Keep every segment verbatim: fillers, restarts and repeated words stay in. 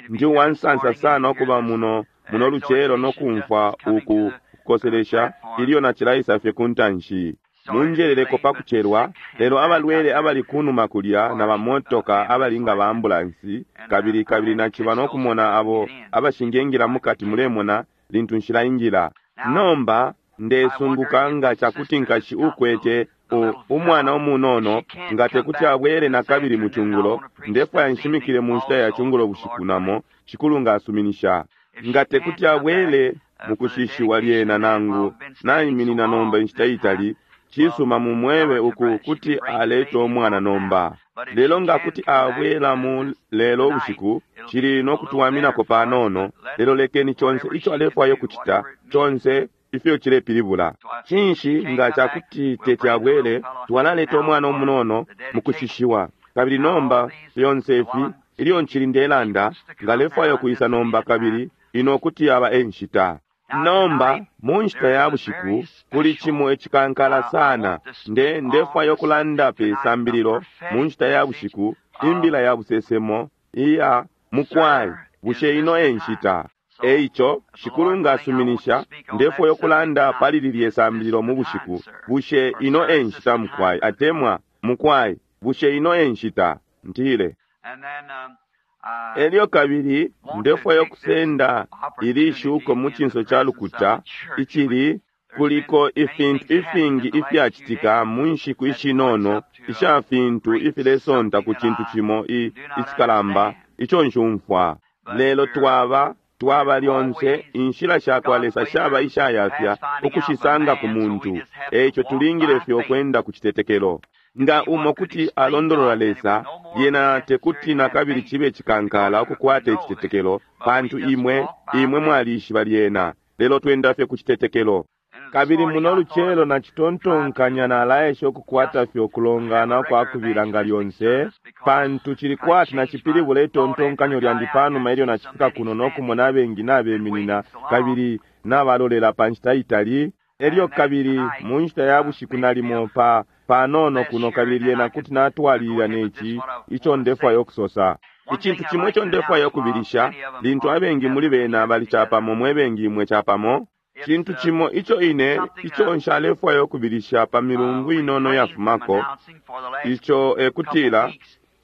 Ndi uwansansa sana ukuba muno muno lucelo no kumfwa uku kukoselesha ilyo nacilaisa fye ku ntanshi. Munjeleleko pa kucelwa, lelo abalwele abali kunuma kulya na bamotoka abali nga ba ambulansi, kabili kabili naciba no kumona abo abashingengila mukati, mulemona, lintu nshilaingila. Nomba ndesunguka nga cakuti nkashi ukwete u, umwana umunono nga tekuti abwele nakabili mu cungulo. Ndefwaya nshimikile mu nshita ya cungulo bushiku namo, Shikulu nga asuminisha. Nga tekuti abwele mukushishiwa lyena, nangu naiminina nomba inshita itali, cisuma mumwebe uku kuti aleta umwana nomba. Lelo nga kuti abwela mu lelo ubushiku, cili no kutuwaminako panono. Lelo lekeni conse ico alefwaya ukucita, conse ifyo cilepilibula. Cinshi nga cakuti teti abwele, twalaleta umwana umunono mukushishiwa. Kabili nomba fyonse ifi, ilyo ncili ndelanda, nga alefwaya ukwisa nomba, kabili ino kuti yaba e nshita. Nomba mu nshita ya bushiku kuli cimo icikankala sana. Nde ndefwaya ukulanda pe sambililo mu nshita ya bushiku, imbila ya busesemo iya mukwai, bushe ino e nshita? Eico Shikulu nga asuminisha, ndefwaya ukulanda pali lilye sambililo mu bushiku, bushe ino e nshita mukwai, atemwa mukwai, bushe ino e nshita? Ntile. Elyo kabili ndefwaya ukusenda ili shuko mu cinso ca lukuta icili kuliko ifintu ifingi ifyacitika mu nshiku ishinono isha fintu ifilesonta ku cintu cimo i, icikalamba ico nshumfwa. Lelo twaba twaba lyonse inshila sha kwa Lesa shaba ishayafya ukushisanga ku muntu, eico tulingile fye ukwenda ku citetekelo. Nga umo kuti alondolola Lesa, lyena tekuti nakabili cibe cikankala ukukwata icitetekelo, pantu imwe imwe mwalishiba lyena. Lelo twenda fye ku citetekelo. Kabili muno lucelo nacitontonkanya nalaesha ukukwata fye ukulongana kwa kubila nga lyonse, pantu cili kwati nacipilibula itontonkanyo lyandi panuma ilyo nacifika kuno no kumona abengi nabeminina kabili nabalolela pa nshita itali. Elyo kabili mu nshita ya bushiku nalimo pa panono kuno, kabili lyena kuti natwalilila neci ico ndefwaya ukusosa. Icintu cimo ico ndefwaya ukubilisha, lintu abengi muli bena bali capamo, mwe bengi imwe capamo, cintu cimo ico ine ico nshalefwaya ukubilisha pa milungu inono yafumako, ico ekutila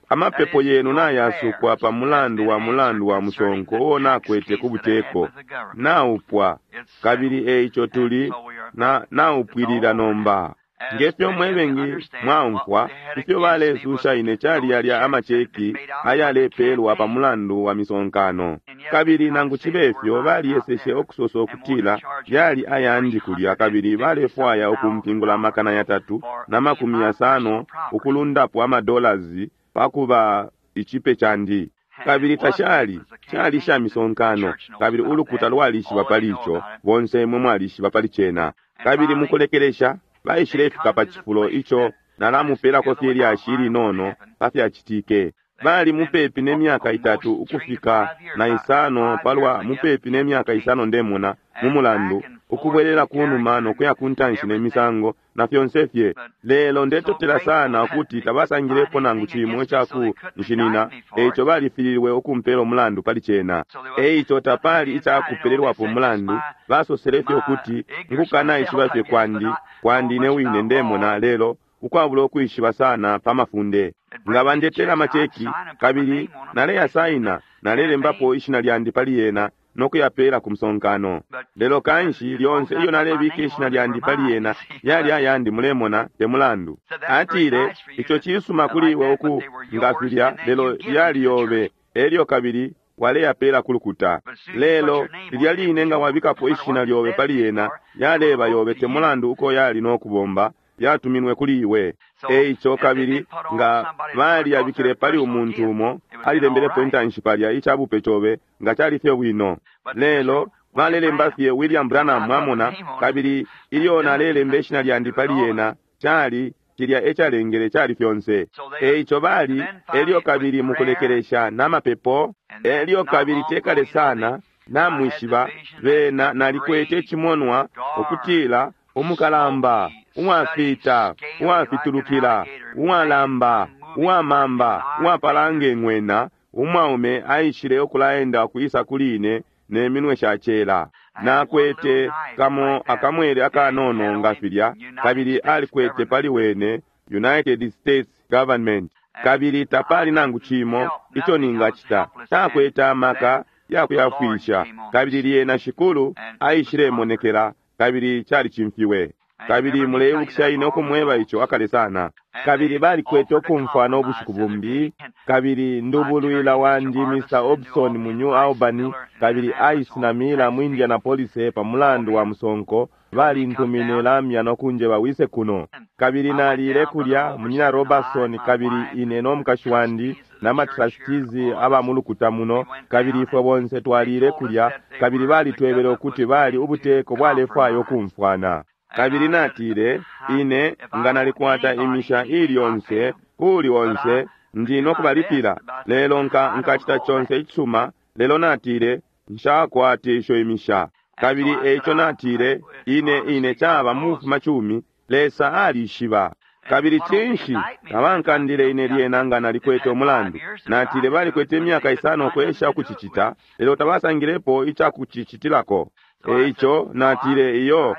amapepo yenu nayasukwa pa mulandu wa mulandu wa musonko uo nakwete ku buteko, naupwa, kabili eico tuli na naupwilila nomba. Ngefyo mwebengi mwaumfwa ifyo balesusha ine cali yalya amacheki ayalepelwa pa mulandu wa misonkano, kabili nangu cibe fyo baliyeseshe ukusosa ukutila yali ayandi kulya, kabili balefwaya ukumpingula amakana yatatu na makumi yasano ukulundapo amadolazi pakuba icipe candi. Kabili tashali cali sha misonkano, kabili ulukuta lwalishiba pali ico, bonse imwe mwalishiba pali cena. Kabili mukulekelesha baishilefika pa cifulo ico nalamupelako fye lyashi ilinono pa fyacitike. Bali mupepi ne myaka itatu ukufika na isano, palwa mupepi ne myaka isano ndemona mu mulandu, ukubwelela kunuma no kuya ku ntanshi ne misango na fyonse fye. Lelo ndetotela sana ukuti tabasangilepo nangu cimo ica kunshinina, eico balifililwe ukumpela umulandu pali cena. Eico tapali ica kupelelwapo umulandu, basosele fye ukuti nkukanaishiba fye kwandi kwandi ine wine ndemona, lelo ukwabula ukwishiba sana pa mafunde. Nga bandetela amacheki kabili naleyasaina, nalelembapo ishina lyandi pali yena no kuyapela ku musonkano. Lelo kanshi lyonse iyo nalebika ishina lyandi pali yena yali ayandi, mulemona, te mulandu. Atile, ico cisuma kuli iwe uku nga filya, lelo yali yobe, elyo kabili waleyapela ku lukuta. Lelo lilya line nga wabikapo ishina lyobe pali yena, yaleba yobe, te mulandu uko yali no kubomba, yatuminwe kuli iwe. Eico kabili nga baliyabikile pali umuntu umo alilembelepo intanshi palya icabupe cobe, nga cali fye bwino. Lelo balelemba fye William Branham, mwamona, kabili ilyo nalelemba ishina lyandi pali yena, cali cilya ecalengele cali fyonse. Eico bali elyo kabili mukulekelesha namapepo, elyo kabili tekale sana namwishiba bena nalikwete icimonwa ukutila umukalamba uwafita uwafitulukila uwalamba uwamamba uwapalanga ing'wena Umwaume aishile ukulaenda ukwisa kuli ine ne minwe shacela. Nakwete kamo akamwele akanono nga filya, kabili alikwete pali wene United States Government. Kabili tapali nangu cimo ico ningacita, takwete amaka yakuyafwisha. Kabili lyena Shikulu aishilemonekela, kabili calicimfiwe. Kabili muleibukisha ine ukumweba ico akale sana. Kabili balikwete ukumfwana ubushiku bumbi, kabili ndubulwila wandi Mister Hobson mu New Albany, kabili Ice na Miller mu Indianapolis pa mulandu wa musonko, balintumine lamya no kunjeba wise kuno. Kabili nalile kulya munyina Robertson, kabili ine no mukashi wandi na matrustees aba mulukuta muno, kabili ifwe bonse twalile kulya, kabili balitwebele ukuti bali ubuteko bwalefwaya ukumfwana. Kabili natile, ine nga nalikwata imisha ili yonse kuli onse ndi nokubalipila, lelo nka nkacita conse icisuma, lelo natile nshakwate isho imisha. Kabili eico natile, ine ine caba mufuma cumi, Lesa alishiba. Kabili cinshi tabankandile ine lyena nga nalikwete umulandu? Natile balikwete imyaka isano ukwesha ukucicita, lelo tabasangilepo icakucicitilako. Eico natile iyo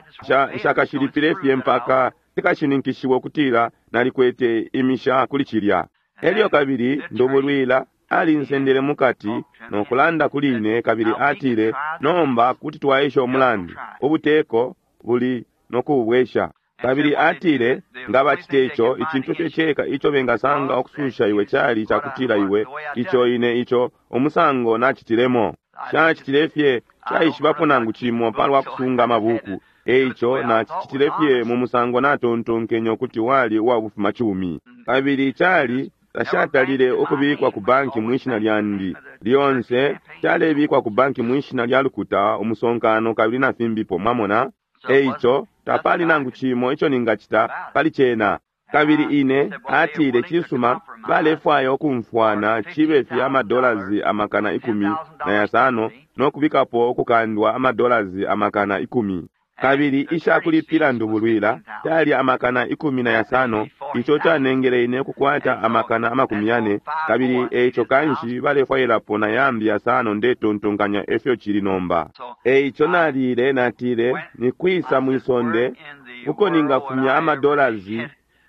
nshakashilipile fye mpaka cikashininkishiwe ukutila nalikwete imisha kuli cilya. Elyo kabili ndubulwila alinsendele mukati no kulanda kuli ine, kabili atile, nomba kuti twaesha umulandu, ubuteko buli no kuubwesha. Kabili atile, nga bacite ico, icintu fye ceka ico bengasanga ukususha iwe cali cakutila iwe, ico ine ico umusango nacitilemo. Shacitile fye caishibapo nangu cimo palwa kusunga amabuku, eico nacicitile fye mu musango natontonkenye ukuti wali uwabufuma cumi. Kabili cali tashatalile ukubikwa ku banki mwishina lyandi lyonse, calebikwa ku banki mwishina lya lukuta umusonkano kabili na fimbipo, mwamona. Eico tapali nangu cimo ico ningacita pali cena. Kabili ine atile cisuma, balefwaya ukumfwana cibe fye amadolasi amakana ikumi na yasano no kubikapo ukukandwa amadolasi amakana ikumi. Kabili ishakulipila ndubulwila cali amakana ikumi na yasano, ico canengele ine ukukwata amakana amakumi yane. Kabili eico kanshi balefwailapo na yambi yasano, ndetontonkanya efyo cili nomba. Eico nalile natile, nikwisa mwisonde uko ningafumya amadolasi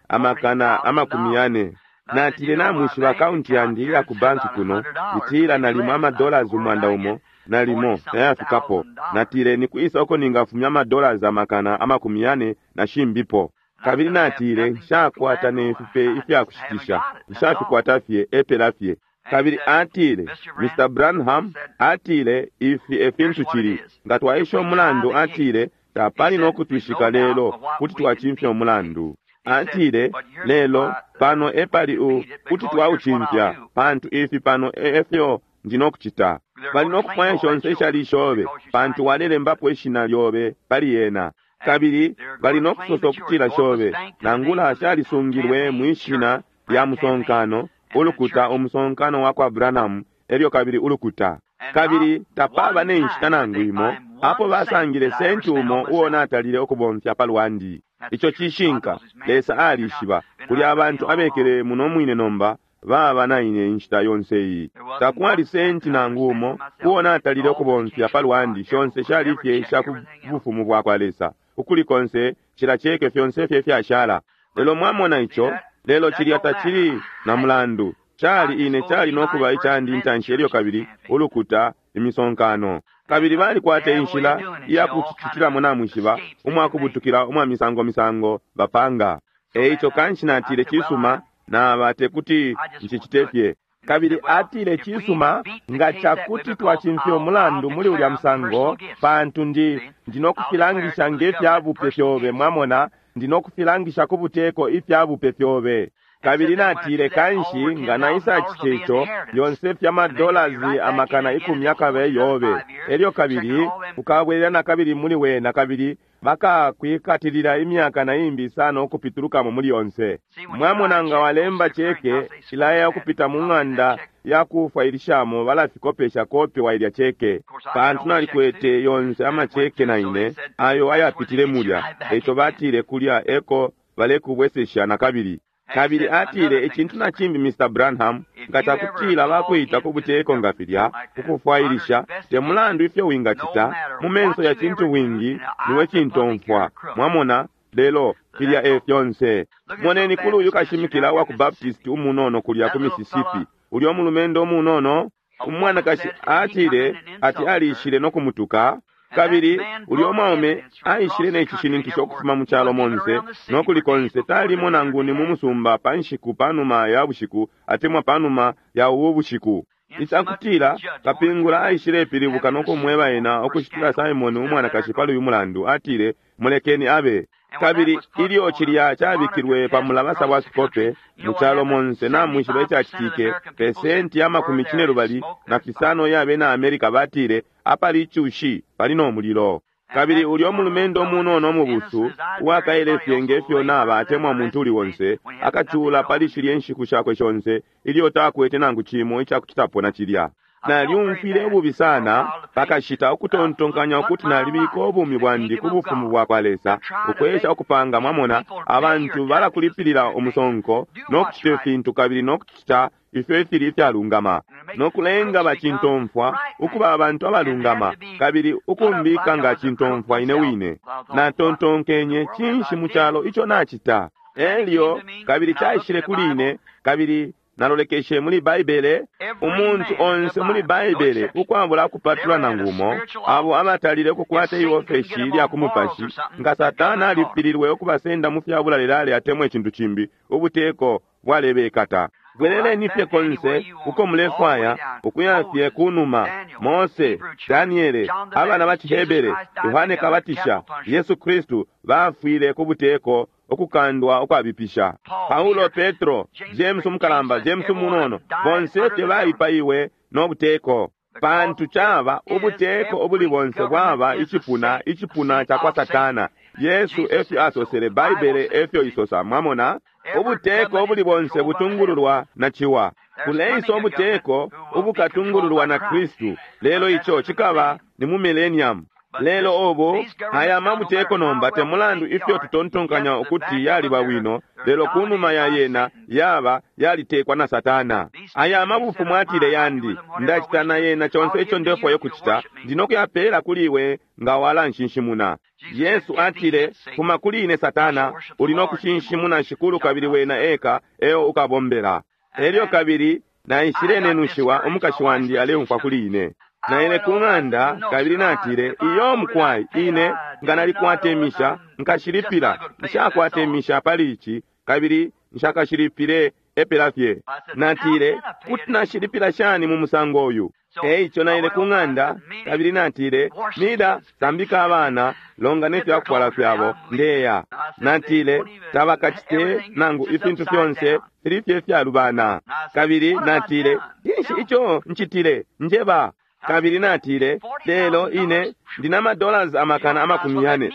amakana amakumi yane? Natile namwishiba akaunti yandi iya ku banki kuno itila nalimo amadolasi umwanda umo nalimo nayafikapo. Natile nikwisa uko ningafumya amadolasi amakana amakumi yane na shimbipo. Kabili natile nshakwata nefipe ifyakushitisha, nshafikwata fye epela fye. Kabili atile, Mister Branham atile ifi efintu cili, nga twaisha umulandu, atile tapali no kutwishika lelo kuti twacimfya umulandu. Atile lelo pano epali u kuti twaucimfya, pantu ifi pano efyo ndinokucita. Bali nokufwaya shonse ishali ishobe, pantu walelembapo ishina lyobe pali yena. Kabili bali nokusosa ukutila shobe, nangula shalisungilwe mwishina lya musonkano, ulukuta umusonkano wa kwa Branham, elyo kabili ulukuta. Kabili tapaba ne nshita nangu imo apo basangile senti umo uo natalile ukubomfya palwandi. Ico cishinka, Lesa alishiba. Kuli abantu abekele muno mwine nomba baba na ine inshita yonse iyi. Takwali senti nangu umo uo natalile ukubomfya palwandi, shonse shali fye isha ku bufumu bwa kwa Lesa. Ukuli konse cila cheke fyonse fye fyashala. Lelo mwamona ico, lelo cilya tacili na mulandu. Cali ine cali nokuba icandi intanshi elyo kabili ulukuta imisonkano. Kabili balikwata inshila iya kucicitilamo namwishiba, umwakubutukila umwa misango misango bapanga. Eico kanshi natile cisuma, naba tekuti ncicite fye. Kabili atile cisuma, nga cakuti twacimfya umulandu muli ulya musango, pantu ndi ndinokufilangisha nge fyabupe fyobe, mwamona, ndinokufilangisha ku buteko ifyabupe fyobe. Kabili natile kanshi nga naisa cite ico, yonse fya madolasi amakana ikumi akabe yobe. Elyo kabili ukabwelela na kabili muli wena, kabili bakakwikatilila imyaka na imbi sana ukupitulukamo muli yonse. Mwamona nga walemba cheke ilaya ukupita mu ng'anda ya kufwailishamo, balafikopesha kopi wa ilya cheke. Pantu nalikwete yonse amacheke na ine ayo ayapitile mulya, eco batile kulya eko balekubwesesha na kabili. Kabili atile, icintu na cimbi, Mister Branham, nga cakutila bakwita ku buteko nga filya, ukufwailisha, te mulandu ifyo wingacita, mu menso ya cintu bwingi, niwe cintomfwa. Mwamona? Lelo filya e fyonse. Moneni kuli uyu kashimikila wa ku Baptist umunono kulya ku Mississippi, ulyo mulumendo umunono, umwanakashi atile ati alishile no kumutuka. Kabili ulyo mwaume aishile ne cishininkisho ukufuma mu calo monse no kuli konse, talimo nangu ni mu musumba pa nshiku panuma ya bushiku atemwa panuma ya ubu bushiku. Icakutila kapingula aishile pilibuka no kumweba ena ukushitila Simon umwanakashi pali uyu mulandu, atile, mulekeni abe. Kabili ilyo cilya cabikilwe pa mulabasa wa fikope mu calo monse, namwishiba icacitike, pesenti ya makumi cine lubali na fisano ya bena Amerika batile apali icushi pali no mulilo. Kabili ulyo mulumendo umunono mubusu uwakaele fye ngefyo naba atemwa muntu uli onse, akacula pali shilye nshiku shakwe shonse ilyo takwete nangu cimo icakucitapo na cilya. Nalyumfwile ububi sana pakashita ukutontonkanya ukuti nalibika ubumi bwandi ku bufumu bwa kwa Lesa, ukwesha ukupanga. Mwamona, abantu balakulipilila umusonko no kucita ifintu kabili no kucita ifyo ifili ifyalungama, no kulenga bacintomfwa ukuba abantu abalungama, kabili ukumbika nga cintomfwa ine wine. Natontonkenye, cinshi mu calo ico nacita? Elyo kabili caishile kuli ine, kabili nalolekeshe muli Baibele, umuntu onse muli Baibele ukwabula kupatula nangu umo, abo abatalile ukukwata iofeshi lya ku mupashi, nga Satana alifililwe ukubasenda mu fya bulalelale atemwa icintu cimbi, ubuteko bwalebekata. Bweleleni fye konse uko mulefwaya, ukuya fye kunuma. Mose, Daniele, abana ba Cihebere, Yohane Kabatisha, Yesu Kristu bafwile ku buteko ukukandwa ukwabipisha. Paulo, Petro, James umukalamba, James umunono, bonse fye baipaiwe no buteko. Pantu caba ubuteko ubuli bonse bwaba icipuna, icipuna ca kwa Satana. Yesu efyo asosele, Baibele efyo isosa. Mwamona? Ubuteko ubuli bonse butungululwa na ciwa. Kuleisa ubuteko ubukatungululwa na Kristu, lelo ico cikaba ni mu millennium. Lelo obo aya mabuteko nomba te mulandu ifyo tutontonkanya ukuti yaliba wino, lelo kunuma ya yena yaba yalitekwa na Satana. Aya mabufumu atile yandi, ndacita na yena conse ico ndefwayo kucita, ndino kuyapela kuli iwe nga walanshinshimuna. Yesu atile, fuma kuli ine Satana, uli no kushinshimuna Shikulu kabili wena eka eo ukabombela. Elyo kabili naishile nenushiwa, umukashi wandi aleumfwa kuli ine. Naile ku ng'anda kabili natile, iyo mukwai, ine nga nalikwata imisha nkashilipila, nshakwata imisha pali ici kabili nshakashilipile epela fye. Natile, kuti nashilipila shani mu musango uyu? Eico naile ku ng'anda kabili natile, Mida, sambika abana, longa ne fyakufwala fyabo, ndeya. Natile, tabakacite nangu ifintu fyonse fili fye fyalubana. Kabili natile, cinshi ico ncitile? Njeba. Kabili natile, lelo ine ndina madollars amakana amakumi yane.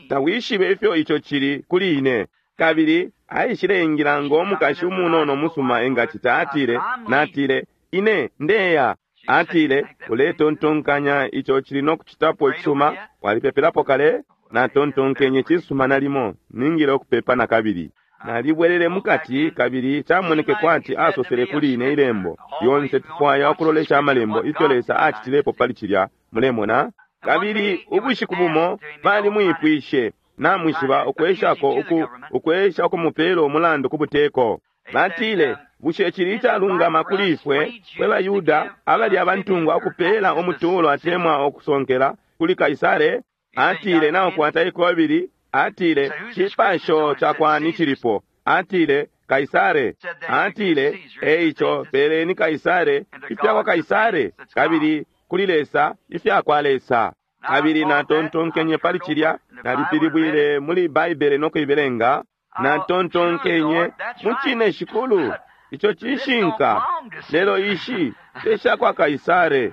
Tawishibe ifyo ico cili kuli ine. Kabili aishile ingila ngo mukashi umunono musuma engacita. Atile, natile, ine ndeya. Atile, uletontonkanya ico cili no kucitapo icisuma, walipepelapo kale? Natontonkenye, cisuma nalimo ningile ukupepa na kabili. Nalibwelele mukati kabili camoneke kwati asosele kuli ine ilembo lyonse. Tufwaya ukulolesha amalembo ifyo Lesa acitilepo pali cilya, mulemona. Kabili ubushiku bumo balimwipwishe, namwishiba, ukweshako uku ukwesha ukumupela umulandu ku buteko. Batile, bushe cili icalungama kuli ifwe fwe baYuda abali abantungwa ukupela umutuulo atemwa ukusonkela kuli Kaisare? Atile, naukwata ikobili. Atile, cipasho ca kwani cilipo? Atile, Kaisare. Atile, eico peleni Kaisare ifya kwa Kaisare, kabili kuli Lesa ifya kwa Lesa. Kabili natontonkenye pali cilya, nalipilibwile muli Baibele no kuibelenga. Natontonkenye, mucine Shikulu, ico cishinka, lelo ishi te sha kwa Kaisare.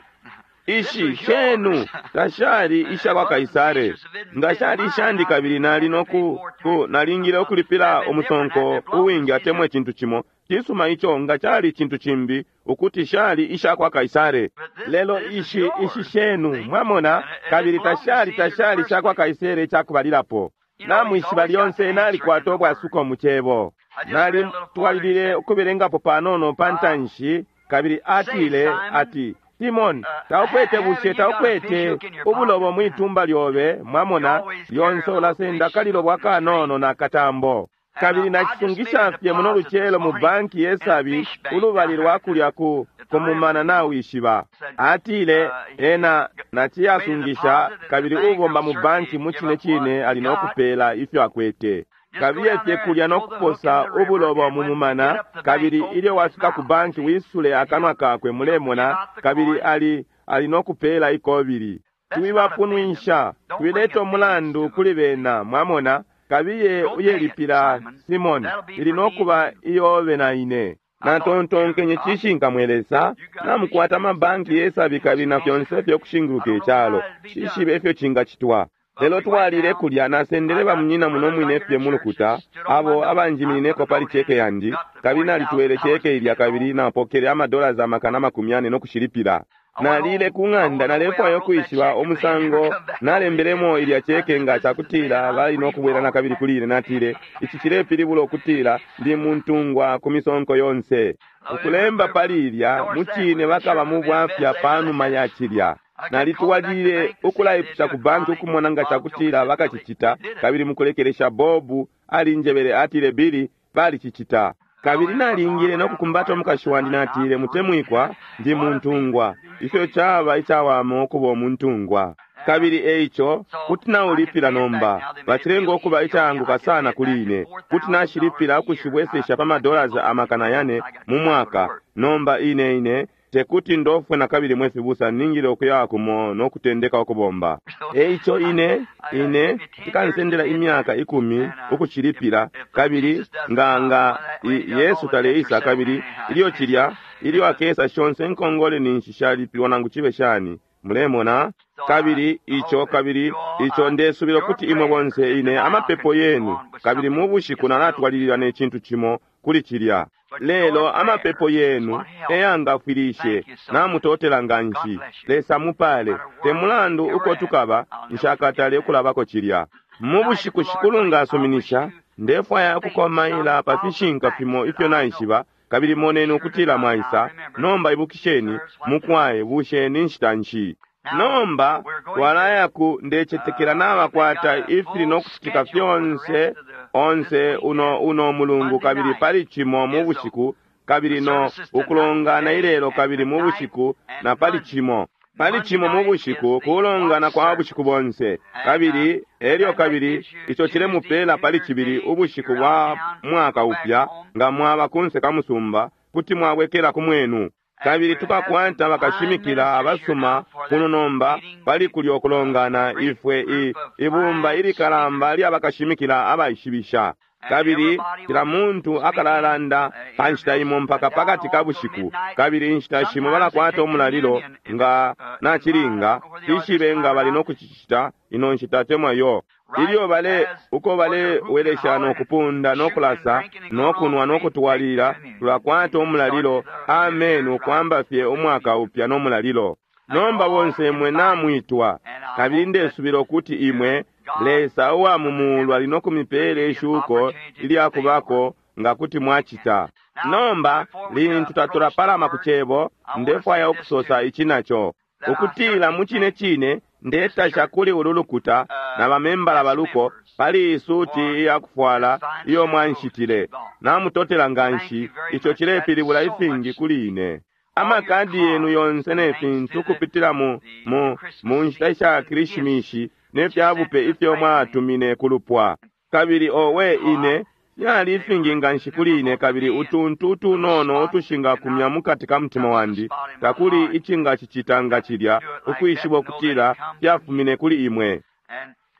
Ishi shenu tashali isha kwa Kaisare. Nga shali ishandi kabili nali noku ku nalingile ukulipila umusonko uwingi atemwa icintu cimo. Cisuma ico nga cali icintu cimbi ukuti shali isha kwa Kaisare. Lelo ishi ishi shenu, mwamona, kabili tashali tashali sha kwa Kaisare icakubalilapo. Namwishiba lyonse nalikwata ubwasuko mu cebo. Nalitwalilile ukubelengapo panono pa ntanshi, kabili atile ati, Simon, taukwete bushe taukwete ubulobo mwitumba lyobe, mwamona, lyonse ulasenda kalilobo akanono na katambo. Kabili nacisungisha fye muno lucelo mu banki yesabi ulubali lwa kulya ku kumumana nawishiba. Atile ena naciyasungisha kabili ubomba mu banki mu cine cine ali no kupela ifyo akwete. Kabiye fye kulya no kuposa ubulobo mu mumana, kabili ilyo wafika ku banki wisule akanwa kakwe, mulemona, kabili ali ali no kupela ikobili. Twibapunwisha, twileta umulandu kuli bena, mwamona. Kabiye uyelipila Simon, ili nokuba iyobe na ine. Natontonkenye cishinka mwe Lesa, namukwata amabanki yesabi kabili na fyonse fyo kushinguluka icalo, shishibe ifyo cingacitwa. Lelo twalile kulya nasendele bamunyina muno mwine fye mu lukuta, abo abanjiminineko pali cheke yandi, kabili nalitwele cheke ilya kabili napokele amadollars amakana makumi ane nokushilipila. Nalile ku ng'anda nalefwaya ukwishiba umusango nalembelemo ilya cheke nga cakutila bali nokubwela nakabili kuli ine. Natile, ici cilepilibula ukutila ndi muntungwa ku misonko yonse. Ukulemba pali ilya mucine bakaba mu bwafya panuma ya cilya. Nalitwalile ukulaipusha ku banki ukumona nga cakutila bakacicita, kabili mukulekelesha Bobu alinjebele atile, Billy, balicicita. Kabili nalingile nokukumbata umukashi wandi, natile, mutemwikwa, ndi muntungwa. Ifyo caba icawama ukuba umuntungwa. Kabili eico kuti naulipila nomba, bacilenga ukuba icaanguka sana kuli ine. Kuti nashilipila ukushibwesesha pa madollars amakana yane mu mwaka. Nomba ine ine tekuti ndofwe nakabili mwe fibusa, ningile ukuya kumo nokutendeka ukubomba. Eico ine ine tikansendela imyaka ikumi ukushilipila, kabili nga nga Yesu taleisa, kabili ilyo cilya ilyo akesa shonse nkongole ninshi shalipilwa nangu cibe shani, mulemona. Kabili ico kabili ico ndesubila ukuti imwe bonse ine amapepo yenu, kabili mu bushiku nalatwalilila ne cintu cimo kuli cilya. Lelo amapepo yenu eyangafwilishe, namutotela nganshi. Lesa mupale. Te mulandu uko tukaba, nshakatale ukulabako cilya. Mu bushiku Shikulu ngasuminisha, ndefwaya ukukomaila pa fishinka fimo ifyo naishiba, kabili moneni ukutila mwaisa. Nomba ibukisheni, mukwaye bushe ni nshita nshi? Nomba twalaya ku ndecetekela nabakwata ifili nokucitika fyonse onse uno uno mulungu, kabili pali cimo mu bushiku, kabili no ukulongana ilelo, kabili mu bushiku na pali cimo pali cimo mu bushiku kulongana kwa bushiku bonse, kabili elyo kabili ico cilemupela pali cibili ubushiku bwa mwaka upya. Nga mwaba kunse ka musumba, kuti mwabwekela ku mwenu. Kabili tukakwata bakashimikila abasuma kuno nomba pali kulya ukulongana ifwe i ibumba ilikalamba lya bakashimikila abaishibisha. Kabili kila muntu akalalanda pa nshita imo mpaka pakati ka bushiku, kabili inshita shimo balakwata umulalilo nga nacilinga tishibe nga bali nokucicita ino nshita temwa yo. Ilyo bale uko balewelesha nokupunda nokulasa nokunwa nokutwalila, tulakwata umulalilo. Amen, ukwamba fye umwaka upya nomulalilo. Nomba bonse imwe namwitwa, kabili ndesubila ukuti imwe Lesa uwa mu mulu ali nokumipela ishuko ilyakubako nga kuti mwacita. Nomba lintu tatulapalama ku cebo, ndefwaya ukusosa ici naco, ukutila mu cine cine ndetasha kuli ulu lukuta na bamembala baluko pali isuti iyakufwala iyo mwanshitile. Namutotela nganshi, ico cilepilibula ifingi kuli ine. Amakadi yenu yonse ne fintu kupitila mu mu mu nshita isha Krishimishi ne fyabupe ifyo mwatumine kulupwa. Kabili owe ine yali ifingi nganshi kuli ine, kabili utuntu utunono utushingakumya mukati ka mutima wandi, takuli icingacicita nga cilya, ukwishiba ukutila fyafumine kuli imwe.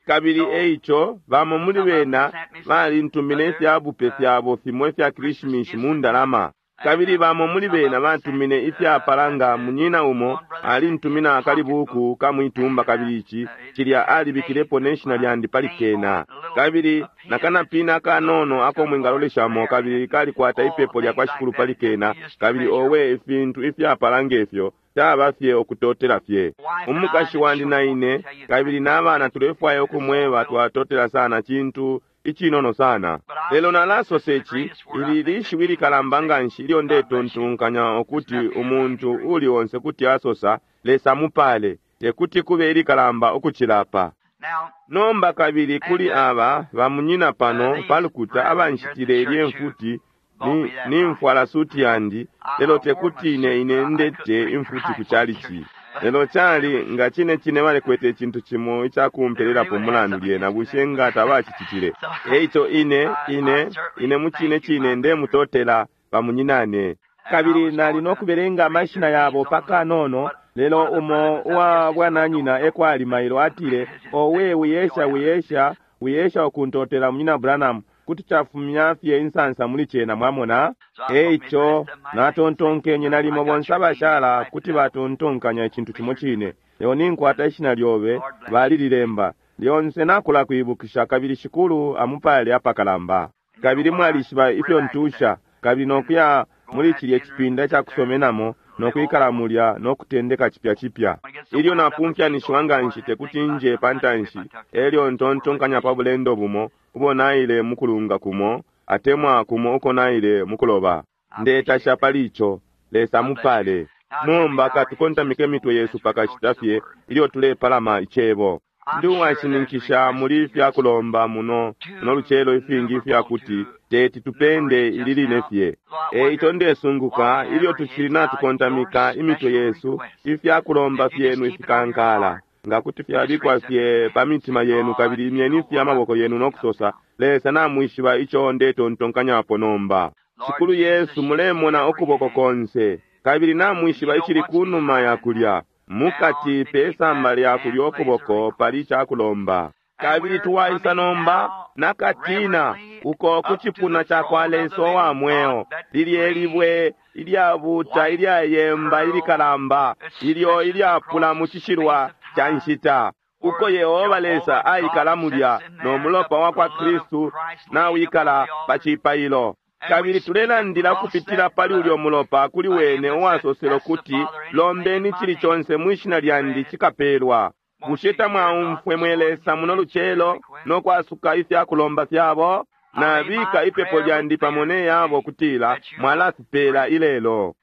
Kabili eico bamo muli bena balintumine ifyabupe fyabo fimo ifya Krishimishi mu ndalama. Kabili bamo muli bena batumine ifyapala nga munyina umo alintumina akalibuku kamwitumba, kabili ici cilya alibikilepo ne shina lyandi pali kena, kabili nakanapina akanono ako mwingaloleshamo, kabili kalikwata ipepo lya kwa Shikulu pali kena. Kabili owe ifintu ifyapala ngefyo Caba fye ukutotela fye. Umukashi wandi na ine kabili n'abana tulefwaya ukumweba twatotela sana cintu icinono sana. Lelo nalasosa ici, ili lishiwi likalamba nganshi ilyo ndetontonkanya ukuti umuntu uli onse kuti asosa, Lesa mupale, tekuti kube ilikalamba ukucilapa. Nomba kabili kuli aba bamunyina pano palukuta abanshitile ilye mfuti, ni, nimfwala suti yandi, lelo tekuti ine ine ndete imfuti ku chalichi. Lelo cali nga cine cine balikwete icintu cimo icakumpelelapo mulandu lyena, bushe nga tabacicitile. Eico ine ine ine mu cine cine ndemutotela bamunyinane. Kabili nali nokubelenga amashina yabo pakanono, lelo umo uwa bwananyina ekwali mailo atile, owe wiyesha wiyesha wiyesha ukuntotela munyina Branham, kuti cafumya fye insansa muli cena, mwamona. Eico natontonkenye nalimo bonse abashala kuti batontonkanya icintu cimo cine. Lelo ninkwata ishina lyobe balililemba lyonse, nakula kuibukisha, kabili Shikulu amupale apakalamba. Kabili mwalishiba ifyo ntusha, kabili nokuya muli cilye cipinda cakusomenamo nokwikala mulya nokutendeka cipya cipya. Ilyo napumfyanishiwa nganshi tekuti nje pantanshi, elyo ntontonkanya pa bulendo bumo ubo naile mukulunga kumo, atemwa kumo uko naile mukuloba. Ndetasha pali ico. Lesa mupale. Nomba katukontamike imitwe yesu pakashita fye ilyo tulepalama icebo. Ndi uwashininkisha muli ifyakulomba muno muno lucelo ifingi ifyakuti teti tupende ili line fye. Eico ndesunguka ilyo tucili natukontamika imitwe yesu, ifyakulomba fyenu ifikankala nga kuti fyabikwa fye pa mitima yenu, kabili imyeni fye amaboko yenu nokusosa, Lesa namwishiba ico ndetontonkanyapo nomba. Shikulu Yesu, mulemona ukuboko konse, kabili namwishiba icili kunuma ya kulya. Mukati pe samba lya kulya ukuboko pali cakulomba. Kabili tuwaisa nomba nakatina uko ku cipuna cakwa Lesa wa mweo, lilye libwe ilyabuta ilyayemba ilikalamba, ilyo ilyapula mu cishilwa ca nshita, uko Yehova Lesa aikala mulya, no mulopa wa kwa Kristu nawikala pa cipailo. Kabili tulelandila kupitila pali ulyo mulopa kuli wene uwasosele kuti, lombeni cili conse mwishina lyandi cikapelwa. Bushe tamwaumfwe mwe Lesa muno lucelo nokwasuka ifyakulomba fyabo? Nabika ipepo lyandi pamo ne yabo kutila mwalafipela ilelo.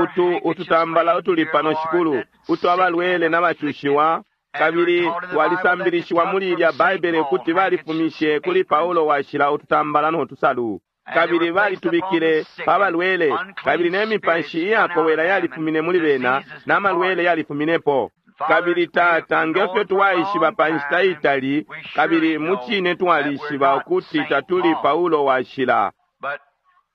Utu ututambala utuli pano Shikulu, utu abalwele n'abacushiwa, kabili twalisambilishiwa muli ilya Baibele kuti balifumishe kuli Paulo washila ututambala notusalu, kabili balitubikile pa balwele, kabili ne mipashi iyakowela yalifumine muli bena, n'amalwele yalifuminepo. Kabili Tata, ngefyo twaishiba pa nshita itali, kabili mucine twalishiba ukuti tatuli Paulo washila.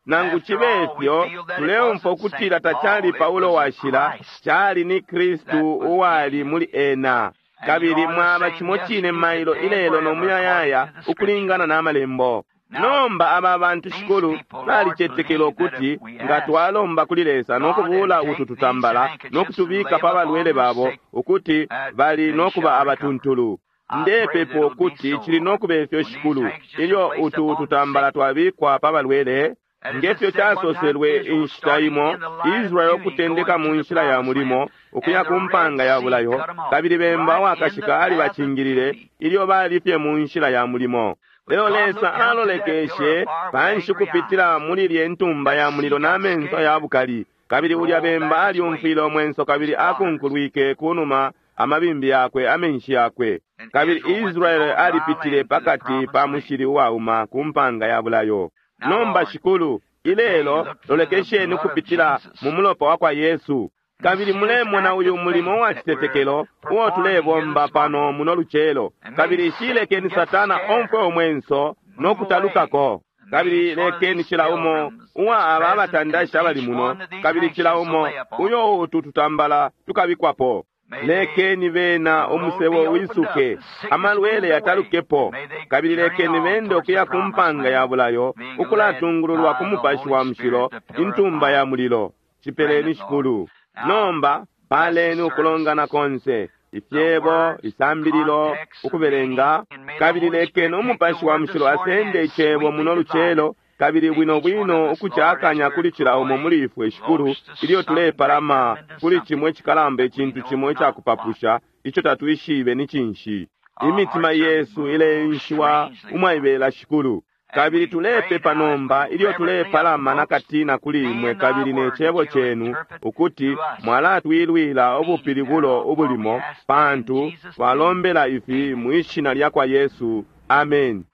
Nangu cibe ifyo, tuleumfwa ukutila tacali Paulo washila, cali ni Kristu uwali muli ena. Kabili mwaba cimo cine mailo ilelo no muyayaya ukulingana n'amalembo. Nomba aba bantu Shikulu balicetekela ukuti nga twalomba kuli Lesa nokubula utu tutambala nokutubika pa balwele babo, ukuti bali nokuba abatuntulu. Ndepepa ukuti cili nokuba ifyo Shikulu, ilyo utu tutambala twabikwa pa balwele. Ngefyo casoselwe inshita imo, Israeli ukutendeka mu nshila ya mulimo ukuya ku mpanga ya bulayo, kabili bemba wakashika alibacingilile ilyo bali fye mu nshila ya mulimo. Lelo Lesa alolekeshe panshi kupitila muli lye ntumba ya mulilo n'amenso ya bukali, kabili ulya bemba alyumfwile omwenso kabili akunkulwike kunuma amabimbi yakwe amenshi yakwe. Kabili Israeli alipitile pakati pa mushili uwauma ku mpanga ya bulayo. Nomba Shikulu, ilelo lolekesheni kupitila mu mulopa wa kwa Yesu, kabili mulemona uyu mulimo wa citetekelo uo tulebomba pano muno lucelo. Kabili shilekeni Satana omfwe omwenso nokutalukako. Kabili lekeni cila umo uwa aba abatandashi abali muno, kabili cila umo uyo utu tutambala tukabikwapo. Lekeni bena umusebo wisuke, amalwele yatalukepo, kabili lekeni bende ukuya ku mpanga ya bulayo, ukulatungululwa ku Mupashi wa Mushilo, intumba ya mulilo. Cipeleni Shikulu. Nomba paleni ukulongana konse, ifyebo, isambililo, ukubelenga, kabili lekeni Umupashi wa Mushilo asende icebo muno lucelo Kabili bwino bwino ukucakanya kuli cila umo muli ifwe, Shikulu, ilyo tulepalama kuli cimo icikalamba, icintu cimo icakupapusha ico tatwishibe ni cinshi. Imitima yesu ileenshiwa umwaibela, Shikulu. Kabili tulepepa nomba ilyo tulepalama nakatina kuli imwe kabili ne cebo cenu, ukuti mwalatwilwila ubupilibulo ubulimo, pantu twalombela ifi mwi shina lya kwa Yesu. Amen.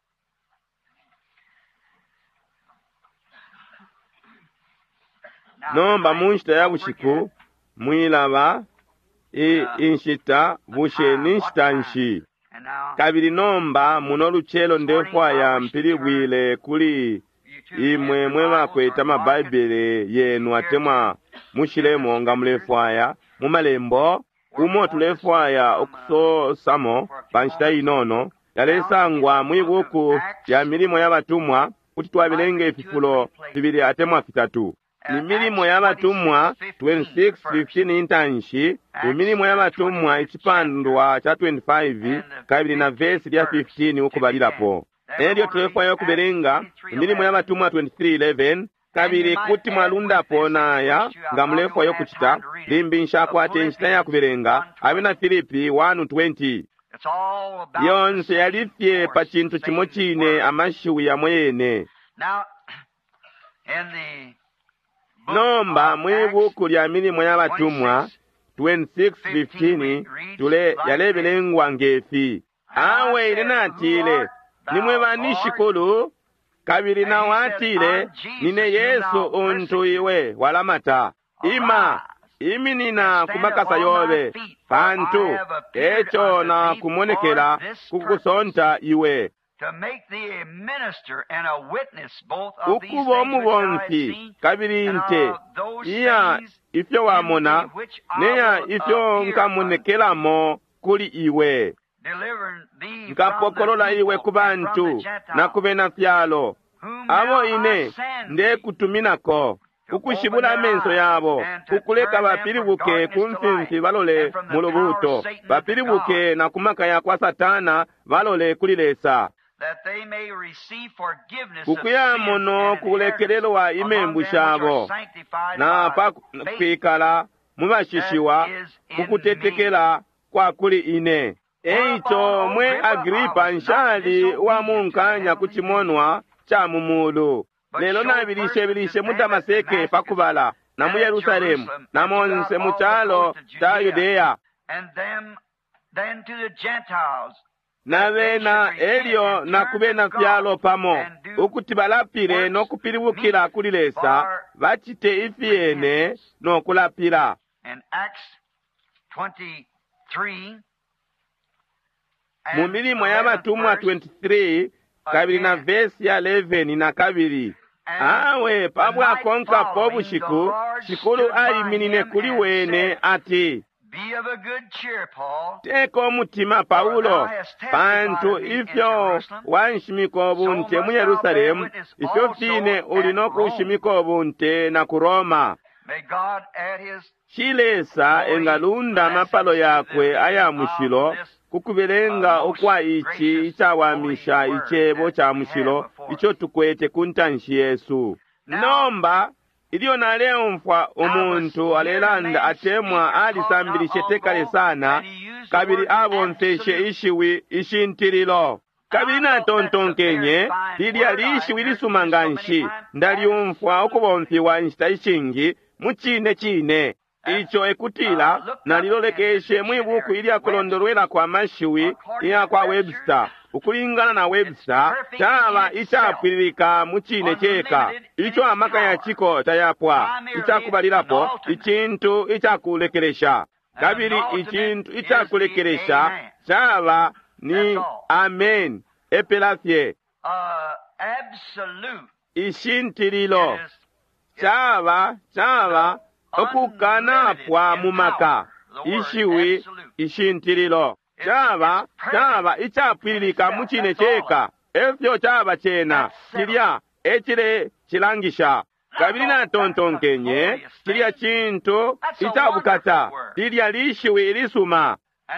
Nomba mu nshita ya bushiku mwilaba i inshita, bushe ni nshita nshi? Kabili nomba muno lucelo ndefwaya mpilibwile kuli imwe mwe bakwete amabaibele yenu atemwa mushilemo nga mulefwaya mu malembo umo tulefwaya ukusosamo pa nshita inono, yalesangwa mwi buku lya Milimo ya Batumwa. Kuti twabelenga ififulo fibili atemwa fitatu. Imilimo ya Batumwa twenty-six fifteen intanshi, Imilimo ya Batumwa icipandwa ca twenty-five kabili na vesi lya fifteen ukubalilapo. Elyo tulefwaya ukubelenga Imilimo ya Batumwa twenty-three eleven, kabili kuti mwalundapo naya nga mulefwaya ukucita. Limbi nshakwate inshita ya kubelenga Abena Filipi one twenty. Yonse yali fye pa cintu cimo cine, amashiwi yamo yene. Nomba mwi buku lya Milimo ya Batumwa twenty-six fifteen tule yalebelengwa ngefi: Awe ine natile, nimwe bani, Shikulu? Kabili nawo atile, nine Yesu untu iwe walamata. Ima, iminina ku makasa yobe, pantu eco na kumonekela kukusonta iwe ukuba umubomfi kabili nte iya ifyo wamona neya ifyo nkamonekelamo kuli iwe. Nkapokolola iwe ku bantu na ku bena fyalo abo ine ndekutuminako, ukushibula amenso yabo, kukuleka bapilibuke ku mfimfi balole mu lubuuto, bapilibuke na ku maka ya kwa Satana balole kuli Lesa, kukuyamono kulekelelwa imembu shabo na pa kwikala mubashishiwa kukutetekela kwa kuli ine. Eico mwe Agripa, nshali wa munkanya ku cimonwa ca mu mulu, lelo nabilishe mu Damaseke pakubala, na mu Yerusalemu, na monse mu calo ca Yudeya, na bena elyo na ku bena fyalo pamo, ukuti balapile no kupilibukila kuli Lesa, bacite ifiyene no kulapila. Mu Milimo ya Batumwa twenty-three kabili na vesi ya eleven na kabili, awe pabwakonkapo ubushiku Shikulu aiminine kuli wene ati, teka umutima, Paulo, pantu ifyo wanshimika ubunte mu Yerusalemu, ifyo fine uli no kushimika ubunte na ku Roma. Shi Lesa engalunda amapalo yakwe aya mushilo kukubelenga ukwa ici icawamisha icebo ca mushilo ico tukwete ku ntanshi yesu. Nomba ilyo naleumfwa umuntu alelanda atemwa alisambilishe tekale sana, kabili abomfeshe ishiwi ishintililo, kabili natontonkenye lilya lishiwi lisuma nga nshi, ndalyumfwa ukubomfiwa inshita ishingi mu cine cine. Ico ekutila nalilolekeshe mwi buku ilya kulondolwelako amashiwi iya kwa Webster. Ukulingana na Webster, caba icapwililika mu cine ceka, ico amaka ya ciko tayapwa, icakubalilapo icintu icakulekelesha, kabili icintu icakulekelesha caba ni amen, epela fye. Ishintililo caba caba okukanapwa mu maka, ishiwi ishintililo caba caba icapwililika mu cine ceka, efyo caba cena, cilya ecile cilangisha. Kabili natontonkenye cilya cintu icabukata, lilya lishiwi ilisuma.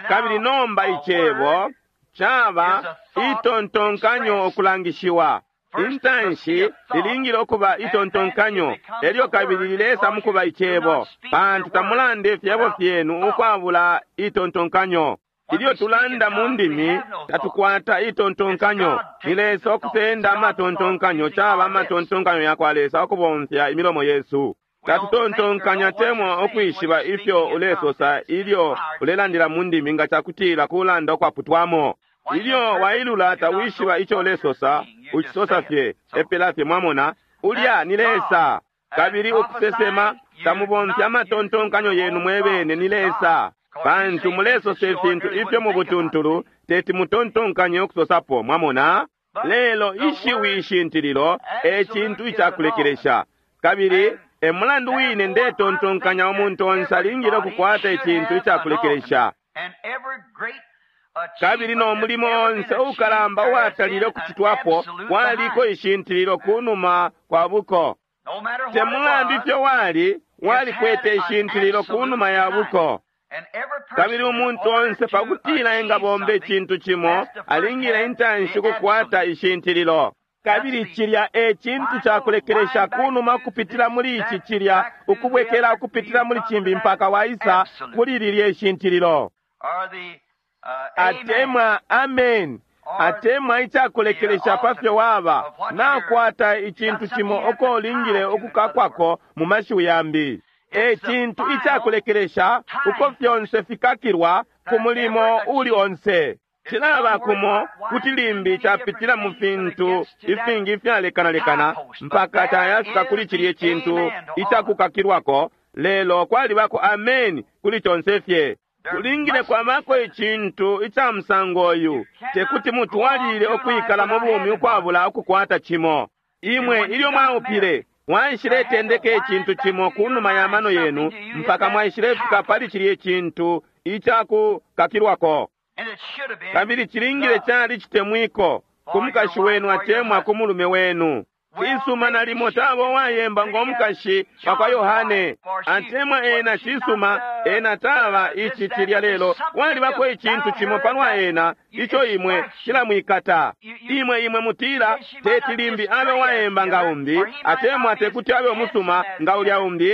Kabili nomba icebo caba itontonkanyo okulangishiwa. Intanshi lilingile ukuba itontonkanyo, elyo kabili lilesa mukuba icebo, pantu tamulanda ifyebo fyenu ukwabula itontonkanyo. Ilyo tulanda mu ndimi tatukwata itontonkanyo. Ni Lesa ukusenda amatontonkanyo, caba amatontonkanyo yakwa Lesa ukubomfya imilomo yesu. Tatutontonkanya temwa ukwishiba ifyo ulesosa ilyo ulelandila mu ndimi nga cakutila kulanda ukwaputwamo. Ilyo wailula tawishiba ico ulesosa, ucisosa fye epela fye. Mwamona, ulya ni Lesa. Kabili ukusesema tamubomfya amatontonkanyo yenu mwebene, ni Lesa, pantu mulesosa ifintu ifyo mu butuntulu teti mutontonkanye ukusosapo. Mwamona, lelo ishiwi ishintililo e cintu icakulekelesha. Kabili e mulandu wine ndetontonkanya umuntu onse alingile ukukwata icintu icakulekelesha. Kabili no mulimo onse ukalamba uwatalile ukucitwapo waliko ishintililo kunuma kwa buko. Te mulandu ifyo wali, walikwete ishintililo kunuma ya buko. Kabili umuntu onse pakutila engabomba icintu cimo alingile intanshi ukukwata ishintililo. Kabili cilya e cintu cakulekelesha kunuma kupitila muli ici, cilya ukubwekela ukupitila muli cimbi mpaka waisa kuli lilye ishintililo. Atemwa amen, atemwa icakulekelesha pafyo waba nakwata icintu cimo uko ulingile ukukakwako. Mu mashiwi yambi, e cintu icakulekelesha uko fyonse fikakilwa ku mulimo uli onse. Cilaba kumo kuti limbi capitila mu fintu ifingi ifyalekanalekana mpaka cayafika kuli cilye cintu icakukakilwako, lelo kwalibako ameni kuli conse fye. Kulingile kwabako icintu ica musango uyu. Tekuti mutwalilile ukwikala mu bumi ukwabula ukukwata cimo. Imwe ilyo mwaupile, mwaishiletendeka icintu cimo kunuma ya mano yenu mpaka mwaishilefika pali cilye cintu icakukakilwako. Kabili cilingile cali citemwiko ku mukashi wenu atemwa ku mulume wenu. Cisuma, nalimo taba uwayemba ngo mukashi wakwa Yohane, atemwa ena cisuma, ena taba ici cilya, lelo walibako icintu cimo palwa ena ico imwe cilamwikata. Imwe imwe mutila teti limbi abe uwayemba nga umbi, atemwa tekuti abe umusuma nga ulya umbi,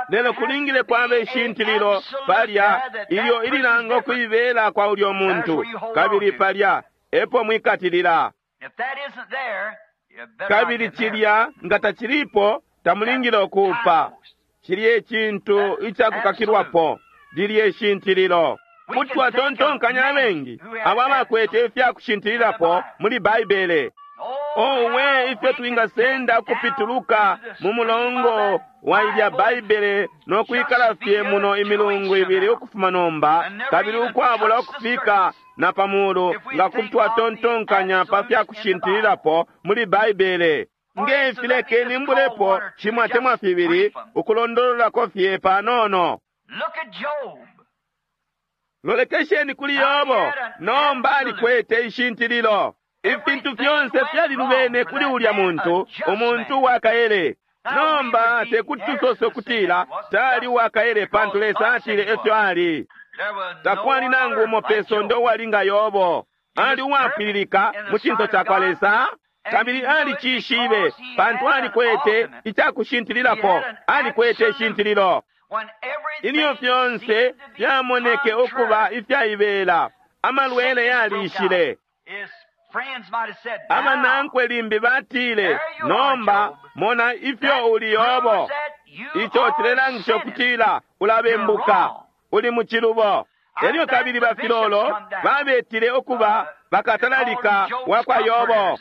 lelo kulingile kwaba ishintililo palya ilyo ililanga ukuibela kwa ulyo muntu, kabili palya epo mwikatilila. Kabili cilya nga tacilipo, tamulingile ukuupa. Cilya icintu icakukakilwapo, lilye ishintililo. Kuti twatontonkanya abengi abo abakwete ifyakushintililapo muli Baibele. Owe, ifyo twingasenda ukupituluka mu mulongo wa ilya Baibele no kwikala fye muno imilungu ibili ukufuma nomba, kabili ukwabula ukufika na pamulu, nga kuti twatontonkanya pa fyakushintililapo muli Baibele. Nge filekeni mbulepo cimo atemwa fibili ukulondololako fye panono. Lolekesheni kuli Yobo. Nomba alikwete ishintililo. Ifintu fyonse fyalilubene kuli ulya muntu, umuntu wakaele. Nomba tekuti tusose ukutila tali wakaele, pantu Lesa atile efyo ali. Takwali nangu umo pe sonde uwali nga Yobo. Ali uwapwililika mu cinso cakwa Lesa, kabili alicishibe pantu alikwete icakushintililapo, alikwete ishintililo. Ilyo fyonse fyamoneke ukuba ifyaibela, amalwele yalishile. Abanankwe limbi batile, nomba mona ifyo uli Yobo, ico cilelangisha ukutila ulabembuka, uli mu cilubo. Elyo kabili bafilolo babetile ukuba bakatalalika wakwa Yobo,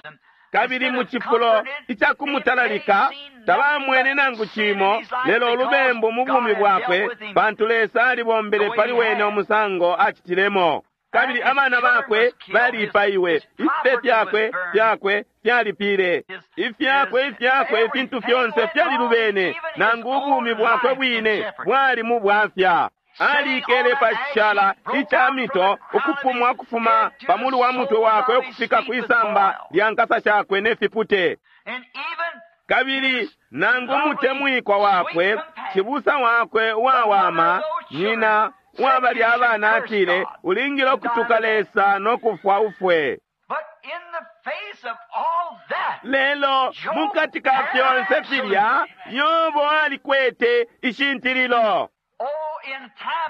kabili mu cifulo icakumutalalika tabamwene nangu cimo lelo ulubembu mu bumi bwakwe, pantu Lesa alibombele pali wene umusango acitilemo. Kabili abana bakwe balipaiwe, ifipe fyakwe fyakwe fyalipile, ifyakwe ifyakwe ifintu fyonse fyalilubene, nangu ubumi bwakwe bwine bwali mu bwafya. Alikele pa cishala ica mito, ukupumwa kufuma pamulu wa mutwe wakwe ukufika kwisamba lya nkasa shakwe ne fipute. Kabili nangu umutemwikwa wakwe, cibusa wakwe uwawama, nyina uwabali abana, atile, ulingile ukutuka Lesa no kufwa ufwe. Lelo mukati ka fyonse filya, Yobo alikwete ishintililo.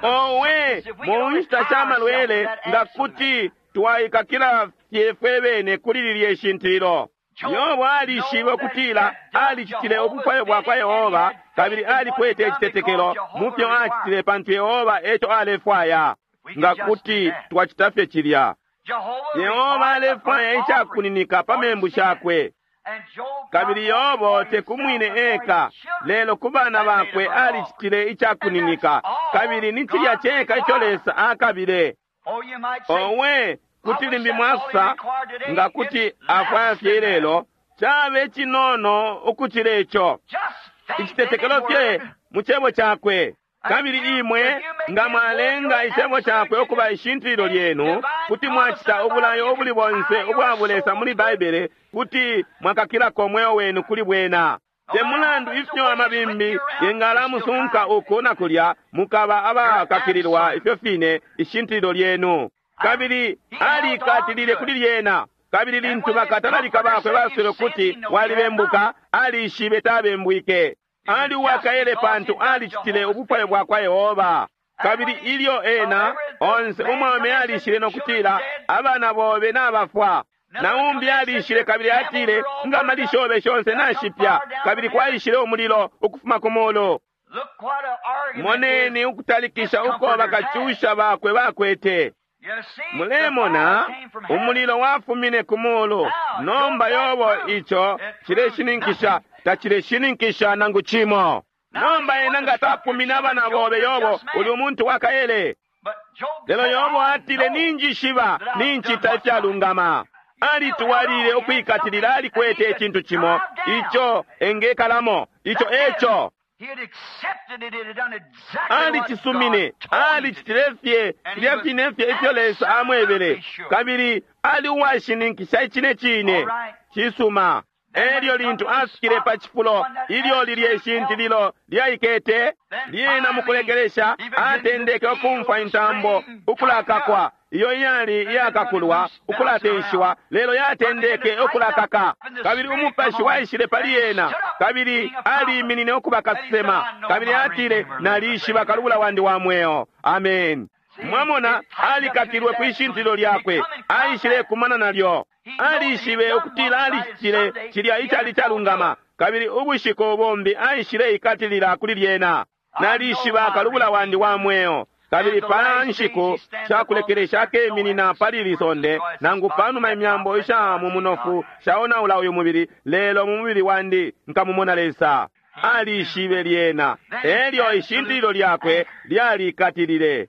Owe, mu nshita sha malwele nga kuti twaikakila fye fwe bene kuli lilye ishintililo. Yobo alishibe ukutila alicitile ubufwayo bwa kwa Yehova kabili alikwete icitetekelo mu fyo acitile pantu Yehova eco alefwaya. Nga kuti twacita fye cilya. Yehova alefwaya icakuninika pa membu shakwe. Kabili Yobo tekumwine eka, lelo ku bana bakwe alicitile icakuninika, kabili ni cilya ceka ico Lesa akabile. Owe, kuti limbi mwasa nga kuti afwaya fye ilelo, cabe cinono ukucila ico. Icitetekelo fye mu cebo cakwe. Kabili imwe nga mwalenga icebo cakwe ukuba ishintililo lyenu, kuti mwacita ubulayo ubuli bonse ubwa bulesa muli Baibele, kuti mwakakilako mweo wenu kuli bwena. Te mulandu ifyo amabimbi yengalamusunka uku na kulya, mukaba abakakililwa ifyo fine ishintililo lyenu. Kabili alikatilile kuli lyena. Kabili lintu bakatalalika bakwe baswele kuti walibembuka, alishibe tabembwike. Ali uwakaele pantu alicitile ubufwayo bwa kwa Yehova. Kabili ilyo ena onse umwaume alishile no kutila abana bobe nabafwa. Na umbi alishile kabili atile nga malisho obe shonse nashipya, kabili kwaishile umulilo ukufuma ku mulu. Moneni ukutalikisha uko bakacusha bakwe bakwete. Mulemona umulilo wafumine ku mulu. Nomba Yobo ico cileshininkisha tacileshininkisha nangu cimo. Nomba ena nga tapumina abana bobe Yobo uli umuntu wakaele. Lelo Yobo atile ninjishiba nincita ifyalungama. Alituwalile ukwikatilila, alikwete icintu cimo ico engekalamo, ico eco alicisumine, alicitile fye filya fine fye ifyo Lesa amwebele, kabili ali uwashininkisha icine cine. Cisuma. Elyo lintu afikile pa cifulo ilyo lilye ishintililo lyaikete, lyena mukulekelesha atendeke ukumfwa intambo ukulakakwa, iyo iyali iyakakulwa ukulatenshiwa, lelo yatendeke ukulakaka. Kabili umupashi waishile pali yena, kabili aliiminine ukuba kasesema, kabili atile nalishiba kalubula wandi wa mweo. Amen. Mwamona, alikakilwe kwi shintililo lyakwe, aishile kumana nalyo. Alishibe ukutila alicitile cilya icali calungama, kabili ubushiku bumbi aishile ikatilila kuli lyena. Nalishiba kalubula wandi wa mweo, kabili pa nshiku shakulekelesha akeminina pali ili sonde, nangu panuma imyambo isha mu munofu shaonaula uyu mubili, lelo mu mubili wandi nkamumona Lesa. Alishibe lyena, elyo ishintililo lyakwe lyalikatilile.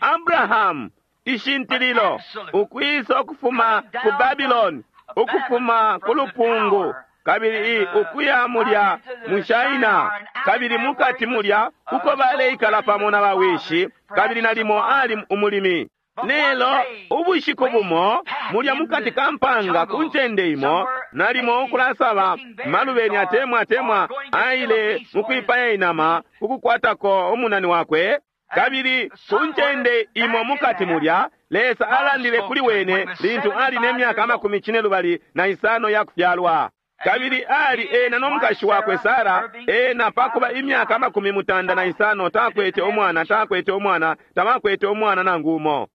Abrahamu ishintililo ukwisa ukufuma ku Babylon, ukufuma ku lupungu, kabili ukuya mulya mu China, kabili mukati mulya uko baleikala pamo na bawishi, kabili nalimo ali umulimi. Lelo ubushiku bumo mulya mukati ka mpanga ku ncende imo, nalimo ukulasaba malubeni atemwa atemwa aile mukwipaya inama kukukwatako umunani wakwe. Kabili ku ncende imo mukati mulya, Lesa alandile kuli wene lintu ali ne myaka amakumi cine lubali na isano ya kufyalwa. Kabili ali ena no mukashi wakwe Sara, ena pakuba imyaka amakumi mutanda na isano takwete umwana, takwete umwana, tabakwete umwana nangu umo.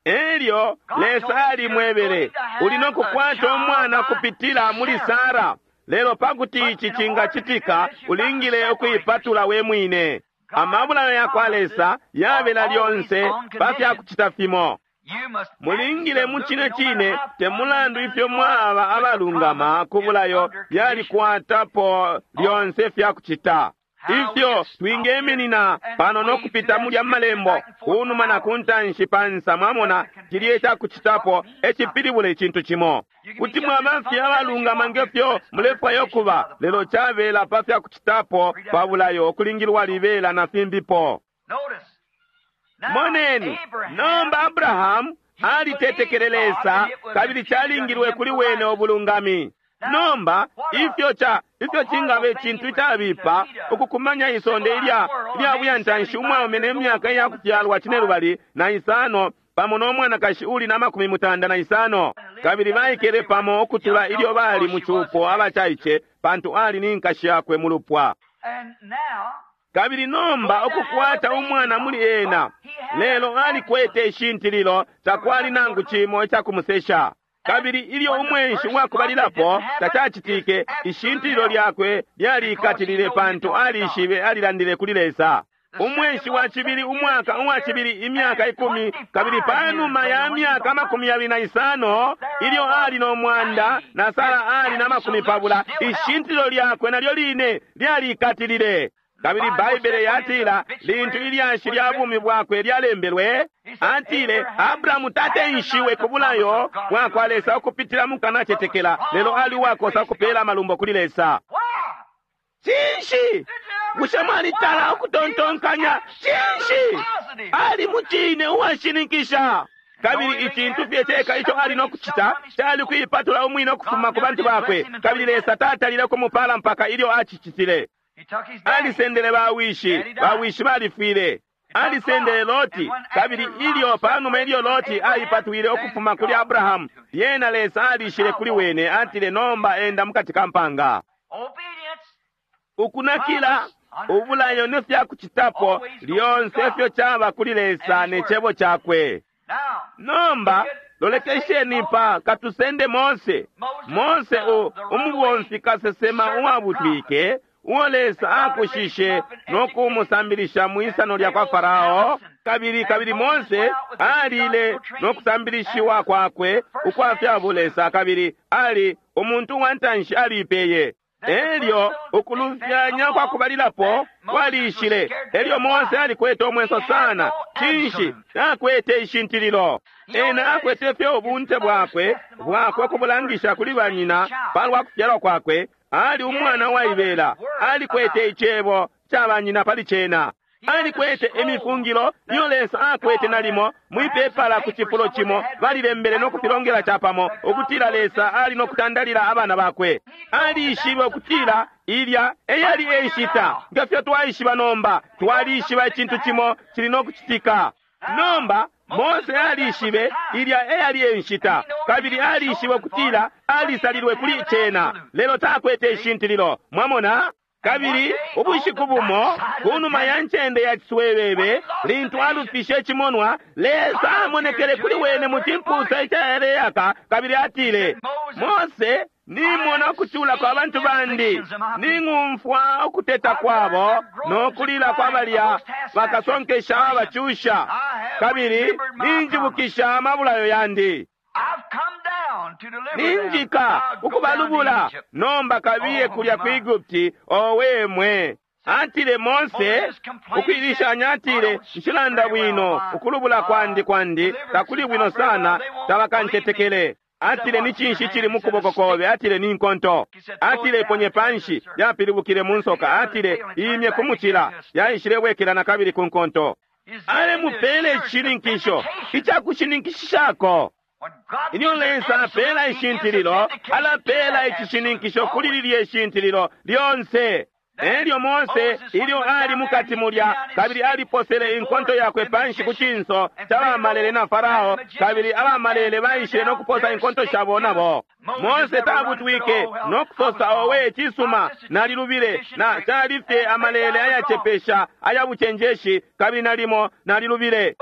Elyo Lesa alimwebele, uli no kukwata umwana kupitila muli Sara, lelo pakuti ici cingacitika ulingile ukuipatula we mwine. Amabulayo ya kwa Lesa yabela lyonse pa fya kucita fimo. Mulingile mu cine cine, te mulandu ifyo mwaba abalungama ku bulayo, yalikwatapo lyonse fya kucita. Ifyo twingeminina pano no kupita mulya malembo kunuma na kuntanshi pansa, mwamona cilye cakucitapo ecipilibula icintu cimo. Kuti mwaba fye abalungama ngefyo mulefwaya ukuba, lelo cabela pa fya kucitapo pa bulayo ukulingilwa libela na fimbipo. Moneni, nomba Abrahamu alitetekele Lesa, kabili calingilwe kuli wene ubulungami. Nomba ifyo cha ifyo cingaba icintu icabipa ukukumanya isonde ilya ilya buyantanshi umwaume ne myaka iya kufyalwa cine lubali na isano pamo no mwanakashi uli na makumi mutanda na isano, Kabili baikele pamo ukutula ilyo bali mu cupo abacaice, pantu ali ni nkashi yakwe mu lupwa. Kabili nomba ukukwata umwana muli ena, lelo alikwete ishintililo, takwali nangu cimo icakumusesha. Kabili ilyo umwenshi wakubalilapo tacacitike, ishintililo lyakwe lyalikatilile pantu alishibe alilandile kuli Lesa. Umwenshi wa cibili, umwaka uwa cibili, imyaka ikumi, kabili panuma ya myaka amakumi yabili na isano, ilyo ali no mwanda na Sara ali na makumi pabula, ishintililo lyakwe nalyo line lyalikatilile. Kabili Baibele yatila lintu ilyashi lya bumi bwakwe lyalembelwe, atile Abrahamu tatenshiwe ku bulayo bwakwa Lesa ukupitila mu kanacetekela, lelo ali uwakosa ukupela amalumbo kuli Lesa. Cinshi? Bushe mwalitala ukutontonkanya? Cinshi? Ali mucine uwashininkisha. Kabili icintu fye ceka ico ali no kucita cali kuipatula umwine ukufuma ku bantu bakwe, kabili Lesa tatalile kumupala mpaka ilyo acicitile. Alisendele bawishi, bawishi balifwile. Alisendele Loti, kabili ilyo panuma ilyo Loti aipatwile ukufuma kuli Abrahamu, lyena Lesa alishile kuli wene, atile nomba enda mukati ka mpanga. Ukunakila ubulayo ne fya kucitapo lyonse ifyo caba kuli Lesa ne cebo cakwe. Nomba lolekesheni pa katusende Mose. Mose umubomfi kasesema uwabutwike, uo Lesa akushishe no kumusambilisha mwisano lya kwa Farao. Kabili kabili Mose alile no kusambilishiwa kwakwe ukwa fya bulesa, kabili ali umuntu wa ntanshi alipeye. Elyo ukulufyanya kwa kubalilapo kwalishile. Elyo Mose alikwete omwenso sana. Cinshi? Akwete ishintililo. Ena akwete fye ubunte bwakwe bwakwe kubulangisha kuli banyina palwa kufyalwa kwakwe. Ali umwana waibela, alikwete icebo ca banyina pali cena. Alikwete imifungilo iyo Lesa akwete nalimo mwipepala ku cifulo cimo, balilembele no kupilongela capamo ukutila Lesa ali no kutandalila abana bakwe. Alishibe ukutila ilya eyali enshita, ngefyo twaishiba nomba, twalishiba icintu cimo cili no kucitika. Nomba Mose alishibe ilya eyali enshita, kabili alishibe ukutila alisalilwe kuli cena, lelo takwete ishintililo. Mwamona? Kabili ubushiku bumo kunuma ya ncende ya ciswebebe, lintu alufishe icimonwa, Lesa amonekele kuli wene mu cimpusa icaleyaka, kabili atile, Mose, nimona ukucula kwa bantu bandi, ning'umfwa ukuteta kwabo no kulila kwa balya bakasonkesha abacusha, kabili ninjibukisha amabulayo yandi. Ninjika ukubalubula, nomba kabiye kulya ku Egupti owe mwe. Atile Mose ukwilishanya, atile nshilanda bwino, ukulubula kwandi kwandi takuli bwino sana, tabakancetekele. Atile ni cinshi cili mu kuboko kobe? Atile ni nkonto. Atile ponye panshi, yapilibukile mu nsoka. Atile imye ku mucila, yaishilebwekela na kabili ku nkonto. Alemupele icishininkisho icakushininkishishako. Ilyo Lesa apela ishintililo, alapela icishininkisho kuli lilye ishintililo lyonse. Elyo Mose ilyo ali mukati mulya, kabili aliposele inkonto yakwe panshi ku cinso ca bamalele na Farao, kabili abamalele baishile no kuposa inkonto shabo nabo. Mose tabutwike no kusosa, owe cisuma, nalilubile, na cali fye amalele ayacepesha aya bucenjeshi, kabili nalimo nalilubile.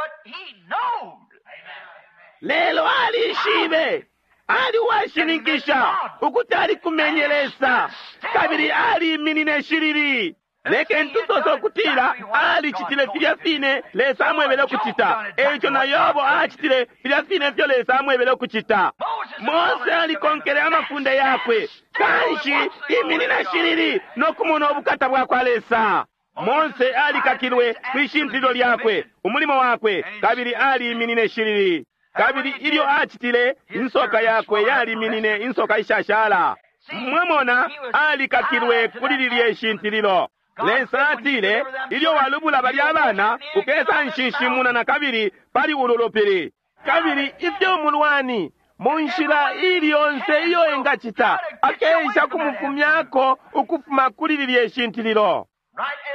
Lelo alishibe, ali uwashininkisha ukuti alikumenye Lesa, kabili aliminine shilili. Lekeni tusose ukutila alicitile filya fine Lesa amwebele ukucita. Eico na Yobo acitile filya fine ifyo Lesa amwebele ukucita. Mose alikonkele amafunde yakwe, kanshi iminina shilili no kumona ubukata bwa kwa Lesa. Mose alikakilwe kwishintililo lyakwe, umulimo wakwe, kabili aliminine shilili. Kabili ilyo acitile, insoka yakwe yaliminine insoka ishashala. Mwamona, alikakilwe kuli lilye ishintililo. Lesa atile, ilyo walubula balya abana, ukesa nshinshimuna na kabili pali ulu lupili. Kabili ifyo umulwani mu nshila ili yonse iyo engacita, akeisha kumufumyako ukufuma kuli lilye ishintililo.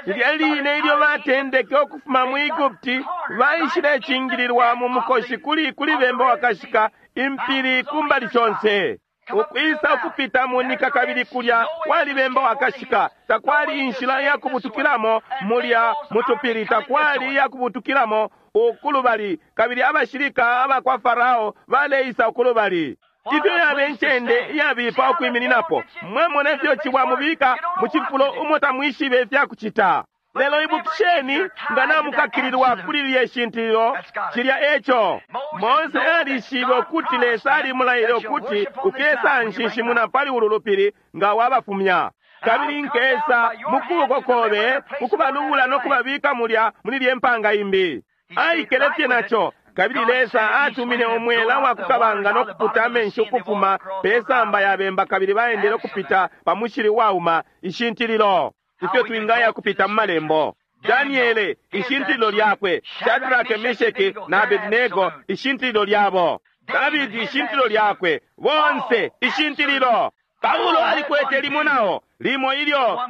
Lilya line ilyo batendeke ukufuma mu Egupti, baishilecingililwa mu mukoshi kuli kuli bemba wakashika Impili kumbali shonse. Ukwisa ukupita munika kabili kulya kwali bemba wakashika. Takwali inshila iyakubutukilamo mulya mutupili, takwali iyakubutukilamo ukulubali, kabili abashilika abakwa Farao baleisa ukulubali. Ifyo yabe incende iyabipa ukwimininapo. Mwamona ifyo cibwa mubika mu cifulo umo tamwishibe ifyakucita. Lelo ibukisheni, nga namukakililwa kuli lilye shintililo, cilya eco. Mose alishibe ukuti Lesa alimulaile ukuti ukesa nshinshimuna pali ulu lupili nga wabafumya. Kabili nkesa mu kuboko kobe ukubalubula no kubabika mulya muli lye mpanga imbi. Aikele fye naco. Kabili Lesa atumine umwela wa kukabanga no kuputa amenshi ukufuma pe samba ya bemba, kabili baendele ukupita pa mushili wauma, ishintililo. Ifyo twingaya kupita mu malembo. Daniele, ishintililo lyakwe. Shadrake, Mesheki na Abednego, ishintililo lyabo. Davidi, ishintililo lyakwe. Bonse, ishintililo. Paulo alikwete limo nao, limo ilyo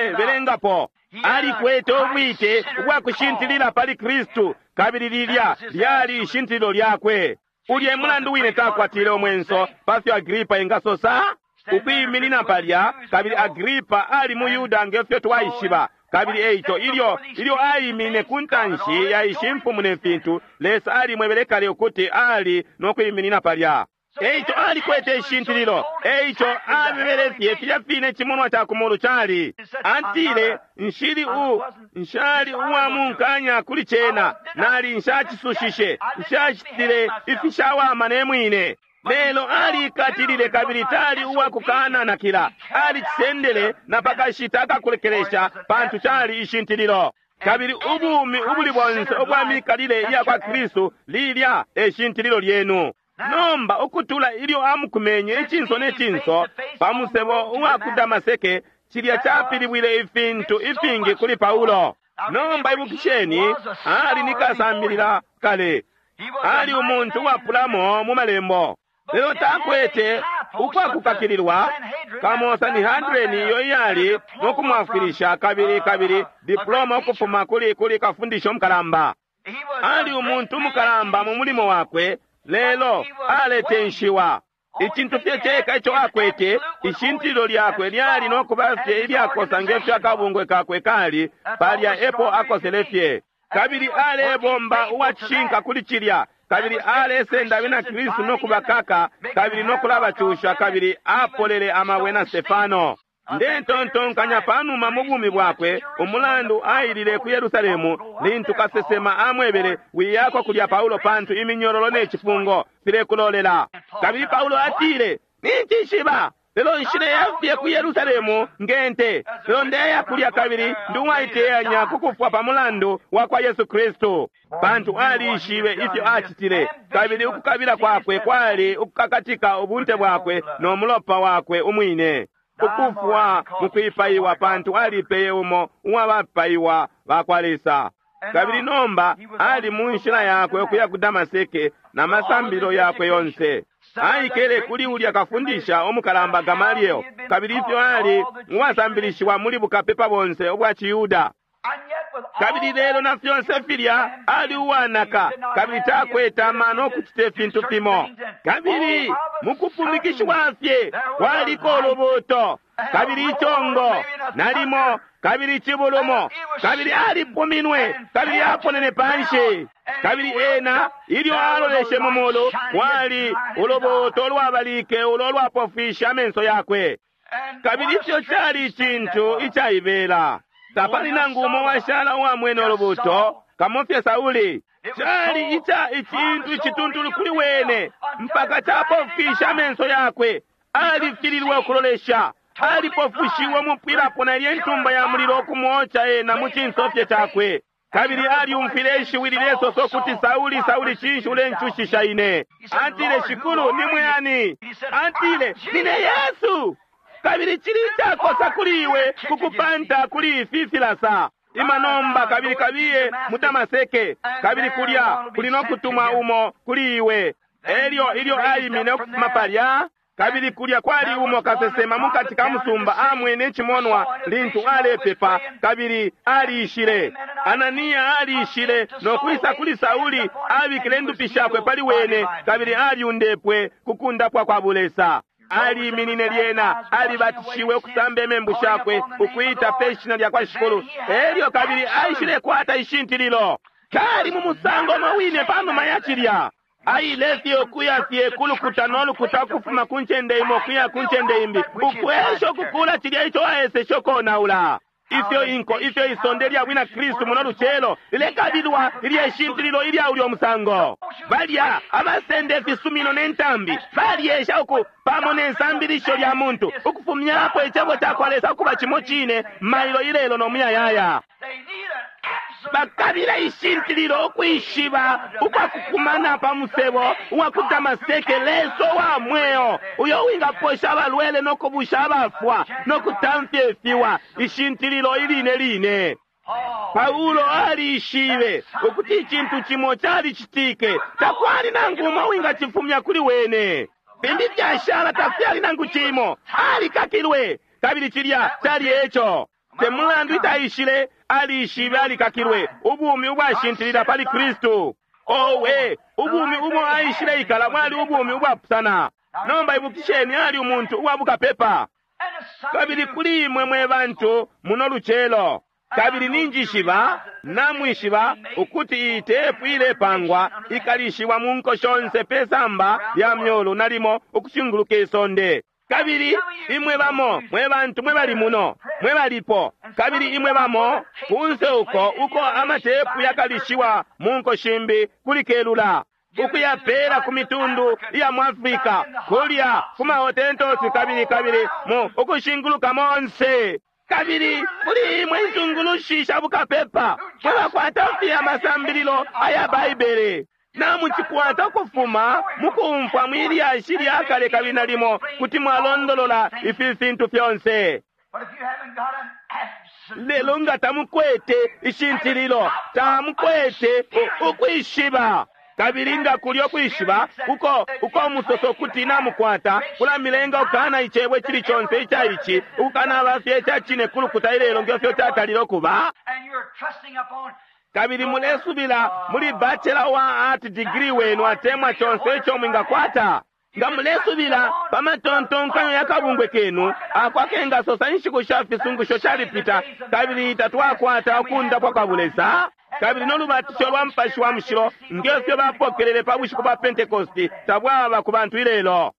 tulebelengapo. Alikwete ubwite ubwa kushintilila pali Kristu, kabili lilya lyali ishintililo lyakwe. Ulye mulandu wine takwatile umwenso pafyo Agripa engasosa ukwiminina palya, kabili Agripa ali mu Yuda ngefyo twaishiba. Kabili eico ilyo ilyo aimine ku ntanshi ya ishi mfumu ne fintu, Lesa alimwebele kale ukuti ali no kwiminina palya. Eico alikwete ishintililo. Eico abebele fye filya fine cimonwa ca kumulu cali. Atile, nshili u nshali uwa munkanya kuli cena, nali nshacisushishe, nshacitile ifishawama ne mwine. Lelo alikatilile kabili tali uwa kukananakila. Alicisendele na pakashita akakulekelesha, pantu cali ishintililo. Kabili ubumi ubuli bonse ubwa mikalile iya kwa Kristu lilya e shintililo lyenu. Nomba ukutula ilyo amukumenye icinso ne cinso pa musebo uwa ku Damaseke, cilya capilibwile ifintu ifingi kuli Paulo. Nomba ibukisheni, ali ni kasambilila kale, ali umuntu uwapulamo mu malembo. Lelo takwete ukwakukakililwa kamo Sanhedrin iyo iyali no kumwafwilisha, kabili kabili diploma ukufuma kuli kuli kafundisha umukalamba. Ali umuntu umukalamba mu mulimo wakwe, lelo aletenshiwa. Icintu fye ceka ico akwete, ishintililo lyakwe lyali no kuba fye ilyakosa ngefyo akabungwe kakwe kali, palya epo akosele fye. Kabili alebomba uwacishinka kuli cilya, kabili alesenda abena Kristu no kubakaka, kabili no kulabacusha, kabili apolele amabwe na Stefano. Ndetontonkanya panuma mu bumi bwakwe, umulandu ailile ku Yerusalemu lintu kasesema amwebele, wiyako kulya Paulo pantu iminyororo ne cifungo filekulolela. Kabili Paulo atile, nincishiba, lelo nshileya ku Yerusalemu ngente, lelo ndeya kulya kabili ndi uwaiteyanya kukufwa pa mulandu wa kwa Yesu Kristu. Pantu alishibe ifyo acitile, kabili ukukabila kwakwe kwali ukukakatika ubunte bwakwe no mulopa wakwe umwine. Ukufwa mukwipaiwa, pantu alipeye umo uwabapaiwa bakwa Lesa. Kabili nomba ali mu nshila yakwe ukuya ku Damaseke na masambilo yakwe yonse. Aikele kuli ulya kafundisha umukalamba Gamaliel, kabili ifyo ali uwasambilishiwa muli bukapepa bonse ubwa Ciyuda. Kabili lelo na fyonse filya ali uwanaka, kabili takwete amano okucita ifintu fimo. Kabili mukupumikishiwa fye kwaliko ulubuuto, kabili icongo nalimo, kabili cibulumo, kabili alipuminwe, kabili aponene panshi. Kabili ena ilyo aloleshe mu mulu, kwali ulubuuto lwabalike ulo lwapofwishe amenso yakwe. Kabili ifyo cali icintu icaibela. Tapali nangu umo washala uwamwene ulubuuto kamofye Sauli. Cali ica icintu icituntulu kuli wene mpaka capofwisha amenso yakwe. Alifililwe ukulolesha, alipofushiwe umupwilapo na ilye ntumba ya mulilo ukumwoca ena mu cinso fye cakwe. Kabili aliumfwile ishiwi lilesosa ukuti, Sauli, Sauli, cinshi ulencushisha ine? Atile, Shikulu, ni mwe ani? Atile, nine Yesu. Kabili cili icakosa kuli iwe kukupanta kuli ifi filasa. Ima nomba kabili kabiye mu Damaseke, kabili kulya kuli no kutuma umo kuli iwe. Elyo ilyo aimine ukufuma palya, Kabili kulya kwali umo kasesema mukati ka musumba amwene icimonwa lintu alepepa, kabili aliishile. Ananiya aliishile no kwisa kuli Sauli, abikile indupi shakwe pali wene, kabili aliundepwe ku kundapwa kwa bulesa. Aliiminine lyena, alibatishiwe ukusamba imembu shakwe, ukuita pe shina lya kwa Shikulu. Elyo kabili aishile kwata ishintililo. Kali mu musango umo wine panuma ya cilya. Aile fye ukuya fye kulukuta no lukuta ukufuma ku ncende imo ukuya ku ncende imbi, ukwesha ukukula cilya ico aeseshe ukonaula. Ifyo inko, ifyo isonde lya bwina Kristu muno lucelo lilekabilwa ilye shintililo ilya ulyo musango. Balya abasenda ifisumino ne ntambi balyesha uku pamo ne nsambilisho lya muntu ukufumyapo icebo ca kwa Lesa ukuba cimo cine mailo ilelo no muyayaya. Bakabila ishintililo ukwishiba ukwakukumana pa musebo uwa ku Damaseke, Lesa wa mweo uyo wingaposha abalwele no kubusha abafwa no kutamfya ifiwa. Ishintililo iline line. Paulo aliishibe ukuti icintu cimo calicitike, takwali nangu umo wingacifumya kuli wene. Fimbi fyashala tafyali nangu cimo, alikakilwe, kabili cilya cali eco. Te mulandu itaishile, aliishibe alikakilwe, ubumi ubwashintilila pali Kristu. Owe, ubumi ubo aishile ikala bwali ubumi ubwapusana. Nomba ibukisheni, ali umuntu uwa bukapepa. Kabili kuli imwe mwe bantu muno lucelo, kabili ninjishiba namwishiba ukuti iyi tepu ilepangwa ikalishiwa mu nko shonse pe samba lya myulu nalimo ukushinguluka isonde. Kabili imwe bamo mwe bantu mwe bali muno mwe balipo, kabili imwe bamo kunse uko uko amatepu yakalishiwa mu nko shimbi kuli kelula ukuyapela ku mitundu iya mu Afrika, kulya ku mahotentosi, kabili kabili mu ukushinguluka monse. Kabili kuli imwe intungulushi sha bukapepa mwe bakwata fye amasambililo aya Baibele, namucikwata ukufuma mukumfwa mwilyashi lya kale, kabili nalimo kuti mwalondolola ifi fintu fyonse. Lelo nga tamukwete ishintililo, tamukwete ukwishiba. Kabili nga kulyo kwishiba uko uko musoso kuti namukwata kulamilenga ukana icebo icili conse ica ici, ukukana fye ica cine kulukuta ilelo ngefyo catalile ukuba. Kabili mulesubila muli bachelor wa art degree wenu atemwa conse ico mwingakwata. Nga mulesubila pa matontonkanyo ya kabungwe kenu ako akengasosa inshiku sha fisungusho shalipita, kabili tatwakwata ukundapwa kwa bulesa, kabili no lubatisho lwa Mupashi wa Mushilo ngefyo bapokelele pa bushiku bwa Pentekosti tabwaba ku bantu ilelo.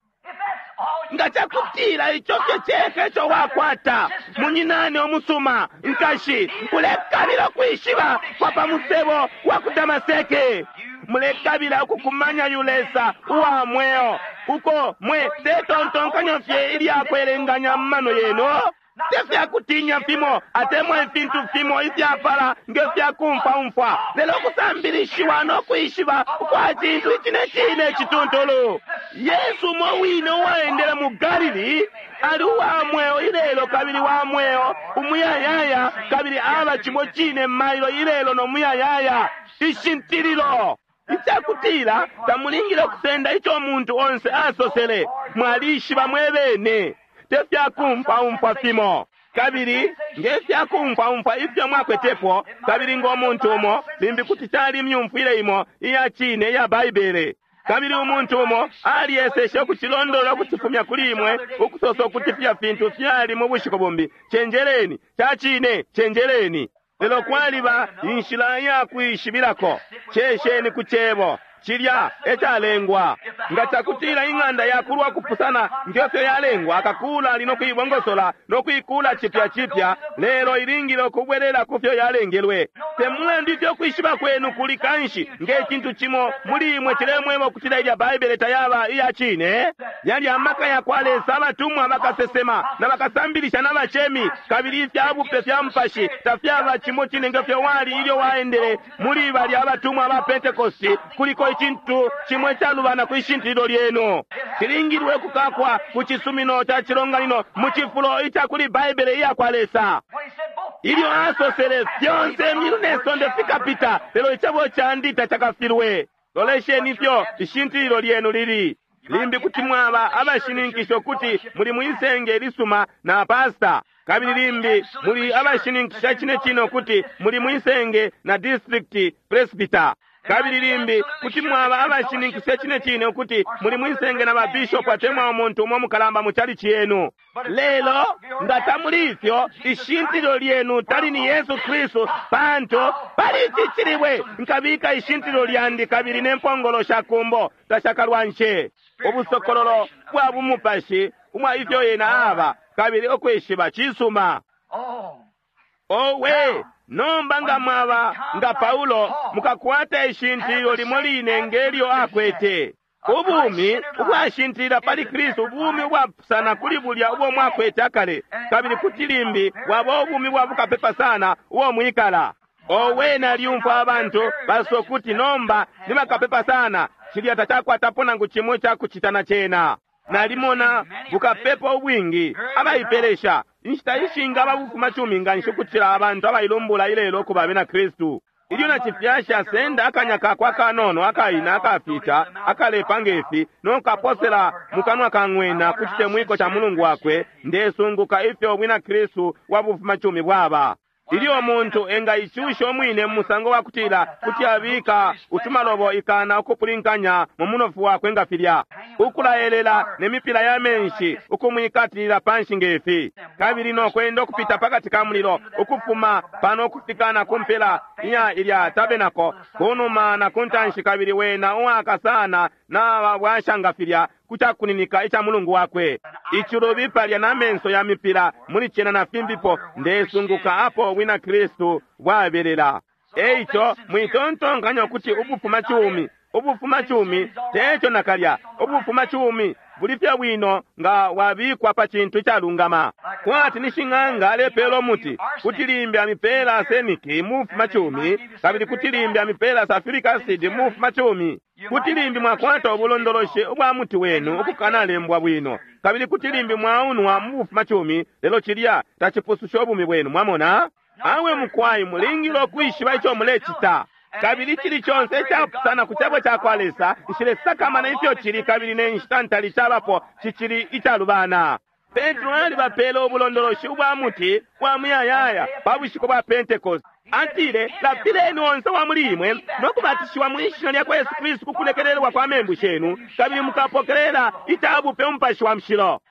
Nga cakutila ico fye ceka ico wakwata, munyinane omusuma, nkashi, ulekabila ukwishiba kwa pa musebo wa ku Damaseke. Mulekabila ukukumanya yu Lesa uwa mweo uko mwe tetontonkanyo fye ilyakwelenganya mu mano yenu, te fyakutinya fimo atemwa ifintu fimo ifyapala nge fyakumfwaumfwa, lelo kusambilishiwa no kwishiba ukwa cintu icine cine cituntulu. Yesu umo wine uwaendele mu Galili ali uwa mweo ilelo, kabili wa mweo umuyayaya, kabili aba cimo cine mailo ilelo no muyayaya. Ishintililo icakutila tamulingile ukusenda ico umuntu onse asosele, mwalishiba mwe bene, te fyakumfwaumfwa fimo. Kabili nge fyakumfwaumfwa ifyo mwakwetepo, kabili ngo muntu umo limbi kuti cali myumfwile imo iya cine iya Baibele, kabili umuntu umo alieseshe ukucilondolola ukucifumya kuli imwe, ukusosa ukuti fya fintu fyali mu bushiku bumbi. Cenjeleni, ca cine, cenjeleni. Lelo kwaliba inshila ya kwishibilako. Cesheni ku cebo cilya ecalengwa. Nga cakutila ing'anda yakulwa kupusana ngefyo yalengwa, akakula ali no kuibongosola no kuikula cipya cipya, lelo ilingile ukubwelela kufyo yalengelwe. Te mulandu ifyo kwishiba kwenu kuli kanshi, nge cintu cimo muli imwe cilemweba ukutila ilya Baibele tayaba iya cine, yali amaka ya kwa Lesa, abatumwa, bakasesema na bakasambilisha na bacemi, kabili ifya bupe fya mupashi tafyaba cimo cine ngefyo wali ilyo waendele muli balya abatumwa ba Pentekosti. Kuliko icintu cimwe calubana kwi shintililo lyenu. Cilingilwe kukakwa ku cisumino ca cilonganino mu cifulo ica kuli Baibele iya kwa Lesa. Ilyo asosele fyonse imyulu ne sonde fikapita, lelo icebo candi tacakafilwe. Lolesheni ifyo ishintililo lyenu lili. Limbi kuti mwaba abashininkisha ukuti muli mwisenge lisuma na pasta, kabili limbi muli abashininkisha cine cine ukuti muli mwisenge na district presbyter, kabili limbi kuti mwaba abashininkisha cine cine ukuti muli mwisenge na babishopu atemwa umuntu umo mukalamba mu chalichi yenu. Lelo nga tamuli ifyo, ishintililo lyenu tali ni Yesu Kristu, pantu pali ici cilibwe nkabika ishintililo lyandi, kabili ne mpongolo sha kumbo tashakalwanshe. Ubusokololo bwa bumupashi umwa ifyo yena aba, kabili okwishiba cisuma. Owe, nomba nga mwaba nga Paulo, mukakwata ishintililo limo line ngelyo akwete. Ubumi ubwashintilila pali Kristu, ubumi ubwapusana kuli bulya ubo mwakwete akale, kabili kuti limbi bwaba ubumi bwa bukapepa sana ubo mwikala. Owe, nalyumfwa abantu basosa ukuti nomba ni bakapepa sana, cilya tacakwatapo nangu cimo icakucita na cena. Nalimona bukapepa ubwingi abaipelesha inshita ishingi ababufuma cumi nganshi ukucila abantu abailumbula ilelo ukuba abena Kristu. Ilyo na cifyashi asenda akanya kakwe akanono akaina akafita akalepa ngefi nokaposela mukanwa ka ng'wena ku citemwiko ca mulungu wakwe, ndesunguka ifyo ubwina Kristu wa bufuma cumi bwaba. Ilyo umuntu engaicusha umwine mu musango wa kutila kuti abika utumalobo ikana ukupulinkanya mu munofu wakwe nga filya, ukulaelela ne mipila ya menshi ukumwikatilila panshi ngefi, kabili no kwenda ukupita pakati ka mulilo ukufuma pano ukufika na kumpela iya ilya tabenako kunuma na kuntanshi, kabili wena uwaka sana na babwasha nga filya kucakuninika ica mulungu wakwe. Icilubi palya na menso ya mipila muli cena na fimbipo, ndesunguka apo ubwina Kristu bwabelela. Eico mwitontonkanya ukuti ubufuma cumi, ubufuma cumi teco nakalya. Ubufuma cumi buli fye bwino nga wabikwa pa cintu icalungama. Kwati ni shing'anga alepela umuti, kuti limbi amipela aseniki mufuma cumi, kabili kuti limbi amipela sulfuric acid mufuma cumi. Kuti limbi mwakwata ubulondoloshi ubwa muti wenu ukukanalembwa bwino, kabili kuti limbi mwaunwa mu bufuma cumi, lelo cilya tacipususha ubumi bwenu. Mwamona? Awe mukwai, mulingile ukwishiba ico mulecita. Kabili cili conse icapusana ku cebo ca kwa Lesa, nshilesakamana ifyo cili, kabili ne nshita ntali cabapo cicili icalubana. Petro alibapele ubulondoloshi ubwa muti bwa muyayaya pa bushiku bwa Pentecost. Atile, lapileni onse wa muli imwe no kubatishiwa mu ishina lya kwa Yesu Kristu ku kulekelelwa kwa membu shenu, kabili mukapokelela icabupe umupashi wa mushilo.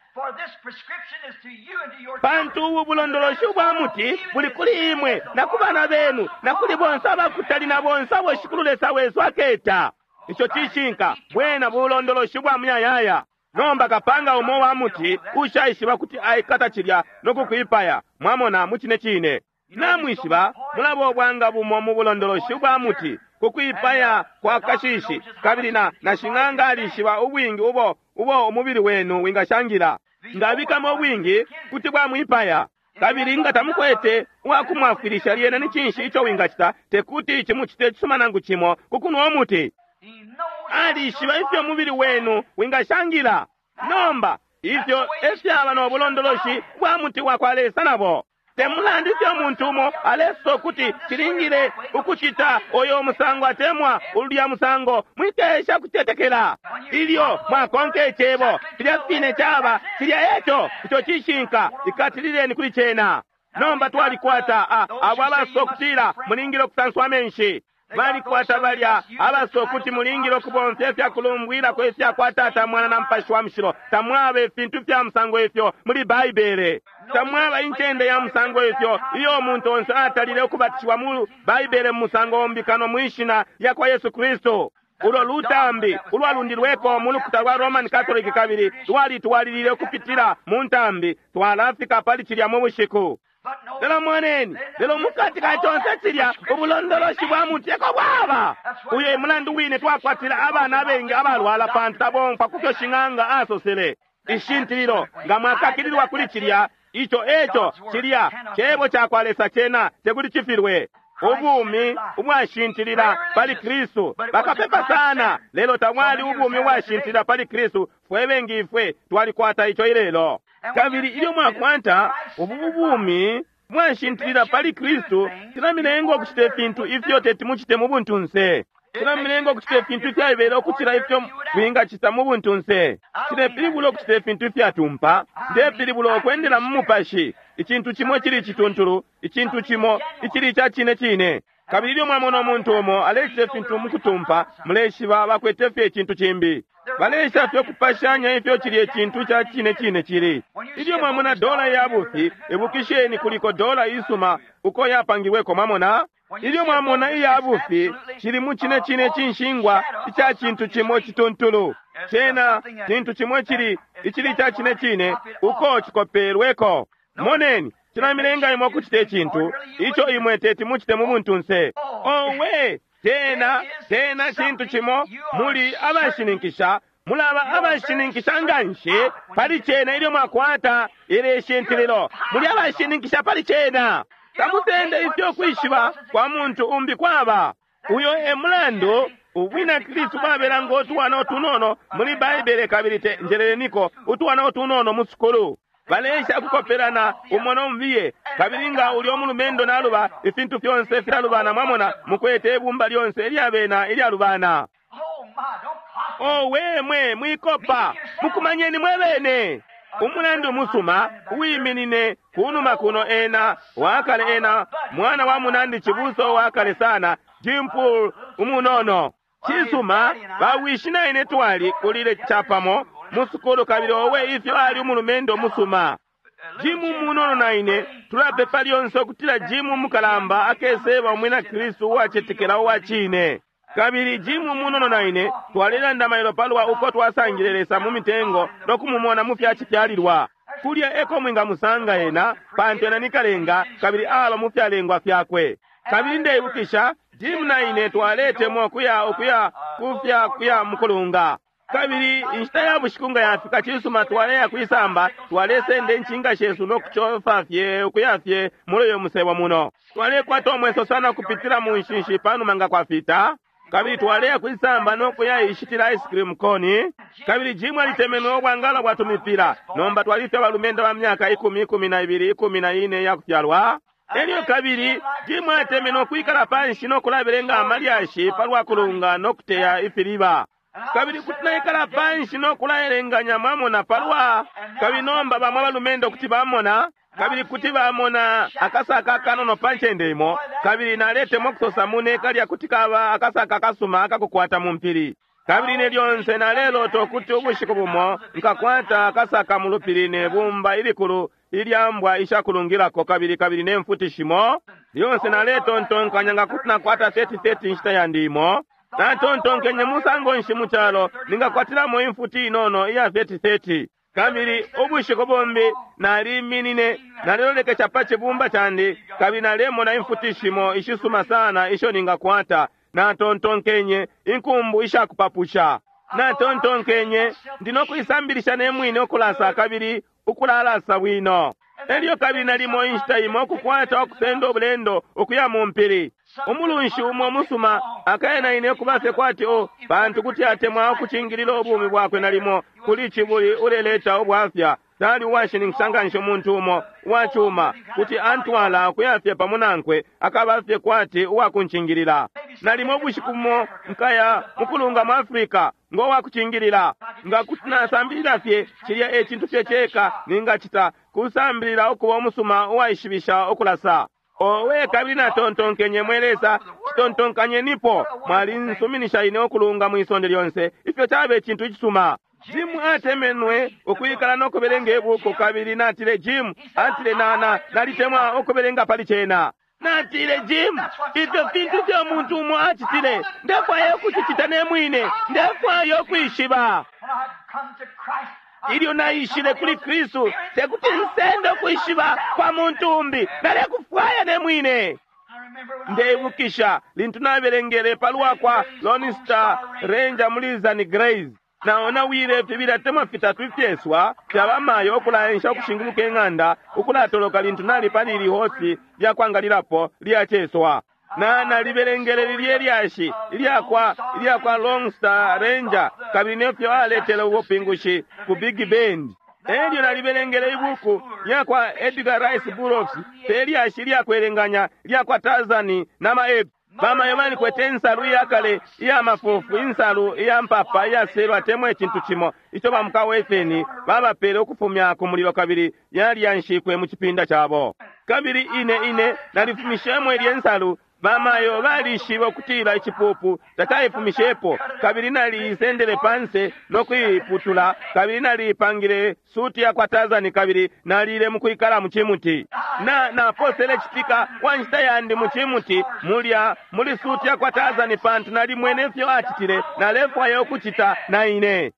Pantu ubu bulondoloshi ubwa muti buli kuli imwe na ku bana benu na kuli bonse abakutali na bonse abo Shikulu Lesa wesu aketa. Ico cishinka, bwena bulondoloshi bwa muyayaya. Nomba kapanga umo wa muti ushaishiba kuti aikata cilya no kukwipaya. Mwamona, mu cine cine namwishiba mulaba obwanga bumo mu bulondoloshi bwa muti kukwipaya kwa kashishi, kabili na na shing'anga alishiba ubwingi ubo ubo umubili wenu wingashangila. Ngabikamo ubwingi kuti bwamwipaya, kabili nga tamukwete uwakumwafwilisha lyena ni cinshi ico wingacita? Tekuti cimucite cisuma nangu cimo kukunwa umuti. Alishiba ifyo umubili wenu wingashangila. Nomba ifyo efyaba no bulondoloshi bwa muti wa kwa Lesa nabo. Temulandu ifyo umuntu umo alesosa ukuti cilingile ukucita oyo musango atemwa ulya musango, mwikesha kutetekela. Ilyo mwakonka icebo filya fine caba cilya eco, ico cishinka, ikatilileni kuli cena. Nomba twalikwata abo abasosa ukutila mulingile ukusanswa amenshi. Balikwata balya abasosa ukuti mulingile ukubomfya ifyakulumbwilako ifya Tata, Mwana na Mupashi wa Mushilo. Tamwaba ifintu fya musango ifyo muli Baibele. Tamwaba incende ya musango ifyo iyo umuntu onse atalile ukubatishiwa mu Baibele mu musango umbi kano mwishina lya kwa Yesu Kristu. Ulo lutambi ulwalundilweko mu lukuta lwa Roman Catholic kabili lwalitwalilile ukupitila mu ntambi. Twalafika pali cilya mu bushiku. Lelo moneni, lelo mukati ka conse cilya ubulondoloshi bwa muti eko bwaba. Uyo e mulandu wine twakwatila abana abengi abalwala pantu tabomfwa kufyo shing'anga asosele. Ishintililo nga mwakakililwa kuli cilya, ico eco cilya cebo ca kwa Lesa cena tekuti cifilwe. Ubumi ubwashintilila pali Kristu. Bakapepa sana, lelo tamwali ubumi ubwashintilila pali Kristu. Fwe bengi ifwe twalikwata ico ilelo. Kabili ilyo mwakwata ubu bumi mwashintilila pali Kristu, cilamilenga ukucita ifintu ifyo teti mucite mu buntunse. Cilamilenga ukucita ifintu ifyaibela ukucila ifyo mwingacita mu buntunse. Cilepilibula ukucita ifintu ifyatumpa. Ndepilibula ukwendela mu mupashi. Icintu cimo cili icituntulu, icintu cimo icili ica cine cine. Kabili ilyo mwamona umuntu umo alecita ifintu mukutumpa, muleshiba bakwete fye icintu cimbi. Balesha fye ukupashanya ifyo cilya icintu ca cine cine cili. Ilyo mwamona dola ya bufi, ibukisheni kuliko dola isuma uko yapangilweko, mwamona. Ilyo mwamona iya bufi, cili mu cine cine cinshingwa ica cintu cimo cituntulu. Cena cintu cimo cili icili ca cine cine uko cikopelweko. Moneni, cilamilenga imwe ukucita icintu ico imwe teti mucite mu buntunse. Owe, tena tena cintu cimo muli abashininkisha, mulaba abashininkisha nganshi pali cena ilyo mwakwata ili shintililo. Muli abashininkisha pali cena. Tamutende ifyo kwishiba kwa muntu umbi kwaba. Uyo e mulandu ubwina Kristu babela ngo utwana utunono muli Baibele, kabili te njeleleniko utwana utunono mu sukulu. Balesha kukopelana umo nombiye, kabili nga ulyo mulumendo naluba, ifintu fyonse filalubana. Mwamona, mukwete ibumba lyonse ilyabena ilyalubana. Owe mwe mwikopa, mukumanyeni mwe bene. Umulandu musuma uwiminine kunuma kuno ena wakale ena mwana wa munandi chibuso wakale sana Jim Poole umunono. Chisuma bawishi na ine twali kulile chapamo musukulu, kabili owe ifyo ali umulumendo musuma. Jimu munono na ine tulapepa lyonse ukutila Jimu mukalamba akeseba umwina Kristu uwacetekela uwa cine. Kabili Jimu munono na ine twalelanda mailo palwa uko twasangile Lesa mu mitengo no kumumona mu fyacifyalilwa. Kulya eko mwingamusanga ena, pantu ena ni kalenga kabili aba mu fyalengwa fyakwe. Kabili ndeibukisha Jimu na ine twaletemwa ukuya ukuya kufya kuya mukulunga. Kabili inshita ya bushiku nga yafika, cisuma twaleya kwisamba, twalesenda incinga shesu no kucofa fye ukuya fye muli uyo musebo muno. Twalekwata umweso sana kupitila mu nshinshi panuma nga kwafita. Kabili twaleya kwisamba no kuya ishitila ice cream koni. Kabili Jimu alitemenwe ubwangala bwa tumipila. Nomba twalifye abalumendo ba myaka ikumi, ikumi na ibili, ikumi na ine ya kufyalwa. Elyo kabili Jimu atemenwe ukwikala panshi no kulabelenga amalyashi palwa kulunga no kuteya ifiliba. Kabili kuti naikala panshi no kulaelenganya mwamona palwa. Kabili nomba bamwe abalumendo kuti bamona, kabili kuti bamona akasaka akanono pa ncende imo. Kabili naletemwa ukusosa mune kalya kuti kaba akasaka akasuma akakukwata mu mpili. Kabili ine lyonse nalelota ukuti ubushiku bumo nkakwata akasaka mu lupili ne bumba ilikulu ilyambwa ishakulungilako, kabili kabili ne mfuti shimo. Lyonse naletontonkanya nga kuti nakwata thirty thirty inshita yandi imo. Natontonkenye musango nshi mu calo ningakwatilamo imfuti inono iya thirty thirty. Kabili ubushiku bumbi naliminine, nalilolekesha pa cibumba candi, kabili nalemona imfuti shimo ishisuma sana isho ningakwata. Natontonkenye inkumbu ishakupapusha. Natontonkenye ndinokuisambilisha ne mwine ukulasa kabili ukulalasa bwino. Elyo kabili nalimo inshita imo ukukwata ukusenda ubulendo ukuya mu mpili. Umulunshi umo musuma akaya na ine kubafye kwati o pantu kuti atemwa ukucingilila ubumi bwakwe nalimo kuli cibuli uleleta ubwafya. Tali uwashininkisha nganshi umuntu umo uwacuma kuti antwala ukuyafye pamo nankwe akabafye kwati uwakuncingilila. Nalimo ubushiku bumo nkaya mukulunga mu Afrika ngo wakucingilila. Nga kuti nasambilila fye cilya e cintu fye ceka ningacita kusambilila ukuba umusuma uwaishibisha ukulasa. Owe kabili natontonkenye mwe Lesa, citontonkanyenipo mwalinsuminisha ine ukulunga mwisonde lyonse. Ifyo cabe icintu icisuma. Jimu atemenwe ukwikala no kubelenga ibuku, kabili natile Jimu atile nana nalitemwa ukubelenga pali cena. Natile Jimu, ifyo fintu fyo muntu umo acitile, ndefwaya ukucicita ne mwine, ndefwaya ukwishiba. Ilyo naishile kuli Kristu, tekuti nsende ukwishiba kwa muntu umbi, nalekufwaya ne mwine. Ndeibukisha lintu nabelengele palwa kwa Lone Star Ranger muli Zane Grey. Naonawile fibili atemwa fitatu ifyeswa fyabamayo ukulaensha ukushinguluka ing'anda ukulatoloka lintu nali pali lihosi lyakwangalilapo lyaceswa. Na nalibelengele lilye lyashi ilyakwa ilyakwa Lone Star Ranger kabili nefyo aletele ubupingushi ku Big Bend. Elyo nalibelengele ibuku lyakwa Edgar Rice Burroughs pe lyashi lyakwelenganya lyakwa Tarzan na ma-Ape. Bamayo balikwete insalu iyakale iya mafufu, insalu iya mpapa iyaselwa temwe icintu cimo ico bamukawefeni babapele ukufumya ku mulilo, kabili yaliyanshikwe mu cipinda cabo. Kabili ine ine nalifumishemo ilye nsalu. Bamayo balishibe ukutila icipupu tacaifumishepo, kabili naliisendele panse no kuiputula, kabili naliipangile suti ya kwa Tazani, kabili nalile mukwikala mu cimuti. Na naposele citika wa nshita yandi mu cimuti mulya muli suti ya kwa Tazani, pantu nalimwene ifyo acitile, nalefwaya ukucita na ine.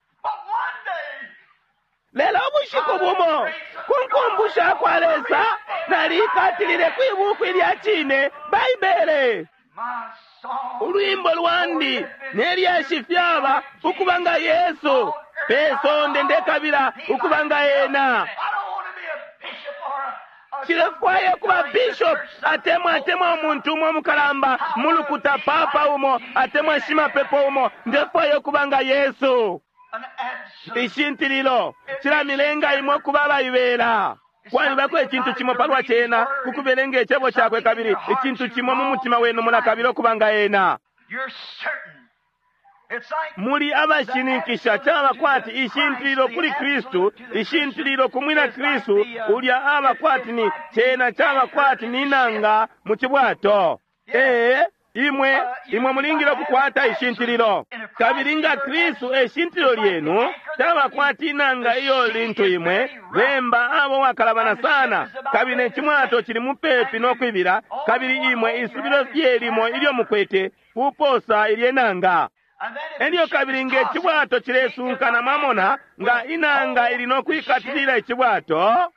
Lelo ubushiku bumo kunkumbusha kwa Lesa nalikatilile kwibuku ilya cine, Baibele. Ulwimbo lwandi nelyashi fyaba ukuba nga Yesu pe sonde, ndekabila ukuba nga ena. Nshilefwaya kuba bishop atemwa atemwa umuntu umo mukalamba mulukuta, papa umo atemwa shimapepo umo. Ndefwaya ukuba nga Yesu. Ishintililo cilamilenga imwe ukuba abaibela. Kwalibako icintu cimo palwa cena kukubelenga icebo cakwe, kabili icintu cimo mu mutima wenu mulakabila ukuba nga ena. Muli abashininkisha. Caba kwati ishintililo kuli Kristu, ishintililo ku mwina Kristu ulya aba kwati ni cena, caba kwati ni nanga mu cibwato. Ee, imwe imwe mulingile ukukwata ishintililo, kabili nga Kristu e shintililo lyenu, caba kwati inanga iyo lintu imwe bemba abo wakalabana sana, kabili ne cimwato cili mupepi no kwibila, kabili imwe isubilo fye limo ilyo mukwete kuposa ilye nanga. Elyo kabili nge cibwato cilesunkana, mwamona, nga inanga ili no kwikatilila icibwato.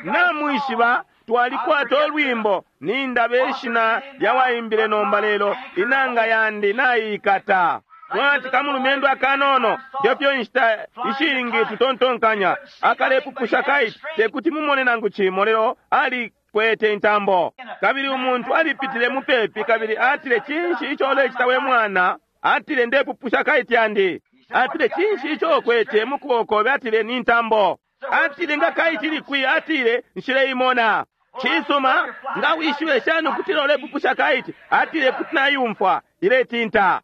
Namwishiba twalikwata olwimbo, nindaba ishina lyawaimbile nomba, lelo inanga yandi naikata. Mwati kamulumendo akanono, ndefyo inshita ishingi tutontonkanya, akalepupusha kaiti tekuti mumone nangu cimo, lelo alikwete intambo. Kabili umuntu alipitile mupepi, kabili atile, cinshi ico ulecita we mwana? Atile, ndepupusha kaiti yandi. Atile, cinshi ico ukwete mukuboko? Atile, ni ntambo. Atile, nga kaiti likwi? Atile, nshileimona. Cisuma, nga wishibe shani ukutila ulepupusha kaiti? Atile, kuti nayumfwa iletinta.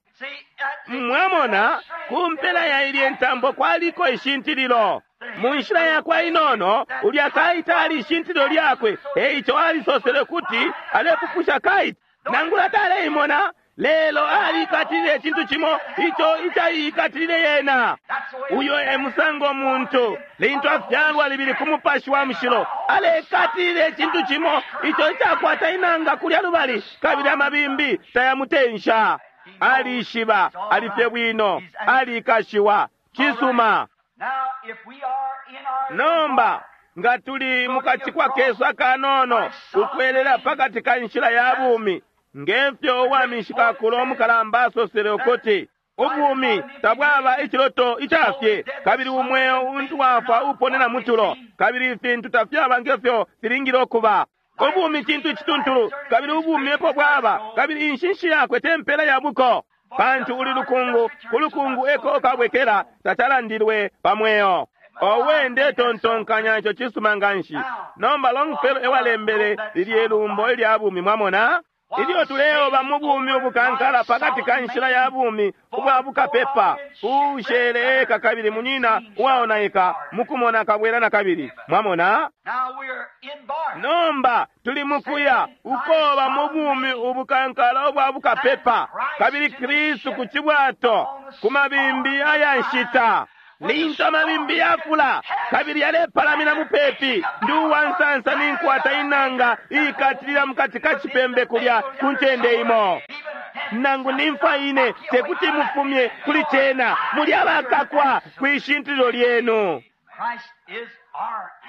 Mwamona, ku mpela ya ilye ntambo kwaliko ishintililo. Mu nshila yakwa inono, ulya kaiti ali ishintililo lyakwe, eico alisosele kuti alepupusha kaiti. Nangula taleimona, lelo alikatilile icintu cimo ico icaikatilile yena. Uyo e musango muntu lintu afyalwa libili ku Mupashi wa Mushilo, alekatilile icintu cimo ico icakwata inanga kulya lubali, kabili amabimbi tayamutensha. Alishiba alifye bwino, alikashiwa. Cisuma. Nomba nga tuli mukacikwa kesu akanono ukwelela pakati ka nshila ya bumi, ngefyo uwamishikakulo umukalamba asosele ukuti ubumi tabwaba iciloto icafye, kabili umweo untu wafwa uponena mutulo, kabili ifintu tafyaba ngefyo filingile ukuba. Ubumi cintu icituntulu, kabili ubumi epo bwaba, kabili inshinshi yakwe tempela ya buko, pantu uli lukungu, ku lukungu eko ukabwekela, tacalandilwe pa mweo. Owe, ndetontonkanya ico cisuma nganshi. Nomba Longfellow ewalembele lilye lumbo ilya bumi, mwamona. Ilyo tuleoba mu bumi ubukankala pakati ka nshila ya bumi ubwa bukapepa, ushele eka kabili munyina uwaonaika mukumona kabwela na kabili, mwamona. Nomba tuli mukuya ukoba mu bumi ubukankala ubwa bukapepa, kabili Kristu ku cibwato ku mabimbi aya nshita. Lintu amabimbi yafula kabili yalepalamina mupepi, ndi uwansansa ninkwata inanga iikatilila mukati ka cipembe kulya ku ncende imo. Nangu nimfa ine tekuti mufumye kuli cena, muli abakakwa kwishintililo lyenu.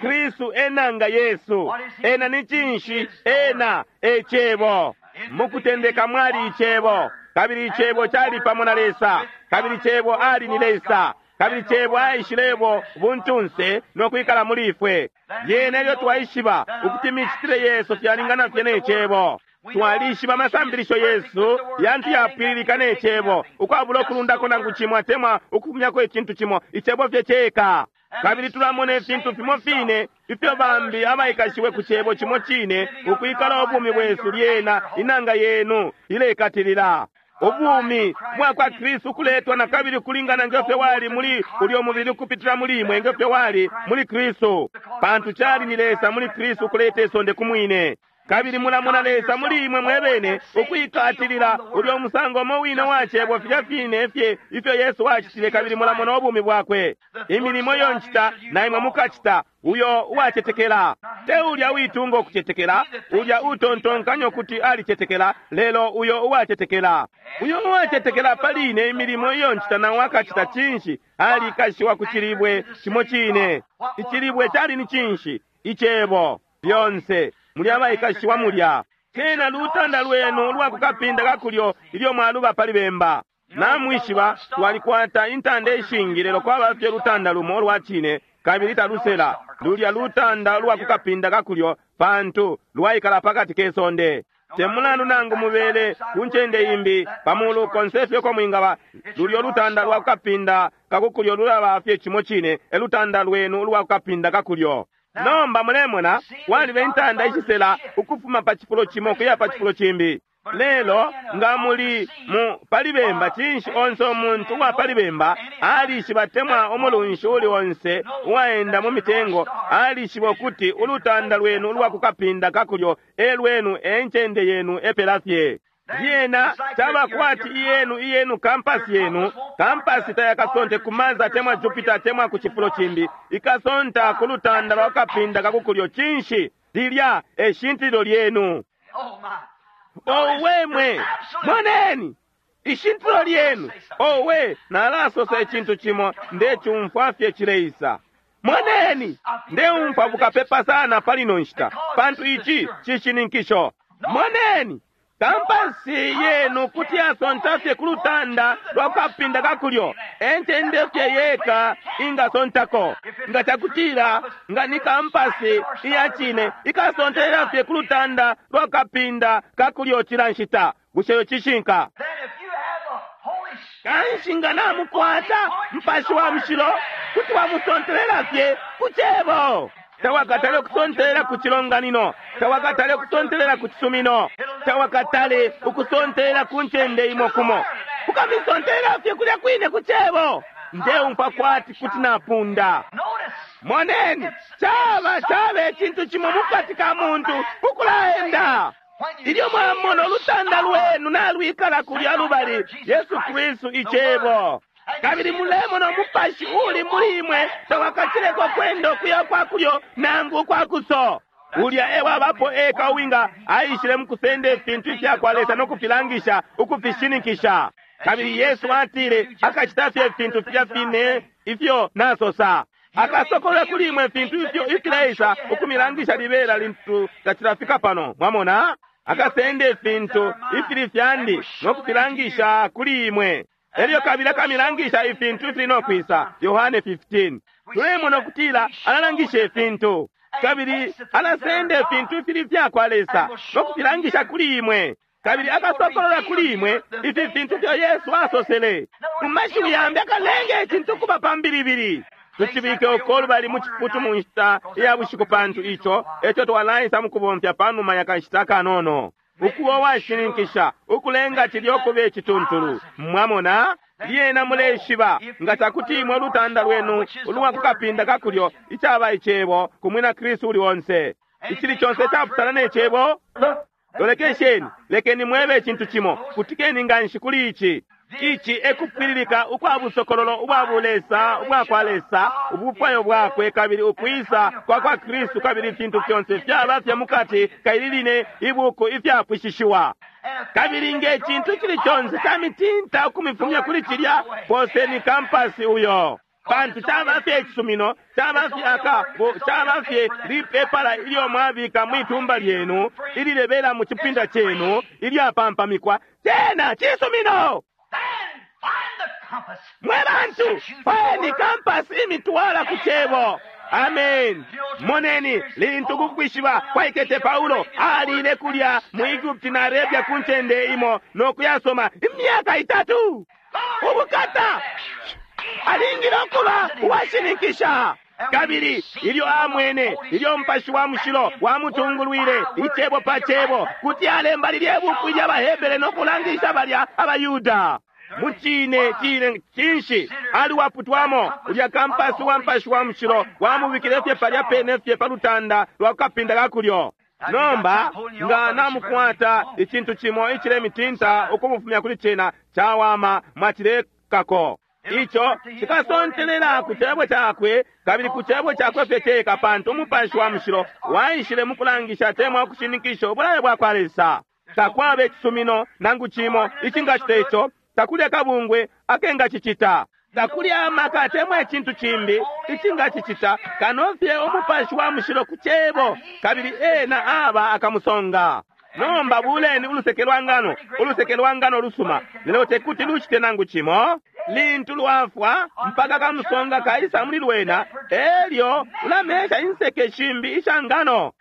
Kristu enanga Yesu. Ena ni cinshi? Ena e Cebo. Mukutendeka mwali Icebo, kabili Icebo cali pamo na Lesa, kabili Cebo ali ni Lesa, kabili Cebo aishilebo buntunse no kwikala muli ifwe. Yena ilyo twaishiba ukuti imicitile yesu fyalingana fye ne Cebo. Twalishiba amasambilisho yesu yantu yapwililika ne Cebo, ukwabula ukulundako nangu cimo atemwa ukufumyako icintu cimo, Icebo fye ceka. Kabili tulamona ifintu fimo fine ifyo bambi abaikashiwe ku cebo cimo cine ukwikala ubumi bwesu lyena inanga yenu ilekatilila. Ubumi bwa kwa Kristu kuletwa na kabili kulingana ngefyo wali muli ulyo mubili kupitila muli imwe ngefyo wali muli Kristu. Pantu cali ni Lesa muli Kristu kuleta isonde kumwine. Kabili mulamona Lesa muli imwe mwebene ukwikatilila ulyo musango mo wine wa cebo filya fine fye ifyo Yesu acitile kabili mulamona ubumi bwakwe. Imilimo iyo ncita na imwe mukacita uyo uwacetekela. Te ulya uitunga ukucetekela, ulya utontonkanya ukuti alicetekela, lelo uyo uwacetekela. Uyo uwacetekela pali ine imilimo iyo ncita na wakacita cinshi alikashiwa ku cilibwe cimo cine. Icilibwe cali ni cinshi? Icebo. Lyonse muli abaikashiwa mulya. Kena lutanda lwenu lwa kukapinda kakulyo ilyo mwaluba pali bemba. Namwishiba twalikwata intanda ishingi lelo kwaba fye lutanda lumo lwa cine kabili talusela. Lulya lutanda lwa kukapinda kakulyo pantu lwaikala pakati ke sonde. Temulandu nangu mubele ku ncende imbi pamulu konse fye ko mwingaba lulyo lutanda lwa kukapinda kakukulyo lulaba fye cimo cine e lutanda lwenu lwa kukapinda kakulyo. Nomba mulemona walibe intanda ishisela ukufuma pa chifulo chimo kuya pa chifulo chimbi. Lelo nga muli mu palibemba cinshi onse omuntu uwa palibemba alishiba temwa omulunshi uli onse uwaenda mu mitengo alishiba ukuti ulutanda lwenu ulwa kukapinda kakulyo e lwenu e ncende yenu epela fye. Lyena caba kwati iyenu iyenu kampasi yenu kampasi tayakasonte kumaza temwa Jupiter temwa ku chifulo chimbi ikasonta ku lutanda lwa kapinda kakukulyo cinshi lilya eshintililo lyenu. Owe mwe moneni ishintilo lyenu. Owe nalasosa ichintu chimo ndechumfwa fye chileisa. Moneni ndeumfwa bukapepa sana palino nshita pantu ichi chishininkisho. Moneni kampasi yenu kuti yasonta fye ku lutanda lwa kukapinda kakulyo encende fye yeka ingasontako. Nga cakutila nga ni kampasi iya cine ikasontelela fye ku lutanda lwa kukapinda kakulyo cila nshita. Bushe cishinka? Kanshi nga namukwata mpashi wa mushilo kuti wamusontelela fye ku cebo. Tawakatale ukusontelela ku chilonganino, tawakatale ukusontelela ku chisumino, tawakatale ukusontelela ku ncende imo kumo. Ukamisontelela fye kulya kwine ku cebo. Ndeumfwa kwati kuti napunda. Moneni, chaba chaba echintu chimo mukati ka muntu ukulaenda. Ilyo mwamona ulutanda lwenu nalwikala kulya lubali Yesu Kristu icebo. Kabili mulemona umupashi uli muli imwe tawakachileko kwenda okuya kwakulyo nangu kwakuso. Ulya ewabapo eka uwinga aishile mukusenda ifintu ifyakwa Lesa nokufilangisha ukufishininkisha. Kabili Yesu atile akachita fye ifintu filya fine ifyo nasosa. Akasokolola kuli imwe ifintu ifyo ifileisa ukumilangisha libela lintu tachilafika pano. Mwamona akasenda ifintu ifili fyandi nokufilangisha kuli imwe. Elyo kabili akamilangisha ifintu ifili nokwisa. Yohane fifteen. Tulemona okutila alalangisha ifintu kabili alasenda ifintu ifili fyakwa Lesa nokufilangisha kuli imwe. Kabili akasokolola kuli imwe ifi fintu fyo Yesu asosele. Mu mashiwi yambi akalenga icintu kuba pambilibili. Tuchibike uko bali mu chiputu mu nshita iya bushiku pantu icho echo twalaisa mukubomfya panuma ya kanshita kanono. Ukuwa washininkisha ukulenga chilyo kube chituntulu. Mwamona lyena muleshiba nga chakuti imwe lutanda lwenu ulwa kukapinda kakulyo ichaba ichebo kumwina Kristu uli onse. Ichili chonse chaputana nechebo. Lolekesheni lekeni mwebe chintu chimo kutikeni nganshi kuli ichi. Ichi ekupwililika ukwa busokololo ubwa bulesa ubwa kwa Lesa ubufwayo bwakwe kabili ukwisa kwa kwa Kristu kabili ifintu fyonse fyaba fya mukati kaililine ibuku ifyapwishishiwa. Kabili nge chintu chili chonse chamitinta ukumifumya kuli chilya poseni kampasi uyo. Pantu chaba fye chisumino chaba fye aka chaba fye lipepala ilyo mwabika mwitumba lyenu ililebela mu chipinda chenu ilyapampamikwa tena chisumino. Mwe bantu fweni kampasi imitwala ku cebo. Amen. Moneni lintu kukwishiba kwaikete Paulo alile kulya mu Egypt na Arabia ku ncende imo nokuyasoma imyaka itatu. Ubukata alingile okuba uwashininkisha. Kabili ilyo amwene ilyo Mupashi wa Mushilo wamutungulwile icebo pa cebo, kuti alemba lilye buku ilya baHebere no kulangisha balya abaYuda. Mucine cine cinshi ali waputwamo ulya kampasi wa Mupashi wa Mushilo wamubikile fye palya pene fye pa lutanda lwa kukapinda ka kulyo. Nomba nga namukwata icintu cimo icilemitinta ukumufumya kuli cena, cawama mwacilekako. Ico cikasontelela ku cebo cakwe kabili ku cebo cakwe fye ceka, pantu Umupashi wa Mushilo waishile mukulangisha temwa ukushininkisha ubulayo bwa kwa Lesa. Takwaba icisumino nangu cimo icingacita ico, takuli akabungwe akengacicita, takuli amaka temwa icintu cimbi icingacicita kano fye Umupashi wa Mushilo ku cebo, kabili ena aba akamusonga. Nomba buleni uluseke lwa ngano, uluseke lwa ngano lusuma, lelo tekuti lucite nangu cimo lintu lwafwa mpaka kamusonga kaisa muli lwena, elyo ulamesha inseke shimbi isha ngano.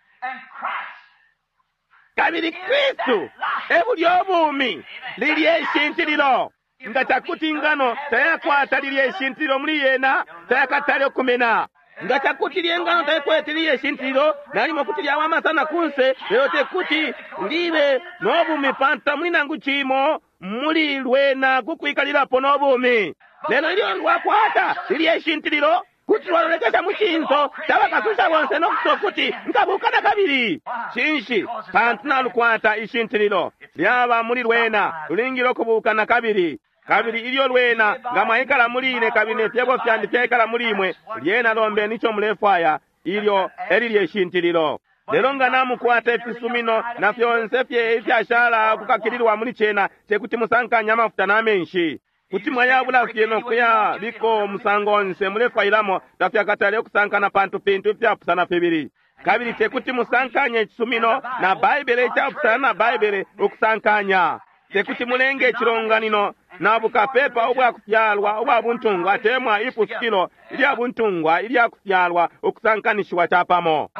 Kabili Kristu e bulyo bumi, lilye ishintililo. Nga cakuti ingano tayakwata lilye ishintililo muli yena, tayakatale ukumena. Nga cakuti lye ngano tayakwete lilye ishintililo, nalimo kuti lyawama sana kunse, lelo tekuti libe no bumi pantu tamuli nangu cimo muli lwena kukwikalilapo no bumi. Lelo ilyo lwakwata lilye ishintililo, kuti lwalolekesha mu cinso cabakasusha bonse no kusosa kuti nkabuka na kabili. Cinshi? Pantu nalukwata ishintililo lyaba muli lwena, lulingile ukubuka na kabili. Kabili ilyo lwena nga mwaikala muli ine kabili ne fyebo fyandi fyaikala muli imwe, lyena lombeni ico mulefwaya, ilyo elilye ishintililo. Lelo nga namukwata ifisumino na fyonse fye ifyashala kukakililwa muli cena, tekuti musankanye amafuta na menshi. Kuti mwayabula fye no kuya biko musango onse mulefwailamo, tafyakatale ukusankana pantu fintu ifyapusana fibili. Kabili tekuti musankanye icisumino na Baibele icapusana na Baibele ukusankanya. Tekuti mulenge icilonganino na bukapepa ubwa kufyalwa ubwa buntungwa temwa ipusukilo ilya buntungwa ilya kufyalwa ukusankanishiwa capamo.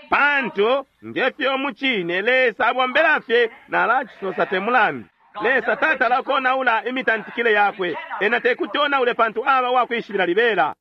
Pantu ngefyo mucine Lesa abombela fye nalacisosa te mulandu. Lesa tatala konaula imitantikile yakwe, ena tekuti onaule pantu aba wakwishibila libela.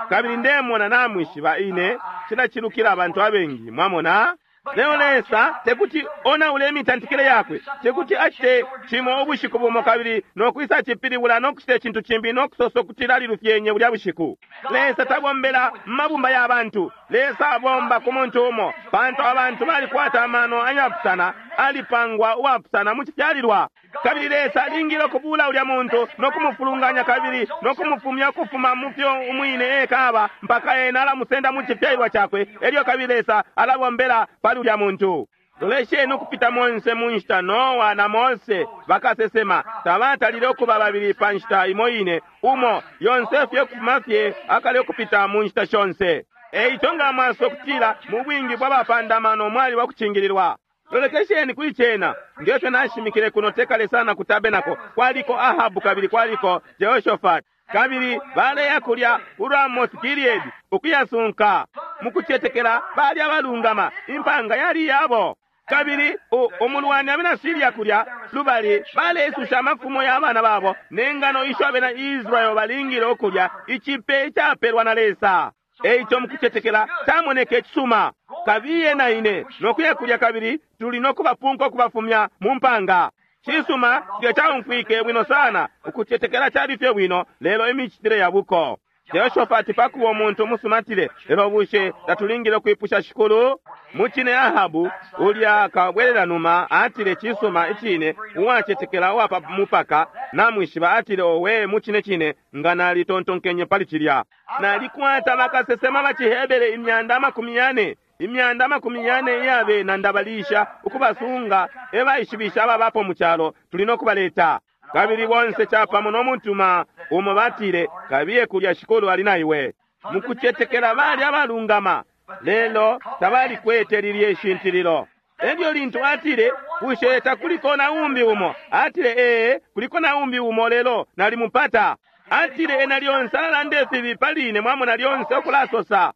Kabili ndemona namwishiba ine cilacilukila abantu abengi, mwamona. Leo Lesa tekuti onaule imitantikile yakwe, tekuti acite cimo ubushiku bumo kabili nokwisa cipilibula nokucita icintu cimbi nokusosa kuti alilufyenye bulya bushiku. Lesa tabombela mabumba ya bantu, Lesa abomba ku muntu umo, pantu abantu balikwata amano ayapusana, alipangwa uwapusana mu cifyalilwa. Kabili Lesa alingile ukubula ulya muntu nokumufulunganya kabili nokumufumya ukufuma mu fyo umwine ekaba mpaka ena alamusenda mu cifyalilwa cakwe, elyo kabili Lesa alabombela pali ulya muntu. Lolesheni ukupita monse mu nshita Noa na Mose bakasesema tabatalile ukuba babili pa nshita imo ine, umo yonse fye kufuma fye akale ukupita mu nshita shonse. Eico nga mwaso okutila mu bwingi bwa bapandamano mwali wa kucingililwa. Lolekesheni kuli cena ngefyo nashimikile kuno tekale sana ku tabenako, kwaliko Ahabu kabili kwaliko Jehoshaphat, kabili baleya kulya ku Ramoth Gilead ukuyasunka mukucetekela bali abalungama, impanga yali yabo. Kabili umulwani abena Syria kulya lubali balesusha amafumo ya bana babo nengano isho abena Israel balingile ukulya, icipe icapelwa na Lesa. Eico mukucetekela camoneke icisuma, kabiye na ine nokuya kulya kabili tuli nokubapunka ukubafumya mu mpanga. Cisuma cilya caumfwike bwino sana, ukucetekela cali fye bwino, lelo imicitile ya buko. Jehoshaphat pakuba umuntu umusuma atile, lelo bushe tatulingile ukwipusha Shikulu? Mucine Ahabu ulya kabwelela numa atile cisuma icine, uwacetekela uwapa mupaka namwishiba atile, owe mucine cine nga nalitontonkenye pali cilya. Nalikwata bakasesema ba ciHebere imyanda amakumi yane, imyanda amakumi yane iyabena ndabalisha ukubasunga ebaishibisha ababapo mu calo, tuli nokubaleta. Kabili bonse capamo no mutuma umo batile, kabiye kulya Shikulu ali na iwe. Mukucetekela bali abalungama, lelo tabalikwete lilye ishintililo. Elyo lintu atile, bushe takuliko na umbi umo? Atile, ee, kuliko na umbi umo, lelo nalimupata. Atile, ena lyonse alalanda ifibi pali ine, mwamona lyonse okulasosa.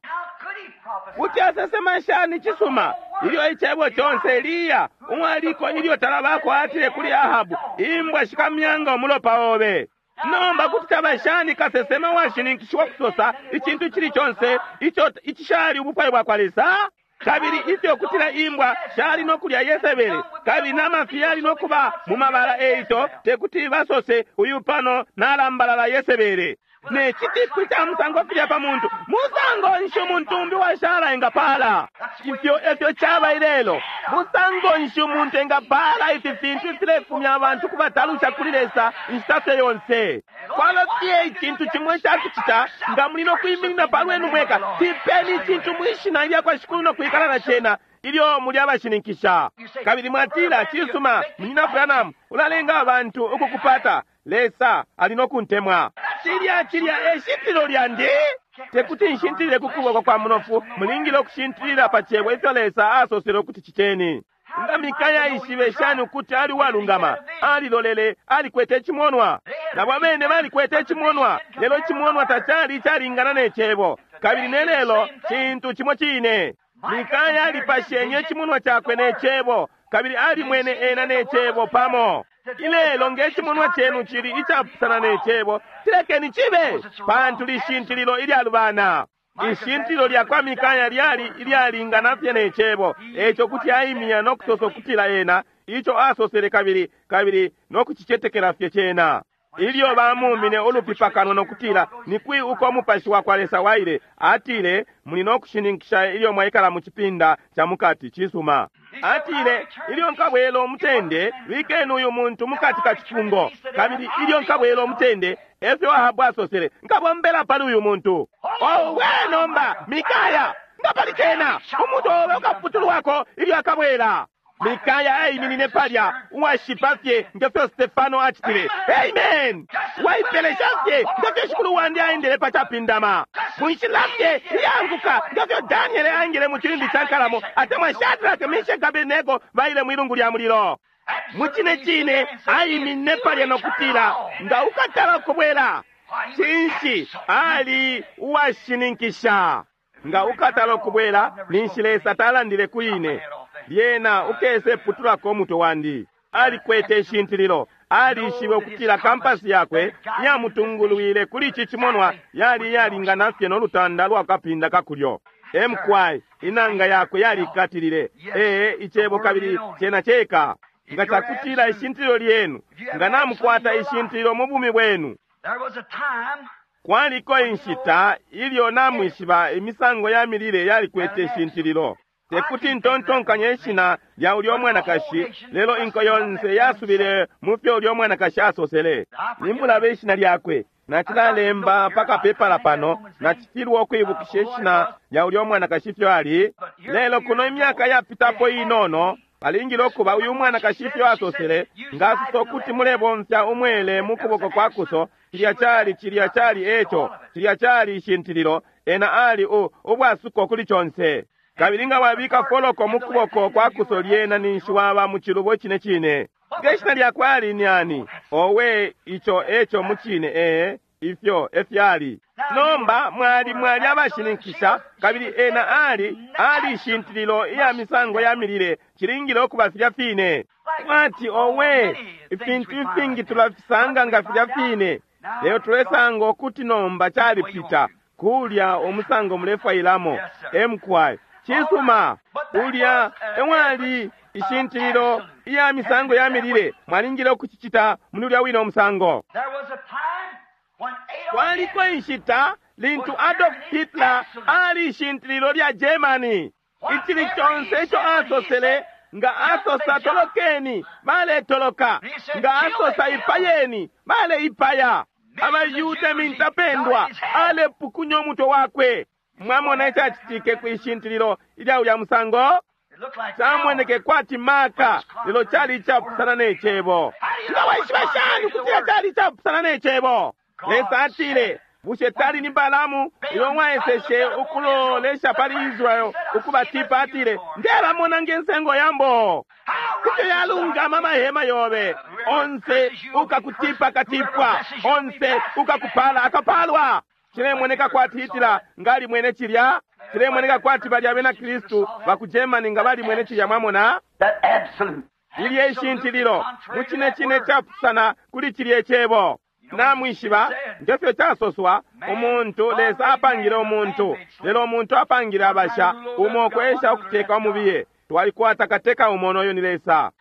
Kuti asesema shani cisuma ilyo icebo conse Eliya umwaliko ilyo talabako atile kuli Ahabu, imbwa shikamyanga umulopa obe. Nomba kuti caba shani kasesema washininkishiwa kusosa icintu cili conse ico icishali ubufwayo bwakwa Lesa? Kabili ifyo kutila imbwa shali no kulya Yesebele, kabili n'amafi yali no kuba mu mabala, eico tekuti basose uyu pano nalambalala Yesebele. Ne citipu ca musango filya pa muntu, musango nshi umuntu umbi washala engapala? Ifyo efyo caba ilelo. Musango nshi umuntu engapala ifi fintu ifilefumya abantu kubatalusha kuli Lesa inshita fye yonse? Kwaba fye icintu cimwe icakucita, nga muli no kwiminina pa lwenu mweka, tipeni icintu mwishina ilya kwa Shikulu no kwikala na cena ilyo muli abashininkisha. Kabili mwatila, cisuma, Munyina Branham, ulalenga abantu ukukupata. Lesa ali no kuntemwa. Cilya cilya e shintililo lyandi. Tekuti nshintilile ku kuboko kwa munofu, mulingile ukushintilila pa cebo ifyo Lesa asosele ukuti citeni. Nga Mikaya aishibe shani ukuti ali uwalungama? Alilolele, alikwete icimonwa. Nabo abene balikwete icimonwa, lelo icimonwa tacali icalingana ne cebo. Kabili ne lelo cintu cimo cine. Mikaya alipashenye icimonwa cakwe ne cebo, kabili alimwene ena ne cebo pamo. Ilelo nge cimonwa cenu cili icapusana ne cebo, tilekeni cibe, pantu lishintililo ilyalubana. Ishintililo lya kwa Mikaya lyali ilyalingana fye ne cebo, eco kuti aimya no kusosa ukutila ena ico asosele, kabili kabili no kucicetekela fye cena. Ilyo bamumine ulupi pakanwa no kutila, ni kwi uko umupashi wa kwa Lesa waile? Atile, muli no kushininkisha ilyo mwaikala mu cipinda ca mukati. Cisuma. Atile, ilyo nkabwela umutende, bikeni uyu muntu mukati ka cifungo. Kabili ilyo nkabwela umutende, efyo Ahabu asosele, nkabombela pali uyu muntu. Owe nomba, Mikaya, nga pali cena, umuntu obe ukaputulwako ilyo akabwela. Mikaya aiminine palya uwashipa fye ngefyo Stefano acitile. Amen. Waipelesha fye ngefyo Shikulu wandi aendele pa capindama. Munshila fye iyanguka ngefyo Daniele aingile mu cilindi ca nkalamo, atemwa Shadrach, Meshach, Abednego baile mwilungu lya mulilo. Mu cine cine aiminine palya no kutila, nga ukatala ukubwela. Cinshi? Ali uwashininkisha. Nga ukatala ukubwela, ninshi Lesa talandile kuli ine. Lyena ukese putulako umutwe wandi. Alikwete ishintililo. Alishibe ukutila kampasi yakwe yamutungulwile kuli ici cimonwa yali iyalingana fye no lutanda lwa kapinda kakulyo. Emkwai inanga yakwe yalikatilile ee icebo kabili cena ceka. Nga cakutila ishintililo lyenu, nga namukwata ishintililo mu bumi bwenu. Kwaliko inshita ilyo namwishiba imisango ya milile yalikwete ishintililo. Tekuti ntontonkanye ishina lya ulyo mwanakashi, lelo inko yonse yasubile mu fyo ulyo mwanakashi asosele. Nimbulaba ishina lyakwe, nacilalemba pa kapepala pano, nacifilwa ukwibukisha ishina lya ulyo mwanakashi ifyo ali. Lelo kuno imyaka yapitapo inono, balingile ukuba uyu mwanakashi ifyo asosele, nga asosa ukuti mulebomfya umwele mu kuboko kwa kuso, cilya cali cilya cali eco, cilya cali ishintililo, ena ali u ubwasuko kuli conse. Kabili nga wabika foloko mu kuboko kwa kuso lyena ninshi waba mu cilubo cine cine. Nge shina lyakwe ali ni ani? Owe, ico eco mu cine, ee, ifyo efyali. Nomba mwali mwali abashininkisha, kabili ena ali ali ishintililo iya misango ya milile, cilingile ukuba filya fine. Mwati owe, ifintu ifingi tulafisanga nga filya fine, lelo tulesanga ukuti nomba calipita kulya umusango mulefwailamo. Emkwai cisuma, ulya ewali ishintililo iya misango ya milile, mwalingile ukucicita muli ulya wine umusango. Kwaliko inshita lintu Adolf Hitler ali ishintililo lya Germany. Icili conse ico asosele, nga asosa tolokeni, baletoloka. Nga asosa ipayeni, baleipaya. Abayuda mintapendwa alepukunya umutwe wakwe. Mwamona icacitike kwishintililo ilya ulya musango? Camoneke kwati maka, lelo cali icapusana ne cebo. Nga waishiba shani ukutila cali icapusana ne cebo? Lesa atile, bushe tali ni Balamu ilyo mwaeseshe ukulolesha pali Israel ukubatipa? Atile, ndebamona nge nsengo yambo. Ifyo yalungama amahema yobe, onse ukakutipa akatipwa, onse ukakupala akapalwa. Cilemoneka kwati Hitler ngali mwene cilya, cilemoneka kwati bali abena Kristu baku Germany nga bali mwene cilya. Mwamona lilye ishintililo mu cine cine capusana kuli cilye cebo. Namwishiba ngefyo casoswa, umuntu Lesa apangile umuntu, lelo umuntu apangile abasha, umo kwesha ukuteka umubiye. Twalikwata kateka umo, noyo ni Lesa.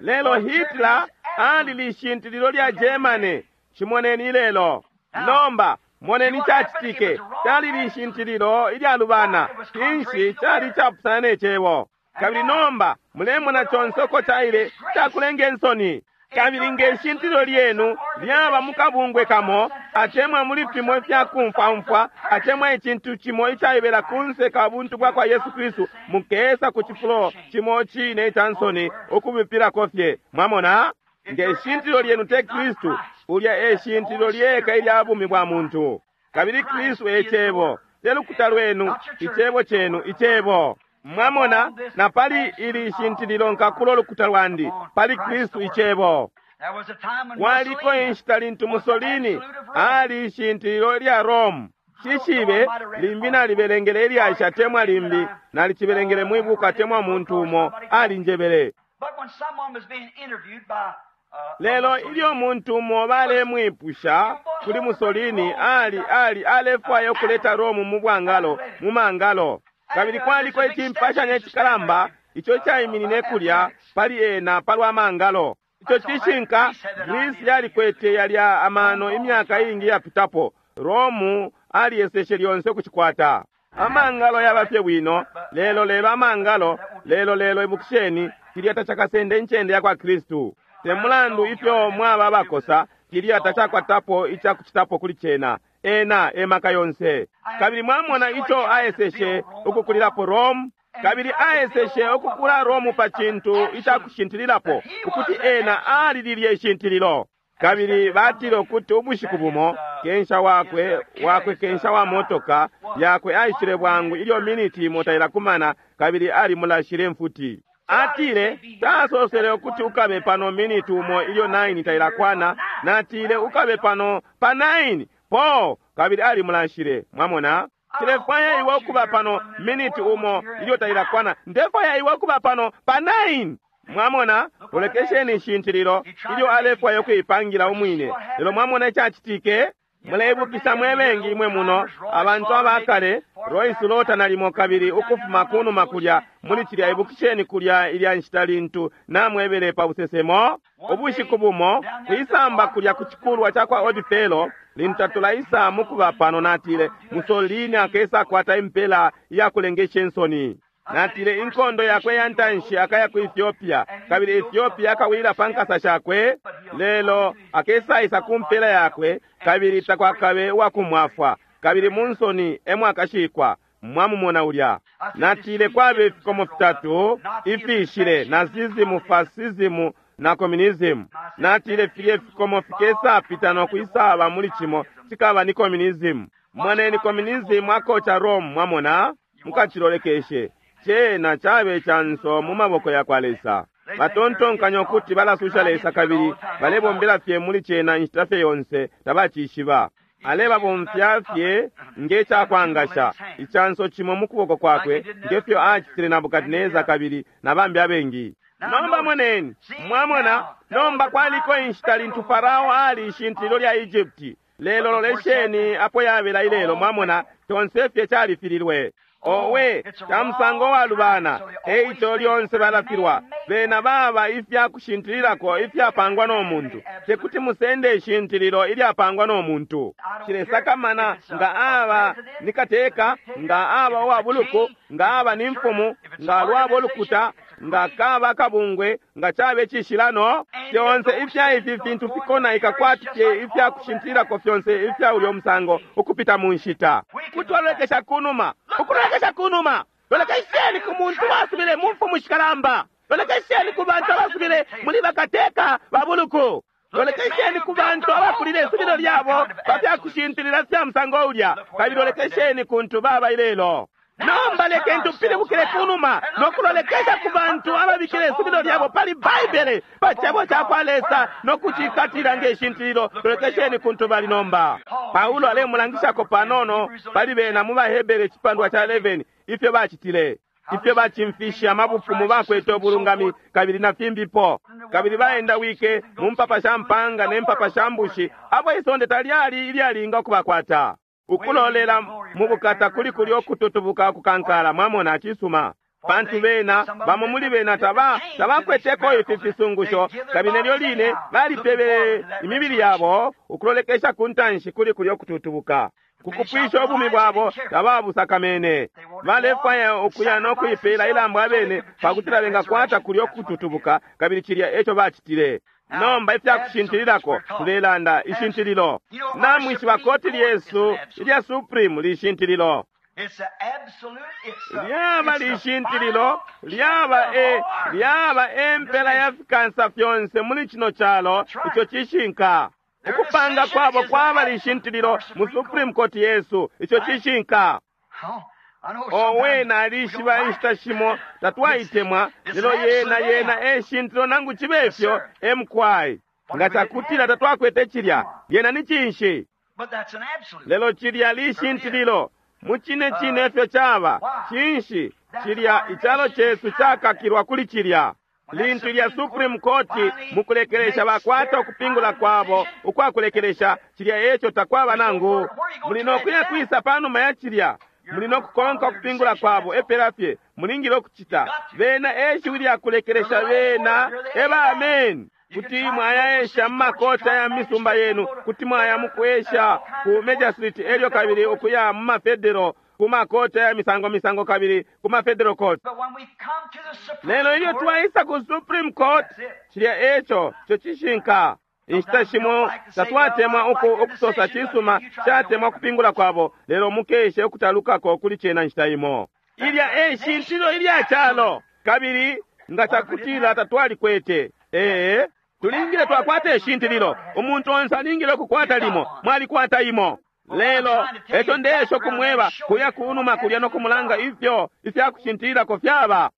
Lelo Hitler ali lishintililo lya Germany. Chimoneni lelo. Nomba moneni cacitike, cali lishintililo ilyalubana, cinshi cali capusana ne cebo. Kabili nomba mulemona conse uko caile cakulenga insoni. Kabili nge shintililo lyenu lyaba mukabungwe kamo, atemwa muli fimo ifyakumfwamfwa, atemwa icintu cimo icaibela kunse ka buntu bwa kwa Yesu Kristu, mukesa ku cifulo cimo cine ica nsoni ukubipilako fye. Mwamona? Nge shintililo lyenu te Kristu, ulya e shintililo lyeka ilya bumi bwa muntu. Kabili Kristu e cebo, te lukuta lwenu, icebo cenu, icebo. Mwamona, na pali ili shintililo nkakulo lukuta lwandi, pali Kristu icebo. Kwaliko inshita lintu Mussolini ali ishintililo lya Rome. Shishibe limbi nalibelengele ilyasha temwa limbi nalicibelengele mwibuka temwa muntu umo alinjebele. Lelo ilyo muntu umo balemwipusha kuli Mussolini, ali ali alefwaya ukuleta Rome mu bwangalo, mu mangalo. Kabili kwaliko icimpashanya icikalamba ico caiminine kulya pali ena palwa mangalo. Ico cishinka, Greece yalikwete yalya amano imyaka iingi yapitapo. Rome aliyeseshe lyonse ukucikwata. Amangalo yaba fye bwino, lelo lelo amangalo, lelo lelo ibukisheni, cilya tacakasende incende ya kwa Kristu. Te mulandu ifyo mwaba abakosa, cilya tacakwatapo icakucitapo kuli cena. Ena emaka yonse. Kabili mwamona ico aeseshe ukukulilapo Rome, kabili aeseshe ukukula Rome pa cintu icakushintililapo, ukuti ena alililye ishintililo. Kabili batile ukuti ubushiku bumo kensha wakwe wakwe kensha wa motoka yakwe aishile bwangu ilyo miniti imo tailakumana, kabili alimulashile mfuti. Atile tasosele ukuti ukabe pano miniti umo ilyo nine tailakwana, natile ukabe pano pa nine po, kabili alimulashile. Mwamona, tilefwaya iwe ukuba pano miniti umo ilyo tailakwana, ndefwaya iwe ukuba pano pa nine. Mwamona, lolekesheni ishintililo ilyo alefwaya ukuipangila umwine. Lelo mwamona icacitike. Muleibukisha mwe bengi imwe muno abantu abakale, Royce Lota nalimo, kabili ukufuma kunuma kulya muli cilya, ibukisheni kulya ilya nshita lintu namwebele pa busesemo ubushiku bumo kwisamba kulya ku cikulwa ca kwa Odifelo, lintu tatulaisa mukuba pano, natile Mussolini akesa kwata impela iyakulengesha insoni. Natile inkondo yakwe ya ntanshi akaya ku Ethiopia, kabili Ethiopia akawila pa nkasa shakwe, lelo akesaisa ku mpela yakwe, kabili takwakabe uwakumwafwa, kabili mu nsoni emwakashikwa. Mwamumona ulya. Natile kwabe ifikomo fitatu ifishile: Nazism, Fascism na communism. Natile filye fikomo fikesapita no kwisaba muli cimo cikaba ni communism. Moneni communism akoca Rome. Mwamona, mukacilolekeshe cena cabe canso mu maboko ya kwa Lesa. Batontonkanya ukuti balasusha Lesa, kabili balebombela fye muli cena inshita fye yonse, tabacishiba. Alebabomfya fye nge cakwangasha icanso cimo mu kuboko kwakwe, ngefyo acitile Nabukadineza kabili na bambi abengi. Nomba moneni, mwamona, nomba kwaliko inshita lintu Farao ali ishintililo lya Egypti. Lelo lolesheni apo yabela ilelo. Mwamona, conse fye califililwe. Owe, ca musango walubana, eico lyonse balafilwa. Bena baba ifya kushintililako ifyapangwa no muntu. Tekuti musende ishintililo ilyapangwa no muntu. Cilesakamana nga aba ni kateka, nga aba uwabuluku, nga aba ni mfumu, nga lwabo lukuta, nga kaba kabungwe, nga cabe cishilano. Fyonse ifya ifi fintu fikonaika kwati fye ifya kushintililako fyonse ifya ulyo musango ukupita mu nshita. Kutwalolekesha kunuma, ukulolekesha kunuma, lolekesheni ku muntu wasubile mu mfumu shikalamba, lolekesheni ku bantu abasubile muli bakateka babuluku, lolekesheni ku bantu abakulile isubilo lyabo pa fya kushintilila fya musango ulya, kabili lolekesheni kuntu baba ilelo. Nomba lekeni tupilibukile kunuma no kulolekesha ku bantu ababikile isubilo lyabo pali Baibele, pa cebo ca kwa Lesa, no kucikatila nge shintililo. Lolekesheni kuntu bali nomba. Paulo alemulangishako panono pali bena mu baHebere icipandwa ca eleven ifyo bacitile. Ifyo bacimfishe amabufumu bakwete ubulungami kabili na fimbipo, kabili baendawike mu mpapa sha mpanga ne mpapa sha mbushi, abo isonde talyali ilyalinga ukubakwata. Ukulolela mu bukata kuli kulyo kututubuka kukankala, mwamona, cisuma. Pantu bena bamo muli bena taba tabakweteko ifi fisungusho, kabili nelyo line balipebele imibili yabo ukulolekesha ku ntanshi kuli kulyo kututubuka. Kukupwisha ubumi bwabo tababusakamene. Balefwaya ukuya no kuipela ilambo abene pakutila bengakwata kulyo kututubuka, kabili cilya eco bacitile. Nomba ifyakushintililako tulelanda ishintililo. Namwishiba koti lyesu ilya Supreme lishintililo. Lyaba lishintililo, lyaba e lyaba empela ya fikansa fyonse muli cino calo, ico cishinka. Ukupanga kwabo kwaba lishintililo mu Supreme Court yesu, ico cishinka. Owe, nalishiba inshita shimo tatwaitemwa, lelo yena yena eshintililo nangu cibe ifyo emkwai. Nga cakutila tatwakwete cilya, yena ni cinshi? Lelo cilya lishintililo mucine cine ifyo caba. Cinshi cilya icalo cesu cakakilwa kuli cilya. Lintu lya Supreme Court mukulekelesha bakwata ukupingula kwabo ukwakulekelesha, cilya eco takwaba nangu. Muli nokuya kwisa panuma ya cilya, muli nokukonka ukupingula kwabo epela fye mulingile ukucita. Bena eshiwi lyakulekelesha, bena eba amen. Kuti mwayaesha mu makota ya misumba yenu, kuti mwaya mukwesha ku Major Street elyo kabili ukuya mu mafedero ku makota ya misango misango kabili ku mafedero court. Lelo ilyo twaisa ku Supreme Court, cilya eco co cishinka. Inshita shimo tatwatemwa uku ukusosa cisuma, catemwa kupingula kwabo, lelo mukeshe ukutalukako kuli cena nshita imo. Ilya eshintililo ilya calo, kabili nga cakutila tatwalikwete. Ee, tulingile twakwata ishintililo. Umuntu onse alingile ukukwata limo, mwalikwata imo. Lelo eco ndesho kumweba kuya kunuma kulya no kumulanga ifyo ifyakushintililako fyaba.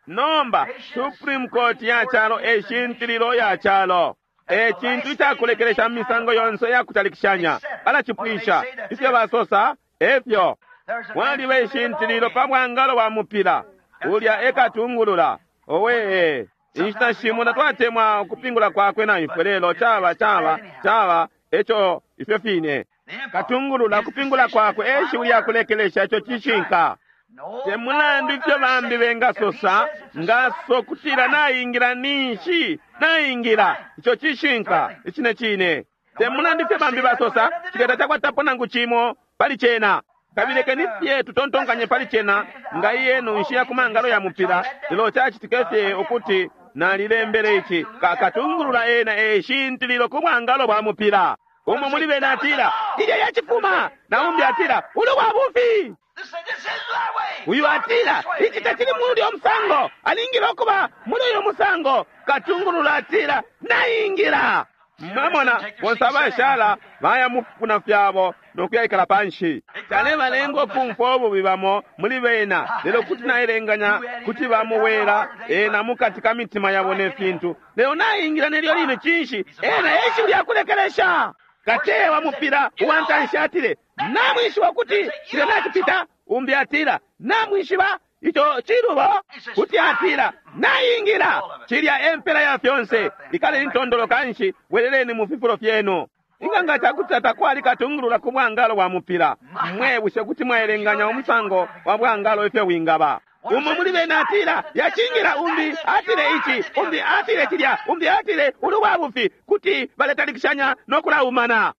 Nomba Supreme Court ya calo eshintililo ya calo. E cintu icakulekelesha misango yonse yakutalikishanya. Balacipwisha ifyo basosa efyo. Mwaliba ishintililo pa bwangalo bwa mupila ulya ekatungulula. Owe, inshita shimo tatwatemwa ukupingula kwakwe na ifwe, lelo caba caba caba eco ifyo fine. Katungulula kupingula kwakwe eshiwi lyakulekelesha, ico cishinka. Te mulandu ifyo bambi bengasosa, ngaso kutila naingila ninshi naingila, ico cishinka icine cine. Te mulandu ifyo bambi basosa, cilya tacakwatapo nangu cimo pali cena. Kabili lekeni fye tutontonkanye pali cena nga iyenu nshiya ku mangalo ya mupila, lelo cacitike fye ukuti nalilembele ici kakatungulula ena eshintililo ku bwangalo bwa mupila. Umo muli bena atila ilya yacifuma, na umbi atila uli wa bufi. Uyu atila ici tacili muli uyo musango, alingile ukuba muli uyo musango. Katungulula atila naingila. Mwamona bonse abashala baya mufuna fyabo nokuyaikala panshi. Calebalenga ukumfwa ububi bamo muli bena, lelo kuti nailenganya kuti bamuwela ena mukati ka mitima yabo ne fintu. Lelo naingila nelyo line cinshi ena eshiwi lyakulekelesha. Katewa mupila uwantanshi atile namwishiba kuti cilya nacipita. Umbi atila namwishiba ico cilubo. Kuti atila naingila. Cilya empela ya fyonse. Ikale intondolo kanshi, bweleleni mu fifulo fyenu. Inga nga cakuti takwali katungulula ku bwangalo bwa mupila, mwe bushe kuti mwaelenganya umusango wa bwangalo ifyo wingaba. Umo muli bena atila yacingila, umbi atile ici, umbi atile cilya, umbi atile uli wa bufi. Kuti baletalikishanya no kulaumana.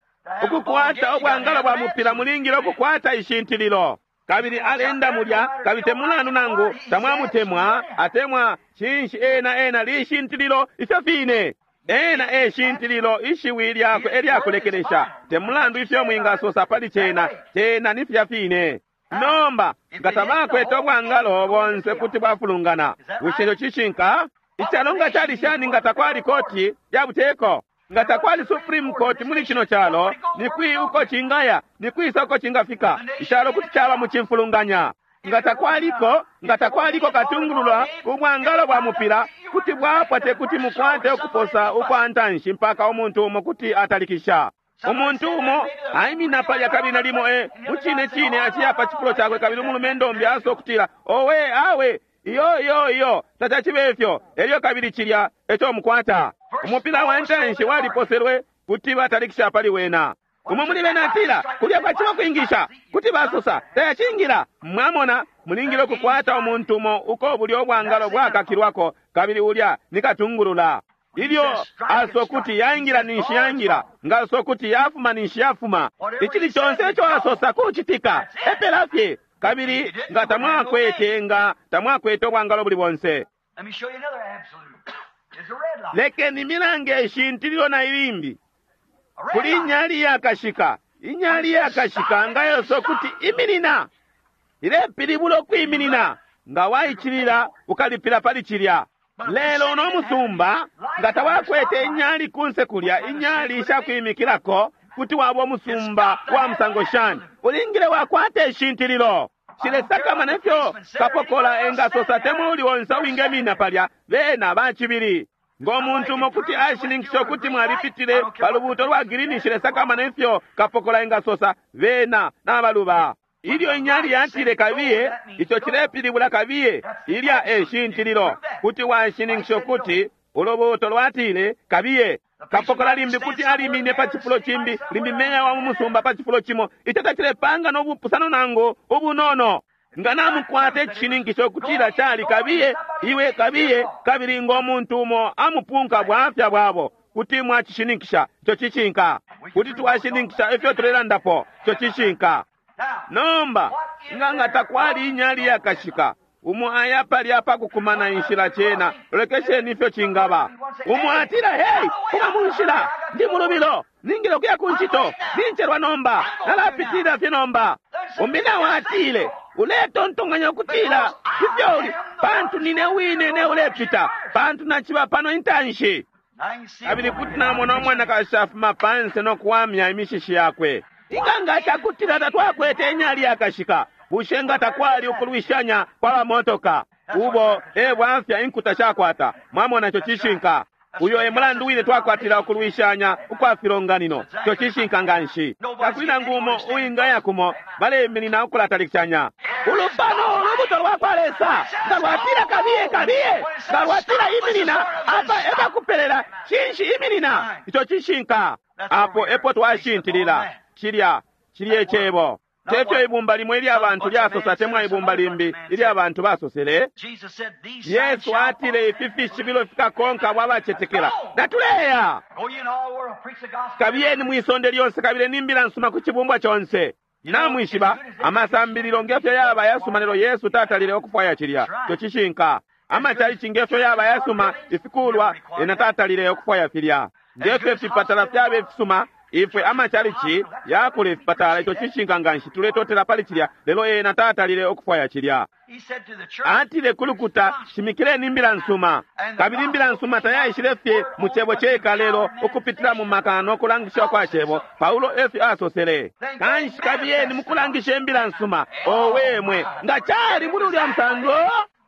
Ukukwata ubwangalo bwa mupila mulingile ukukwata ishintililo. Kabili alenda mulya, kabili temulandu nangu tamwamutemwa atemwa cinshi, ena ena lishintililo ifyo fine. Ena eshintililo, ishiwi lyakwe elyakulekelesha. Temulandu ifyo mwingasosa pali cena, cena ni filya fine. Nomba nga tabakwete ubwangalo bonse kuti bwafulungana. Bushe ico cishinka? Icalo nga cali shani nga takwali koti ya buteko? Nga takwali Supreme Court muli cino calo, ni kwi uko cingaya, ni kwisa uko cingafika? Icalo kuti caba mu cimfulunganya. Nga takwaliko, nga takwaliko katungulula ubwangalo bwa mupila kuti bwapwa, te kuti mukwate ukuposa ukwa ntanshi mpaka umuntu umo kuti atalikisha. Umuntu umo aimina palya kabili nalimo e mucine cine aciya pa cifulo cakwe, kabili umulumendo umbi asosa ukutila, owe awe, iyo iyo iyo, tacacibe ifyo. Elyo kabili cilya eco mukwata. Umupila wa ntanshi waliposelwe, kuti batalikisha pali wena. Umo muli bena atila, kulya kwaciba kwingisha, kuti basosa tayacingila. Mwamona, mulingile ukukwata umuntu umo uko bulyo bwangalo bwakakilwako, kabili ulya ni katungulula. Ilyo asosa kuti yaingila ninshi yaingila, nga asosa kuti yafuma ninshi yafuma. Icili conse ico asosa kucitika, epela fye. Kabili nga tamwakwete, nga tamwakwete ubwangalo buli bonse. Let me show you another absolute. It's a red light. Lekeni milange ishintililo na ilimbi. A red Kuli light. inyali yakashika, inyali yakashika nga yoso kuti iminina, ilepilibula ukwiminina. Nga waicilila ukalipila pali cilya. Lelo no musumba nga tawakwete inyali kunse kulya, inyali ishakwimikilako, kuti waba umusumba wa musango shani? Ulingile wakwata ishintililo. Shilesakama nefyo kapokola engasosa temwe uli onse uwingemina palya, bena bacibili. Ngo muntu umo kuti ashininkisha ukuti mwalipitile pa lubuuto lwa girini, shilesakama nefyo kapokola engasosa, bena nabaluba. Ilyo inyali yatile kabiye, ico cilepilibula kabiye, ilya e shintililo. Kuti washininkisha ukuti ulubuuto lwatile kabiye. Kapokola limbi kuti alimine pa cifulo cimbi, limbi meya wa mu musumba pa cifulo cimo, ico tacilepanga no bupusano nangu ubunono. Nga namukwata icishininkisho ukutila cali kabiye, iwe kabiye, kabili ngo muntu umo amupunka bwafya bwabo, kuti mwacishininkisha ico cishinka. Kuti twashininkisha ifyo tulelandapo, ico cishinka. Now, Nomba nga nga takwali inyali yakashika, umo aya palya pakukumana inshila cena, lolekesheni ifyo cingaba. Umo atila, hey, kuma mu nshila, ndi mulubilo, ningile ukuya ku ncito, nincelwa nomba, nalapitilila fye nomba. Umbi nawo atile, uletontonkanya ukutila ifyo uli, pantu nine wine ne ulepita, pantu naciba pano intanshi. now you see Kabili kuti namona umwanakashi afuma panse no kuwamya imishishi yakwe. Inga nga cakutila tatwakwete inyali yakashika, bushe nga takwali ukulwishanya kwa bamotoka? Ubo e bwafya inkuta shakwata. Mwamona ico cishinka. Uyo e mulandu wine twakwatila ukulwishanya ukwa filonganino. Ico cishinka nganshi. Takuli nangu umo uwingaya kumo baleminina ukulatalikishanya. Ulupano ulubuto lwa kwa Lesa nga lwatila kabiye kabiye, nga lwatila iminina, apa epakupelela cinshi iminina. Ico cishinka. Apo epo twashintilila. Cilya cilye cebo. Tefyo ibumba limwe ilya bantu lyasosa temwa ibumba limbi ilya bantu basosele. Jesus said, These signs Yesu shall atile follow ifi fishibilo fikakonka abo abacetekela. Natuleya! Go ye in all the world, preach the gospel. Kabiyeni mwisonde lyonse kabili n'imbila nsuma ku chibumbwa chonse. Namwishiba amasambililo ngefyo yaba yasuma lelo Yesu tatalile okufwaya cilya. Ico cishinka. Amachalichi ngefyo yaba yasuma ifikulwa ena tatalile okufwaya filya. Ngefyo ifipatala fyaba ifisuma ifwe amachalichi yakula ifipatala. Ico cishinka nganshi tuletotela pali cilya lelo ena tatalile okufwaya cilya. He said to the church, Atile kulukuta shimikileni imbila nsuma, kabili imbila nsuma tayaishile fye mu cebo ceka lelo ukupitila mu maka no kulangisha kwa cebo. Paulo efyo asosele, kanshi kabiyeni mukulangisha imbila nsuma. Owe mwe, nga cali muli ulya musango.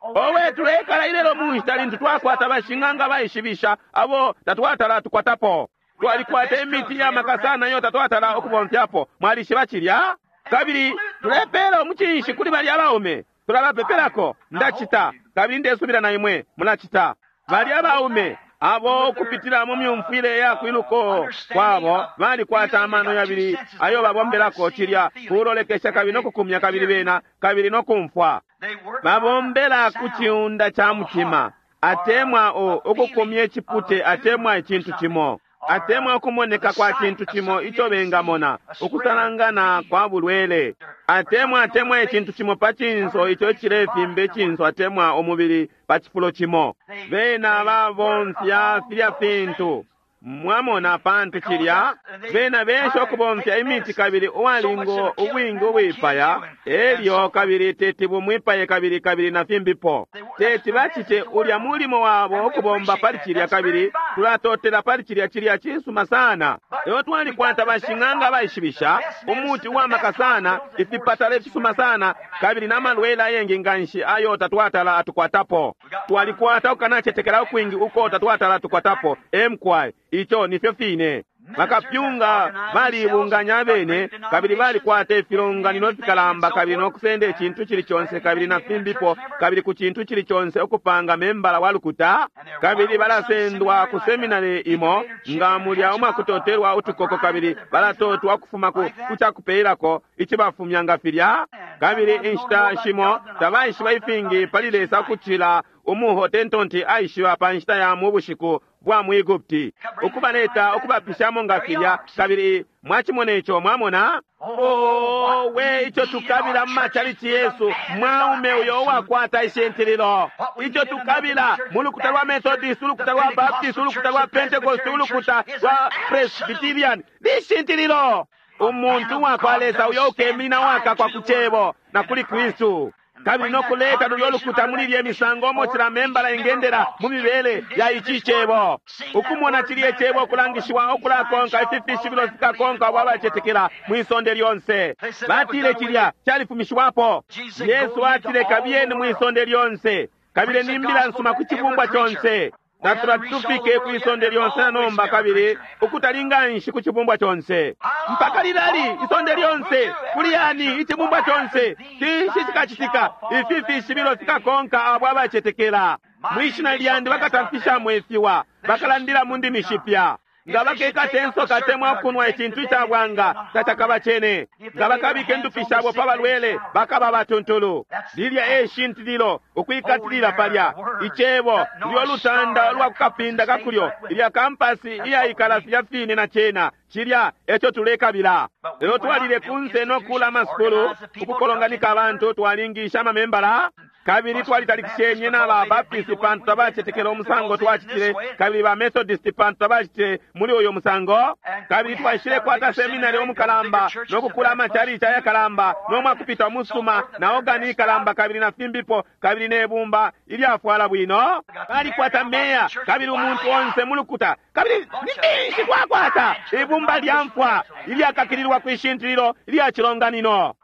Owe tulekala ilelo mu nshita lintu twakwata bashing'anga baishibisha abo tatwatala tukwatapo. Twalikwata imiti y'amaka sana iyo tatwatala ukubomfyapo. Mwalishiba cilya? Kabili tulepela umucinshi kuli balya abaume, tulabapepelako. Ndacita, kabili ndesubila na imwe mulacita. Balya abaume abo ukupitila mu myumfwile ya kwiluko kwabo balikwata amano yabili ayo babombelako cilya kulolekesha kabili no kukumya kabili bena kabili no kumfwa. they work Babombela ku ciunda ca mutima, atemwa o ukukumya icipute, atemwa icintu cimo, atemwa ukumoneka kwa cintu cimo ico bengamona, ukusalangana kwa bulwele, atemwa atemwa icintu cimo pa cinso ico icilefimba icinso, atemwa umubili pa cifulo cimo. Bena babomfya filya fintu. Mwamona pantu cilya bena besha ukubomfya imiti kabili uwalingo ubwingi ubwipaya, elyo kabili teti bumwipaye kabili kabili na fimbipo. Teti bacite ulya mulimo wabo ukubomba pali cilya, kabili tulatotela pali cilya. Cilya cisuma sana. Lelo twalikwata bashing'anga baishibisha umuti uwamaka sana, ifipatala ifisuma sana, kabili n'amalwele ayengi nganshi ayo tatwatala atukwatapo. Twalikwata ukanacetekela ukwingi uko tatwatala atukwatapo. Emkwai, ico nifyo fine. Bakapyunga balibunganya abene kabili balikwata ifilonganino fikalamba kabili nokusenda icintu cili conse kabili na fimbipo kabili ku cintu cili conse ukupanga membala wa lukuta kabili balasendwa ku seminari imo nga mulya umwakutotelwa utukoko kabili balatotwa ukufuma ku kucakupelako icibafumya nga filya kabili inshita shimo tabaishiba ifingi pali Lesa ukucila umuhotentonti aishiba pa nshita ya mu bushiku bwa mu Egupti ukubaleta ukubapishamo nga filya kabili mwachimona ico mwamona owe ico tukabila mu macalici yesu mwaume uyo uwakwata ishintililo ico tukabila mu lukuta lwa Methodist, ulukuta lwa Baptist, ulukuta lwa Pentecost, ulukuta lwa Presbyterian lishintililo umuntu uwakwa Lesa uyo ukemina wakakwa ku cebo na kuli Kristu kabili nokuleta lulyo lukuta muli lye misango omo cila membala ingendera mu mibele ya ici cebo ukumona cilye cebo okulangishiwa okulakonka ifi fishibilo fikakonka abo abacetekela mwisonde lyonse batile cilya califumishiwapo Yesu atile kabiyeni mwisonde lyonse kabili ni mbila nsuma ku cibumbwa conse natula tufike kwisonde lyonse na nomba kabili ukutalinga nshi ku cibumbwa conse mpaka lilali isonde lyonse kuliyani icibumbwa conse cinshi cikacitika ifi fishibilo fikakonka abo abacetekela mwishina lyandi bakatamfishamo ifiwa bakalandila mu ndimi shipya nga bakekata ensoka temwa kunwa icintu icabwanga tacakaba cene nga bakabika endupi shabo pa balwele bakaba batuntulu lilya eshintililo ukwikatilila palya icebo lyo lutanda lwa kukapinda kakulyo ilya kampasi iyaikala filya fine na cena cilya eco tulekabila lelo twalile kunse nokula amasukulu ukukolonganika abantu twalingisha amamembala kabili twalitalikishenye na ba Baptist pantu tabacetekela umusango twacitile kabili ba Methodist pantu tabacitile muli uyo musango kabili twashile kwata seminari omukalamba nokukula amachalichi ayakalamba nomwakupita umusuma na ogani ikalamba kabili na fimbipo kabili nebumba ilyafwala bwino balikwata meya kabili umuntu onse mulukuta kabili ni finshi twakwata ibumba lya mfwa ilyakakililwa kwishintililo ilya chilonganino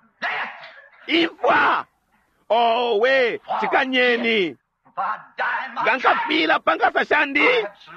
imfwa owe cikanyeni nga nkafila pankasa shandi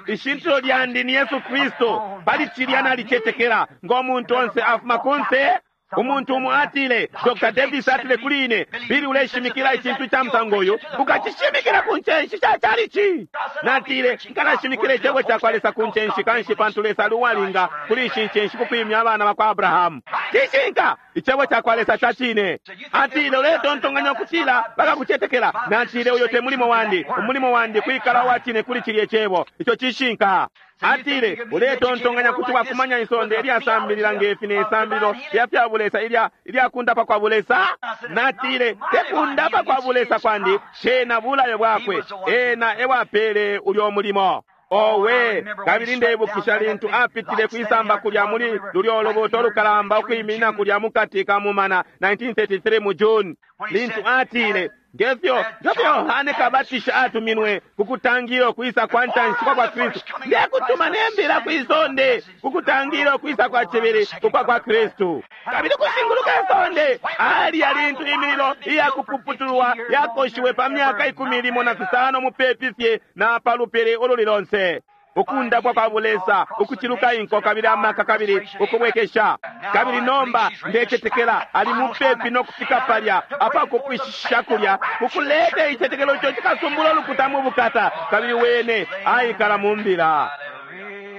ishintilo lyandi ni Yesu Kristu pali cilya nalicetekela ng'omuntu onse afuma kunse umuntu umo atile Doctor Davis atile kuli ine bili uleshimikila icintu ca musango uyu ukacishimikila ku ncenshi ca chalichi natile nkalashimikila icebo ca kwa Lesa ku ncenshi kanshi pantu Lesa ali uwalinga kuli ishi ncenshi kukwimya abana bakwa Abrahamu cishinka icebo ca kwa Lesa ca cine atile uletontonkanya ukutila bakakucetekela natile uyo te mulimo wandi umulimo wandi kwikala uwa cine kuli cilye cebo ico cishinka atile uletontonkanya kuti wakumanya isonde ilyasambilila ngefi ne sambililo lya fya bulesa ilya ilyakundapa kwa bulesa natile tekundapa kwa bulesa kwandi cena bulayo bwakwe ena ewapele ulyo mulimo owe kabili ndeibukisha lintu apitile kwisamba kulya muli lulyo lubuto lukalamba ukwiminina kulya mukati ka mumana nineteen thirty-three mu June lintu atile ngefyo ngefyo Yohane Kabatisha atuminwe kukutangira okwisa kwa ntanshi kwa kwa Kristu ndekutuma nembila kwisonde kukutangira okwisa kwa chibili kukwa kwa Kristu kabili kushinguluka isonde ali alintu imililo iyakupuputulwa yakoshiwe pa myaka ikumi limo na fisano mupepi fye na palupili ululi lonse ukundapwa kwa bulesa ukuchiluka inko kabili amaka kabili ukubwekesha kabili nomba ndecetekela ali mupepi nokufika palya apakupwishisha kulya kukuleta icetekelo ico cikasumbula ulukuta mu bukata kabili wene aikala mu mbila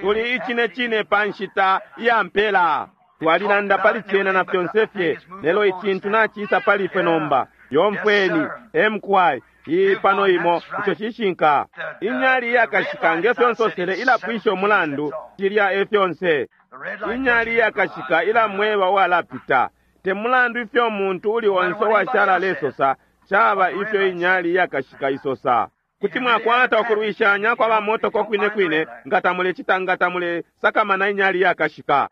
tuli icine cine pa nshita iya mpela twalilanda pali cena na fyonse fye lelo icintu nacisa pali ifwe nomba yomfweni emkwai iyi pano imo ico cishinka inyali iyakashika ngefyo nsosele ilapwisha umulandu cilya efyonse inyali iyakashika ilamweba uwalapita te mulandu ifyo umuntu uli onse uwashala alesosa caba ifyo inyali iyakashika isosa kuti mwakwata ukulwishanya kwa bamotoko kwine kwine nga tamulecita nga tamulesakamana inyali iyakashika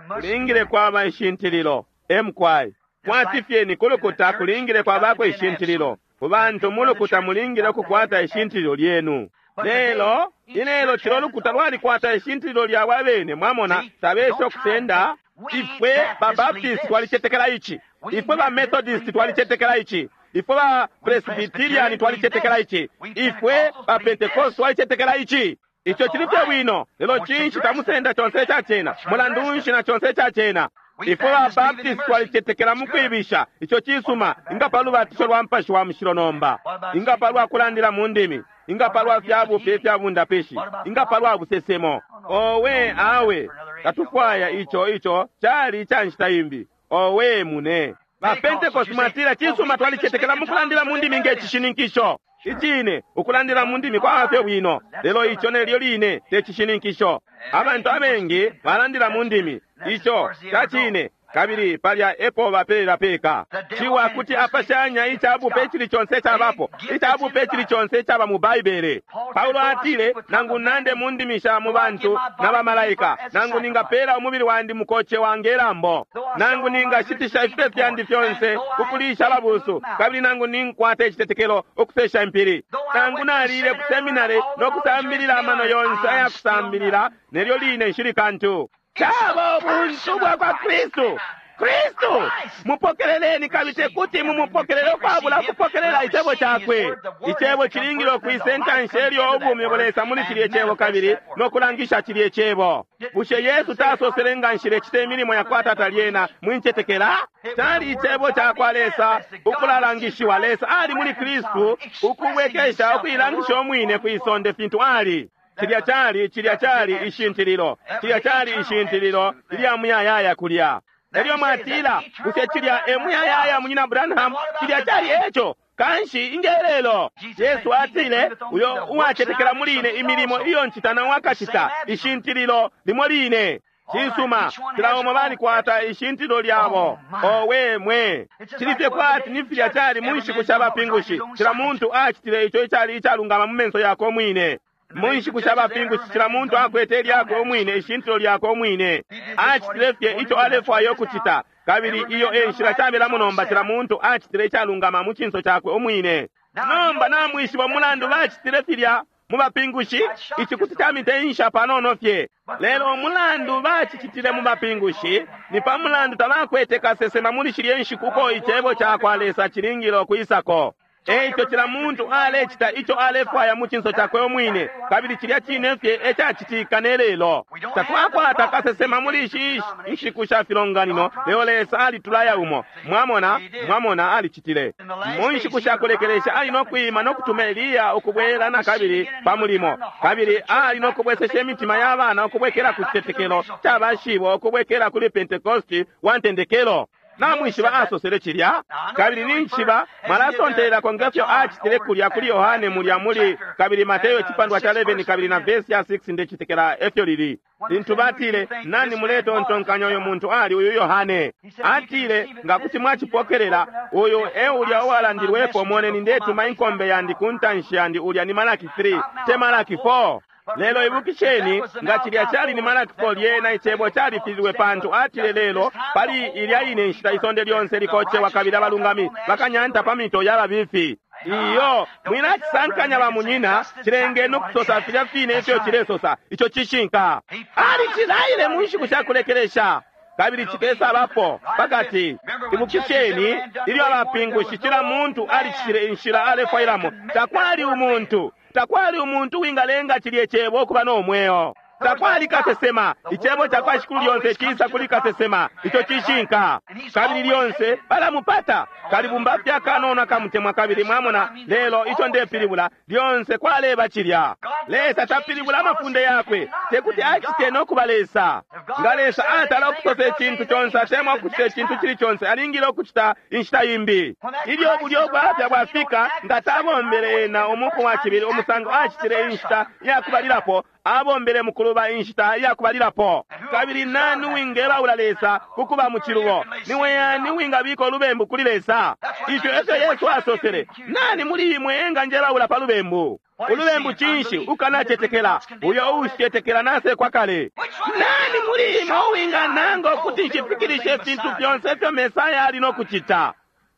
kulingile kwaba ishintililo emkwai kwati fyeni kulukuta kulingile kwabako ishintililo ku bantu mulukuta mulingile ukukwata ishintililo lyenu lelo ilelo cilo lukuta lwalikwata ishintililo lyabo abene mwamona tabesha okusenda ifwe ba Baptist twalicetekela ici ifwe ba Methodist twalicetekela ici ifwe ba Presbyterian twalicetekela ici ifwe ba Pentecost twalicetekela ici Ico cili fye bwino, lelo cinshi tamusenda conse ica cena? Mulandu nshi na conse ica cena? Ifwe ba Baptist twalicetekela mu kwibisha, ico cisuma, inga pa lubatisho lwa Mupashi wa Mushilo nomba, inga pa lwa kulandila mu ndimi, inga pa lwa fya bupe ifya bundapishi, inga pa lwa busesemo. Owe awe, tatufwaya ico, ico cali ica nshita imbi. Owe mune. Ba Pentecost mwatila cisuma, twalicetekela mu kulandila mu ndimi nge cishininkisho. Icine, ukulandila mu ndimi kwaba fye bwino, lelo ico nelyo line te cishininkisho. Abantu abengi balandila mu ndimi, ico cacine, kabili palya epo bapelela peka. Ciwa kuti apashanya icabupe icili conse icabapo, icabupe icili conse icaba mu Baibele. Paulo atile, nangu nande mu ndimi sha mu bantu na bamalaika, nangu ningapela umubili wandi mukoce wange lambo, nangu ningashitisha ifipe fyandi fyonse kukulisha ababusu, kabili nangu ninkwata icitetekelo ukusesha impili, nangu nalile ku seminari no kusambilila amano yonse ayakusambilila, nelyo line nshili kantu. Caba ubuntu bwa kwa Kristu. Kristu mupokeleleni, kabili tekuti mumupokelele ukwabula kupokelela icebo cakwe. Icebo cilingile ukwisa intanshi elyo ubumi bulesa muli cilye cebo kabili no kulangisha cilye cebo. Bushe Yesu tasosele nga nshilecita imilimo ya kwa Tata lyena mwincetekela? Cali icebo ca kwa Lesa ukulalangishiwa. Lesa ali muli Kristu ukubwekesha ukuilangisha umwine kwisonde fintu ali. Cilya cali, cilya cali ishintililo, cilya cali ishintililo ilya muyayaya kulya. Elyo mwatila, bushe cilya e muyayaya munyina Branham? Cilya cali eco. Kanshi ingelelo. Yesu atile, uyo uwacetekela muli ine imilimo iyo ncita na wakacita, ishintililo limo line. Cisuma, cila umo balikwata ishintililo lyabo. Owe mwe. Cili fye kwati ni filya cali mu nshiku sha bapingushi. Cila muntu acitile ico icali icalungama mu menso yakwe umwine. Mu nshiku sha bapingushi cila muntu akwete lyakwe umwine, ishintilo lyakwe umwine. Acitile fye ico alefwaya ukucita, kabili iyo e nshila cabelamo nomba. Cila muntu acitile icalungama mu cinso cakwe umwine. Nomba namwishiba umulandu bacitile filya mu bapingushi? Ici kuti camiteensha panono fye. Lelo umulandu bacicitile mu bapingushi ni pa mulandu tabakwete kasesema muli shilye nshiku uko icebo ca kwa Lesa cilingile ukwisako. Eico cila muntu alecita ico alefwaya mu cinso cakwe umwine, kabili cilya cine fye ecacitika ne lelo. Tatwakwata kasesema muli ishi nshiku sha filonganino, lelo Lesa alitulaya umo. Mwamona, mwamona alicitile. Mu nshiku sha kulekelesha ali no kwima no kutuma Eliya ukubwela na kabili pa mulimo, kabili ali no kubwesesha imitima ya bana ukubwekela ku citetekelo ca bashibo, ukubwekela kuli Pentekosti wa ntendekelo. Namwishiba asosele cilya, kabili ninjishiba mwalasontelelako ngefyo acitile kulya kuli Yohane mulya muli kabili Mateyo icipandwa ca eleven kabili na vesi ya six ndecitekela efyo lili. Lintu batile, nani muletontonkanya uyu muntu ali uyu Yohane? Atile, nga kuti mwacipokelela, uyu e ulya uwalandilwepo, moneni ndetuma inkombe yandi ku ntanshi yandi, ulya ni Malaki three, te Malaki four. Lelo ibukisheni, nga cilya cali ni Malaki four, lyena icebo califililwe pantu atile lelo pali ilya ine nshita isonde lyonse likocewa kabili abalungami bakanyanta pa mito ya babifi. Iyo, mwilacisankanya ba munyina, cilengeni ukusosa filya fine ifyo cilesosa, ico cishinka. Alicilaile mu nshiku sha kulekelesha, kabili cikesabapo pakati. Ibukisheni, ilyo abapingushi cila muntu alicitile inshila alefwailamo, takwali umuntu takwali umuntu wingalenga cilye cebo ukuba no mweo. Takwali kasesema. Icebo ca kwa Shikulu lyonse cisa kuli kasesema, ico cishinka. Kabili lyonse balamupata. Kalibumba fye akanono akamutemwa kabili mwamona, lelo ico ndepilibula lyonse kwaleba cilya. Lesa tapilibula amafunde yakwe, tekuti acite no kuba Lesa. Nga Lesa atala ukusosa icintu conse atemwa ukucita icintu cili conse, alingile ukucita inshita imbi. Ilyo bulyo bwafya bwafika, nga tabombele ena umuku wa cibili umusango acitile inshita yakubalilapo, abombele mukuluba inshita yakubalilapo. Kabili nani wingebaula Lesa kukuba mu cilubo? Niwe yani wingabika ulubembu kuli Lesa? Ifyo efyo Yesu asosele. Nani muli imwe enganjebaula pa lubembu? Ulubembu cinshi? Ukanacetekela. Uyo uushicetekela nasekwa kale. Nani muli imwe uwingananga ukuti nshifikilishe ifintu fyonse ifyo Mesaya ali no kucita?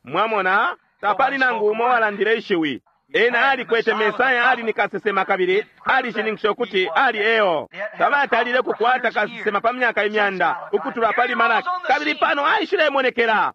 Mwamona, tapali nangu umo walandile ishiwi. Ena alikwete Mesaya, ali ni kasesema kabili alishininkisha ukuti ali eo. Tabatalile kukwata kasesema pa myaka imyanda ukutula pali Malaki, kabili pano aishilemonekela.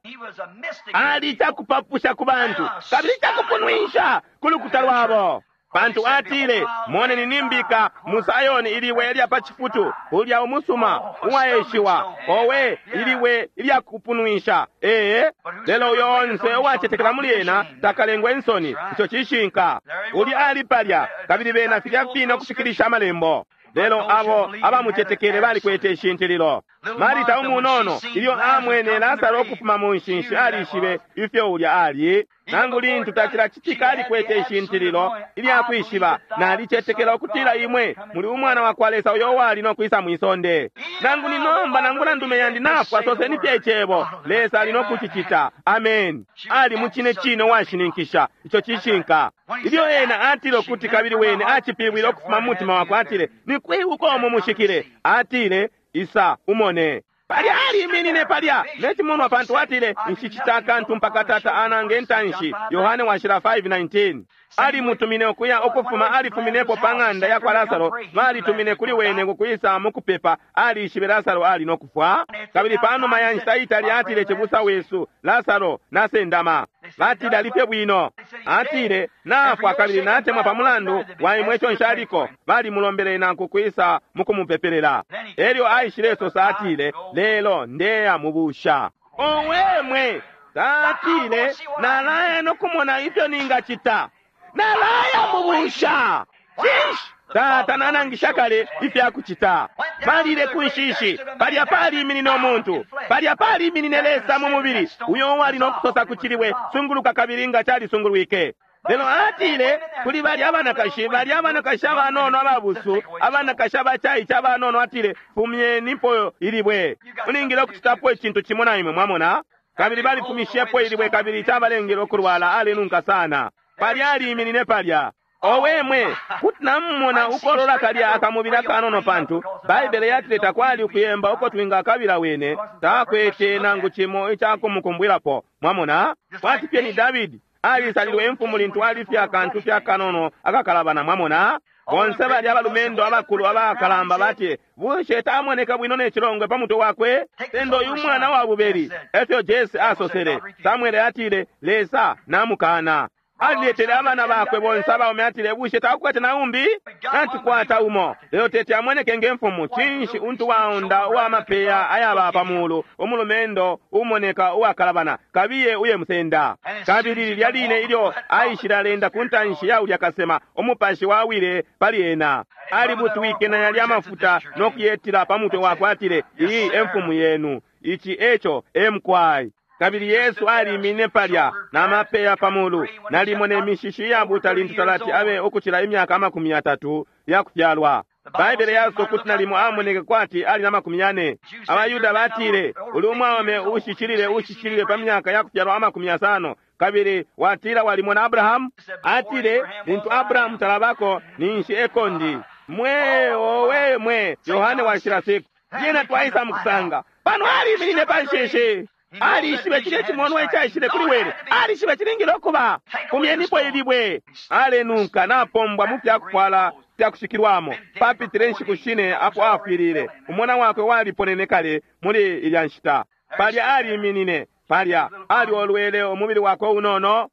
Ali cakupapusha ku bantu kabili cakupunwisha ku lukuta lwabo. Pantu atile, moneni nimbika mu Sayoni ilibwe ilya pa cifutu, ulya umusuma uwaeshiwa, owe ilibwe ilya kupunwisha. Ee, lelo uyo onse uwacetekela muli ena takalengwe insoni. Ico cishinka. Ulya ali palya, kabili bena filya fine ukufikilisha amalembo. Lelo abo abamucetekele balikwete ishintililo. Marita umunono ilyo amwene Lasaro ukufuma mu nshinshi alishibe ifyo ulya ali. Nangu lintu tacilacitika alikwete ishintililo ilya kwishiba, nalicetekela ukutila imwe muli umwana wa kwa Lesa uyo wali no kwisa mwisonde. Nangu ni nomba nangula ndume yandi nafwa, soseni fye icebo, Lesa ali no kucicita. Amen. Ali mu cine cine uwashininkisha. Ico cishinka. Ilyo ena atile ukuti kabili wene acipilibwile ukufuma mu mutima wakwe, atile ni kwi uko mumushikile? Atile isa umone. Palya aliminine palya necimonwa, pantu atile nshicita akantu mpaka Tata anange ntanshi. Yohane washila five nineteen. Alimutumine ukuya ukufuma, alifuminepo pa ng'anda ya kwa Lasaro, balitumine kuli wene kukwisa mukupepa. Alishibe Lasaro ali no kufwa. Kabili panuma ya nshita itali atile, cibusa wesu Lasaro nasendama. Batile alife bwino. Atile nafwa kabili natemwa pa mulandu wa imwe ico nshaliko. Balimulombele nanku kwisa mukumupepelela. Elyo aishile sosa atile, lelo ndeya mubusha. Owe mwe, tatile nalaya no kumona ifyo ningacita. Nalaya mubusha. Cinshi? Tata nanangisha kale ifyakucita. Balile ku nshishi, palya paliminine umuntu, palya paliminine Lesa mu mubili, uyo wali no kusosa ku cilibwe, sunguluka, kabili nga calisungulwike. Lelo atile kuli balya abanakashi, balya abanakashi abanono ababusu, abanakashi abacaice abanono, atile fumyenipo ilibwe. Mulingile ukucitapo icintu cimo na imwe, mwamona. Kabili balifumishepo ilibwe, kabili cabalengele ukulwala, alenunka sana. Palya aliminine palya. Owe mwe, kuti namumona ukolola kalya akamubili akanono, pantu Baibele yatile takwali ukuyemba uko twingakabila wene, takwete nangu cimo icakumukumbwilapo. Mwamona, kwati fye ni Davidi alisalilwe imfumu lintu alifye akantu fye akanono akakalabana. Mwamona, bonse balya abalumendo abakulu abakalamba batile, bushe tamoneka bwino ne cilongwe pa mutwe wakwe? Sendo uyu mwana wa bubeli, efyo Jese asosele. Samwele atile, Lesa namukana. Aliletele abana bakwe bonse abaume, atile bushe takukwete na umbi? Natukwata umo, lelo tete amoneke nge mfumu. Cinshi untu waunda uwa mapeya ayaba pa mulu, umulumendo umoneka uwakalabana, kabiye uye musenda. Kabili lilya line ilyo aishile alenda ku ntanshi ya ulya kasema, umupashi wawile pali ena. Alibutwike na yalya mafuta no kuyetila pa mutwe wakwe, atile iyi e mfumu yenu, ici eco e mukwai. Kabili Yesu alimine palya na mapeya pa mulu, nalimo ne mishishi iyabuta lintu talati abe ukucila imyaka amakumi yatatu yakufyalwa. Baibele yasosa ukuti nalimo amoneke kwati ali na makumi yane. Abayuda batile uli umwaume ushishilile ushishilile pa myaka yakufyalwa amakumi yasano, kabili watila walimona Abrahamu? Atile lintu Abrahamu talabako ninshi ekondi. Mwe owe mwe, Yohane washila six. Lyena twaisa mukusanga pano aliminine pa nshishi. Alishibe cilye cimonwa icaishile kuli wene, alishibe cilingile ukuba fumyenipo ilibwe. Alenunka napombwa mu fyakufwala fyakushikilwamo. Papitile inshiku shine apo afwilile, umwana wakwe waliponene kale muli ilya nshita. Palya aliminine palya, aliolwele umubili wakwe unono.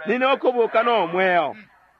Nine ukubuka no mweo,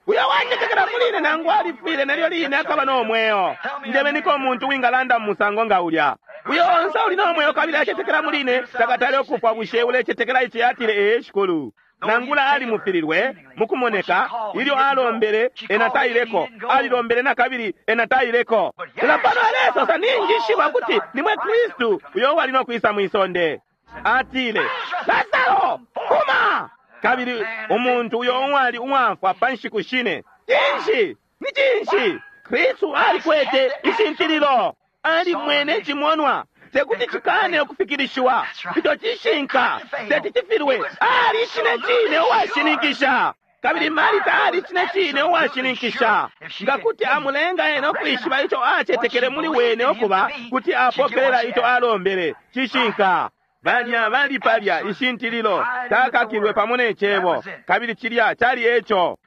uyo wacetekela muli ine nangu alifwile nelyo line akaba no mweo. Njebeniko umuntu wingalanda mu musango nga ulya. Uyo onse uli no mweo kabili acetekela muli ine takatale ukufwa. Bushe ulecetekela ici? Atile ee shikulu. Nangula alimufililwe mukumoneka ilyo alombele ena taileko, alilombele na kabili ena taileko. Lelo pano alesosa, ninjishiba kuti nimwe Kristu uyo wali no kwisa mwisonde. Atile Lasaro fuma! Kabili umuntu uyo uwali uwafwa pa nshiku shine. Cinshi? Ni cinshi? Kristu alikwete ishintililo, alimwene icimonwa, tekuti cikane ukufikilishiwa. Ico cishinka, teti cifilwe. Ali cine cine uwashininkisha. Kabili Marita ali cine cine uwashininkisha. Nga kuti amulenga ena ukwishiba ico acetekele muli wene ukuba, kuti apokelela ico alombele. Cishinka. Balya bali palya ishintililo takakilwe pamo ne cebo, kabili cilya cali eco.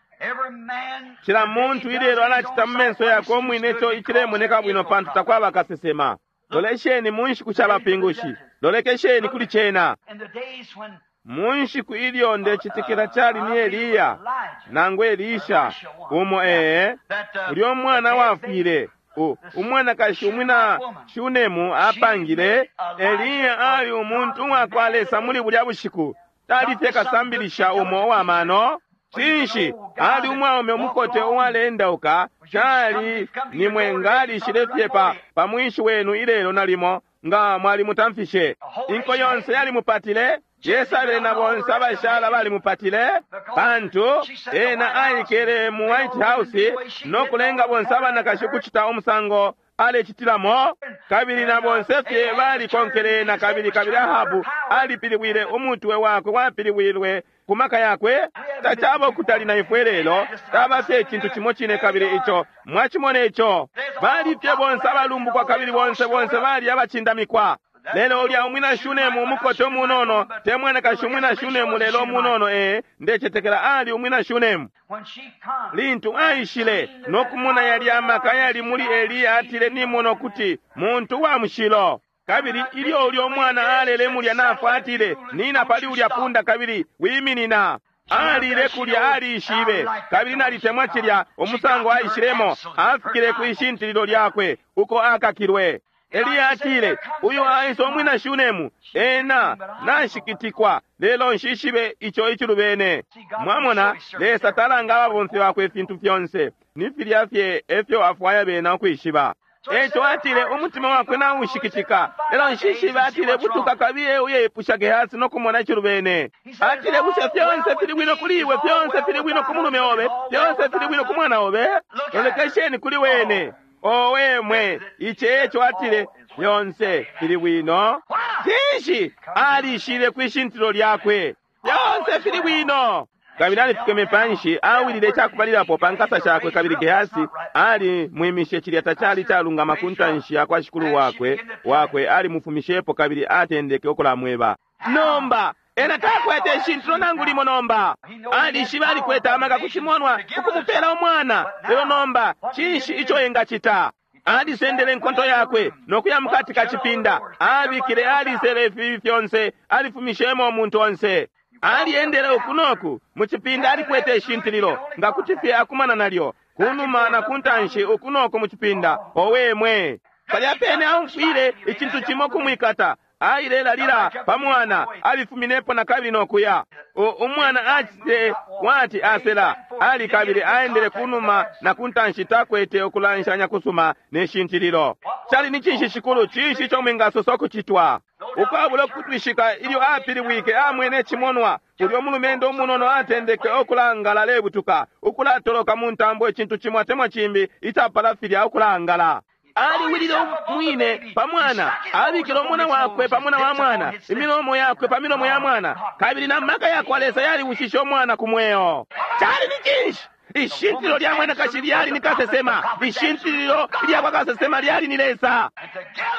Cila muntu ilelo alacita mu menso yakwe umwine ico icilemoneka bwino, pantu takwaba kasesema. Lolesheni mu nshiku sha bapingushi, lolekesheni kuli cena. Mu nshiku ilyo ndecitikila cali ni Eliya nangu Elisha umo, ee, ulyo mwana wafwile, umwanakashi umwina Shunemu apangile. Eliya ali umuntu uwakwa Lesa muli bulya bushiku, tali fye kasambilisha umo uwamano. Cinshi, ali umwaume umukote uwalendauka, cali ni mwengalishile fye pa pa mwinshi wenu ilelo nalimo nga mwalimutamfishe. Inko yonse yalimupatile, Yesabele na bonse abashala balimupatile, pantu ena aikele mu White House no kulenga bonse abanakashi ukucita umusango alecitilamo, kabili na bonse fye balikonkele na kabili. Kabili Ahabu alipilibwile umutwe wakwe wapilibwilwe ku maka yakwe. Tacaba ukutali na ifwe lelo, taba fye icintu cimo cine. Kabili ico mwacimona ico, bali fye bonse abalumbukwa, kabili bonse bonse bali abacindamikwa. Lelo ulya umwina Shunemu umukote umunono, te mwanakashi umwina Shunemu, lelo umunono, ee, ndecetekela ali umwina Shunemu. Lintu aishile nokumona yalya amaka yali muli Eliya, atile, nimona ukuti muntu wa mushilo. Kabili ilyo ulya umwana alele mulya nafwa, atile, nina pali ulya punda kabili wiminina. Alile kulya, aliishibe. Kabili nalitemwa cilya umusango aishilemo, afikile ku ishintililo lyakwe uko akakilwe. Eliya atile, uyu aisa umwina Shunemu, ena nashikitikwa, lelo nshishibe ico icilubene. Mwamona, Lesa talanga ababomfi bakwe ifintu fyonse, ni filya fye efyo afwaya bena ukwishiba. Eco atile, umutima wakwe naushikitika, lelo nshishibe. Atile, butuka kabiye uyeipusha Gehasi no kumona icilubene. Atile, bushe fyonse fili bwino kuli iwe? Fyonse fili bwino ku mulume obe? Fyonse fili bwino ku mwana obe? Lolekesheni kuli wene. Owe mwe, ici eco atile, fyonse fili bwino. Cinshi? Alishile kwishintilo lyakwe, fyonse fili bwino. Kabili alifikeme panshi, awilile icakubalilapo pa nkasa shakwe. Kabili Gehasi ali mwimishe, cilya tacali calungama ku ntanshi ya kwa shikulu wakwe wakwe alimufumishepo kabili atendeke ukulamweba. Nomba ena takwete ishintilo nangu limo. Nomba alishiba alikwete amaka kucimonwa ukumupela umwana, lelo nomba cinshi ico engacita? Alisendele inkonto yakwe nokuya mukati ka cipinda, abikile, alisele ifibi fyonse, alifumishemo umuntu onse. Aliendele uku noku mu cipinda, alikwete ishintililo nga kuti fye akumana nalyo kunuma na kuntanshi, uku noku mu cipinda. Owe mwe, palya pene aumfwile icintu cimo kumwikata, ailelalila pa mwana, alifuminepo na kabili nokuya. Umwana acitile wati asela ali, kabili aendele kunuma na kuntanshi, takwete ukulanshanya kusuma ne shintililo. Cali ni cinshi, shikulu? Cinshi ico mwingasosa ukucitwa? Ukwabula ukutwishika, ilyo apilibwike amwene icimonwa, ulyo mulumendo umunono atendeke okulangala, alebutuka ukulatoloka mu ntambo, icintu cimo atemwa cimbi icapala filya, ukulangala. Aliwilile umwine pa mwana, abikile umwana wakwe pa mwana wa mwana, imilomo yakwe pa milomo ya mwana, kabili na maka yakwa Lesa yaliwushishe umwana ku mweo. Cali ni cinshi? Ishintililo lya mwanakashi lyali ni kasesema, ishintililo lya kwa kasesema lyali ni Lesa.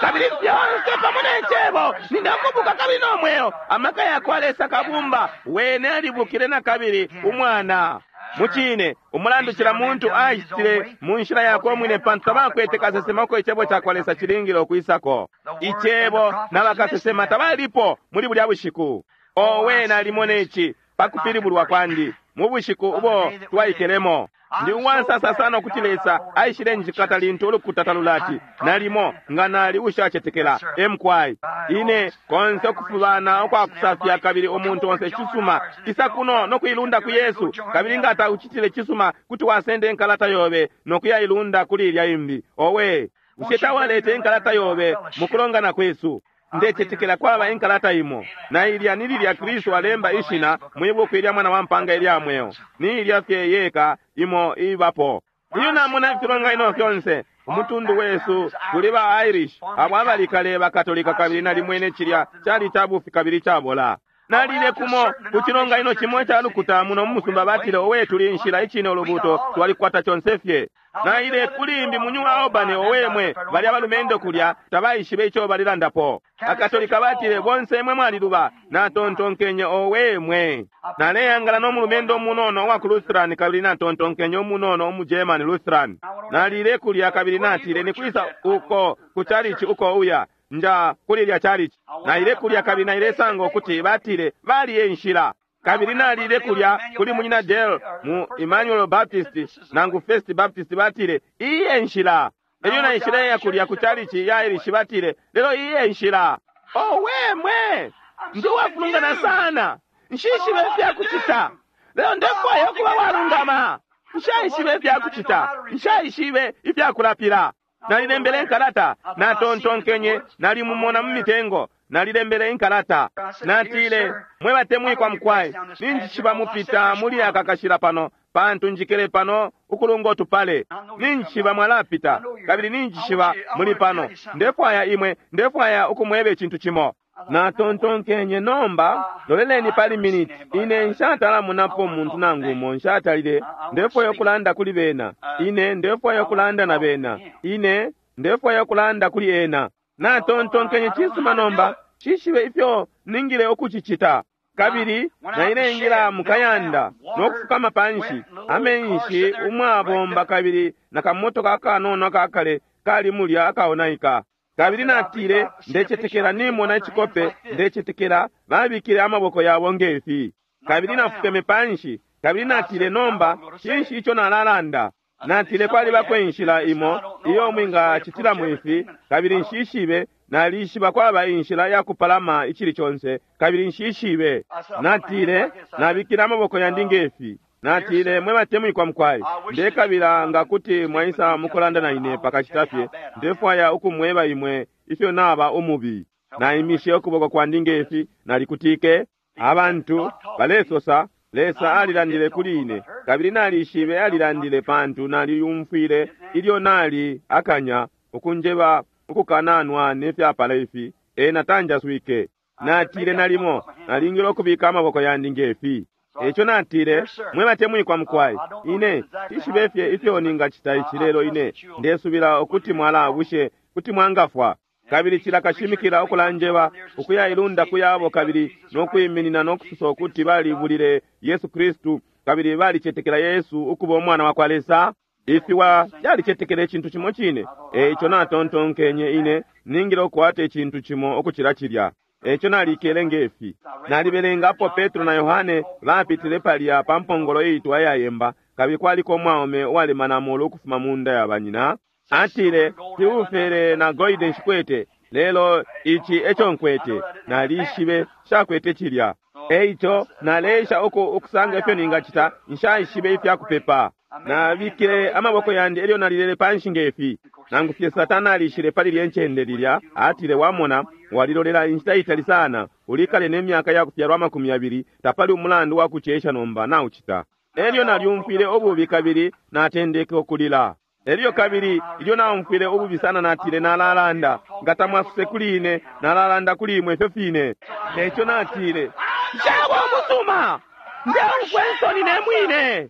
Kabili fyonse pamo ne cebo ninakubuka kabili no mweo, amaka yakwa Lesa kabumba wene alibukile na kabili umwana. Mucine umulandu cila muntu aishile mu nshila yakwe umwine, pantu tabakwete kasesema uko icebo ca kwa Lesa cilingile ukwisako. Icebo na bakasesema tabalipo muli bulya bushiku. Owe, nalimona ici pakupilibulwa kwandi mu bushiku ubo twaikelemo. Ndi uwansasa sana ukuti Lesa aishile njikata lintu ulukuta talulati nalimo nga nali ushacetekela emkwai ine konse ukufubana ukwakusafya, kabili umuntu onse cisuma isa kuno nokuilunda ku Yesu. Kabili nga taucitile cisuma, kuti wasenda enkalata yobe nokuyailunda kuli ilya imbi. Owe, bushe tawalete enkalata yobe mukulongana kwesu? Ndecetekela kwaba enkalata imo, na ilya ni lilya Kristu alemba ishina mwibuku ilya mwana wa mpanga ilya mweo, ni ilya fye yeka imo ibapo. Iyo namona ifilonganino fyonse umutundu wesu tuli ba Irish abo abali kale bakatolika, kabili nalimwene cilya cali cabufi kabili cabola. Nalile kumo ku cilonganino cimo ica lukuta muno mu musumba, batile, owe, tuli nshila icine ulubuto, twalikwata conse fye. Naile kulimbi mu New Albany, owe mwe, bali abalumendo kulya tabaishibe ico balilandapo. Akatolika batile, bonse mwe mwaliluba. Natontonkenye, owe mwe, naleyangala n'omulumendo omunono owa ku Lutheran, kabili natontonkenye omunono omu German Lutheran. Nalile kulya kabili natile, nikwisa uko ku chalichi uko uya? nja kuli lya chalichi. Naile kulya kabili nailesanga ukuti batile bali e nshila. Kabili nalile kulya kuli munyina Dale mu Emmanuel Baptist nangu First Baptist, batile iyi e nshila. Elyo naishileya kulya ku chalichi ya Irish, batile lelo iyi e nshila. Owe mwe, ndi uwafulungana sana, nshishibe ifyakucita, lelo ndefwaya ukuba walungama. Nshaishibe ifyakucita, nshaishibe ifyakulapila. Nalilembele inkalata, natontonkenye nalimumona mu mitengo. Nalilembele inkalata, natile, mwe batemwikwa mukwai, ninjishiba mupita muli aka kashila pano, pantu njikele pano ukulunga utupale. Ninjishiba mwalapita, kabili ninjishiba muli pano. Ndefwaya imwe, ndefwaya ukumweba icintu cimo. Natontonkenye, nomba loleleni pali miniti. Ine nshatalamunapo muntu nangu umo, nshatalile. Ndefwaya ukulanda kuli bena. Ine ndefwaya ukulanda na bena. Ine ndefwaya ukulanda kuli ena. Natontonkenye, cisuma, nomba cishibe ifyo ningile ukucicita. Kabili nailengila mukayanda no kufukama panshi amenshi umwabomba, kabili na kamotoka akanono akakale kali mulya akaonaika. Kabili natile, ndecetekela nimona icikope, ndecetekela babikile amaboko yabo ngefi. Kabili nafukeme panshi, kabili natile, nomba cinshi ico nalalanda? Natile, kwalibako inshila imo iyo mwingacitilamo ifi, kabili nshishibe. Nalishiba kwaba inshila ya kupalama icili conse, kabili nshishibe. Natile, nabikile amaboko yandi ngefi. Natile, mwe batemwikwa mukwai, ndekabila nga kuti mwaisa mukulanda na ine pakashita fye. Ndefwaya ukumweba imwe ifyo naba umubi. Naimishe ukuboko kwandi ngefi, nalikutike. Abantu balesosa, Lesa alilandile kuli ine, kabili nalishibe alilandile, pantu naliyumfwile ilyo nali akanya ukunjeba ukukananwa nefyapala ifi. Ena tanjaswike. Natile, nalimo nalingile ukubika amaboko yandi ngefi. Eco natile, mwe batemwikwa mukwai, ine tishibe fye ifyo ningacita ici, lelo ine ndesubila ukuti mwalabushe kuti mwangafwa. Kabili cila kashimikila ukulanjeba ukuyailunda kuyabo, kabili nokwiminina nokusosa ukuti balibulile Yesu Kristu kabili balicetekela Yesu ukuba umwana wa kwa Lesa. Ifiwa fyalicetekela icintu cimo cine. Eico natontonkenye, ine ningile ukukwata icintu cimo ukucila cilya. Eco nalikele ngefi. Nalibelengapo Petro na Yohane bapitile palya pa mpongolo iitwa iyayemba, kabili kwaliko umwaume uwalemana amolu ukufuma mu nda ya banyina. Atile, silfere na golide nshikwete, lelo ici eco nkwete. Nalishibe shakwete cilya. Eico naleesha uku ukusanga ifyo ningacita, nshaishibe ifyakupepa. Nabikile amaboko yandi elyo nalilele panshi ngefi. Nangu fye Satana alishile pali lye ncende lilya, atile, wamona, walilolela inshita itali sana, ulikale ne myaka ya kufyalwa amakumi yabili, tapali umulandu wa kucesha nomba naucita. Elyo nalyumfwile ububi kabili natendeke ukulila. Elyo kabili ilyo naumfwile ububi sana, natile, nalalanda nga tamwasuse kuli ine, nalalanda kuli imwe ifyo fine. Eco natile, nshaba umusuma, ndeumfwa insoni ne mwine.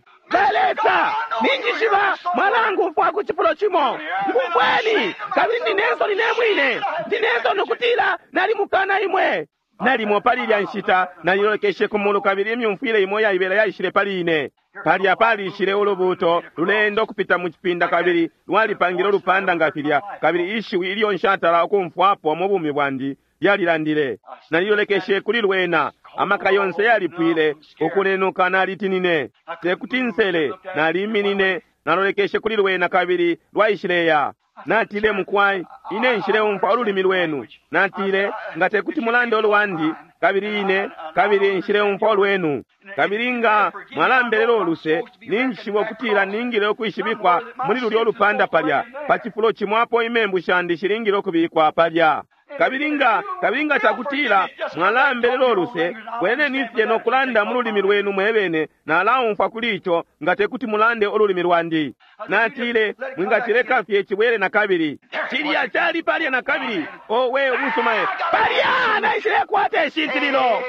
Lesa, ninjishiba mwalangumfwa ku cifulo cimo, ngumfweni, kabili ndi nensoni ne mwine, ndi nensoni ukutila nalimukana imwe. Nalimo pali ilya nshita nalilolekeshe ku mulu, kabili imyumfwile imo yaibela yaishile pali ine. Palya palishile ulubuuto lulendo ukupita mu cipinda, kabili lwalipangile ulupanda nga filya, kabili ishiwi ilyo nshatala ukumfwapo mu bumi bwandi lyalilandile. Nalilolekeshe kuli lwena, amaka yonse yalipwile ukunenuka, nalitinine tekuti nsele. Naliminine, nalolekeshe kuli lwena, kabili lwaishileya. Natile, mukwai, ine nshileumfwa ululimi lwenu. Natile, nga tekuti mulande ulwandi, kabili ine kabili nshileumfwa ulwenu. Kabili nga mwalambelela uluse, ninjishiba ukutila ningile ukwishibikwa muli lulyo lupanda palya pa cifulo cimo apo imembu shandi shilingile ukubikwa palya. Kabili nga kabili nga cakutila mwalambelela uluse, bweneni fye no kulanda mu lulimi lwenu mwebene, nalaumfwa kuli ico, nga tekuti mulande ululimi lwandi. Natile, mwingacileka fye cibwele na kabili. Cilya cali palya na kabili. Owe, ubusuma palya naishilekwata ishintililo.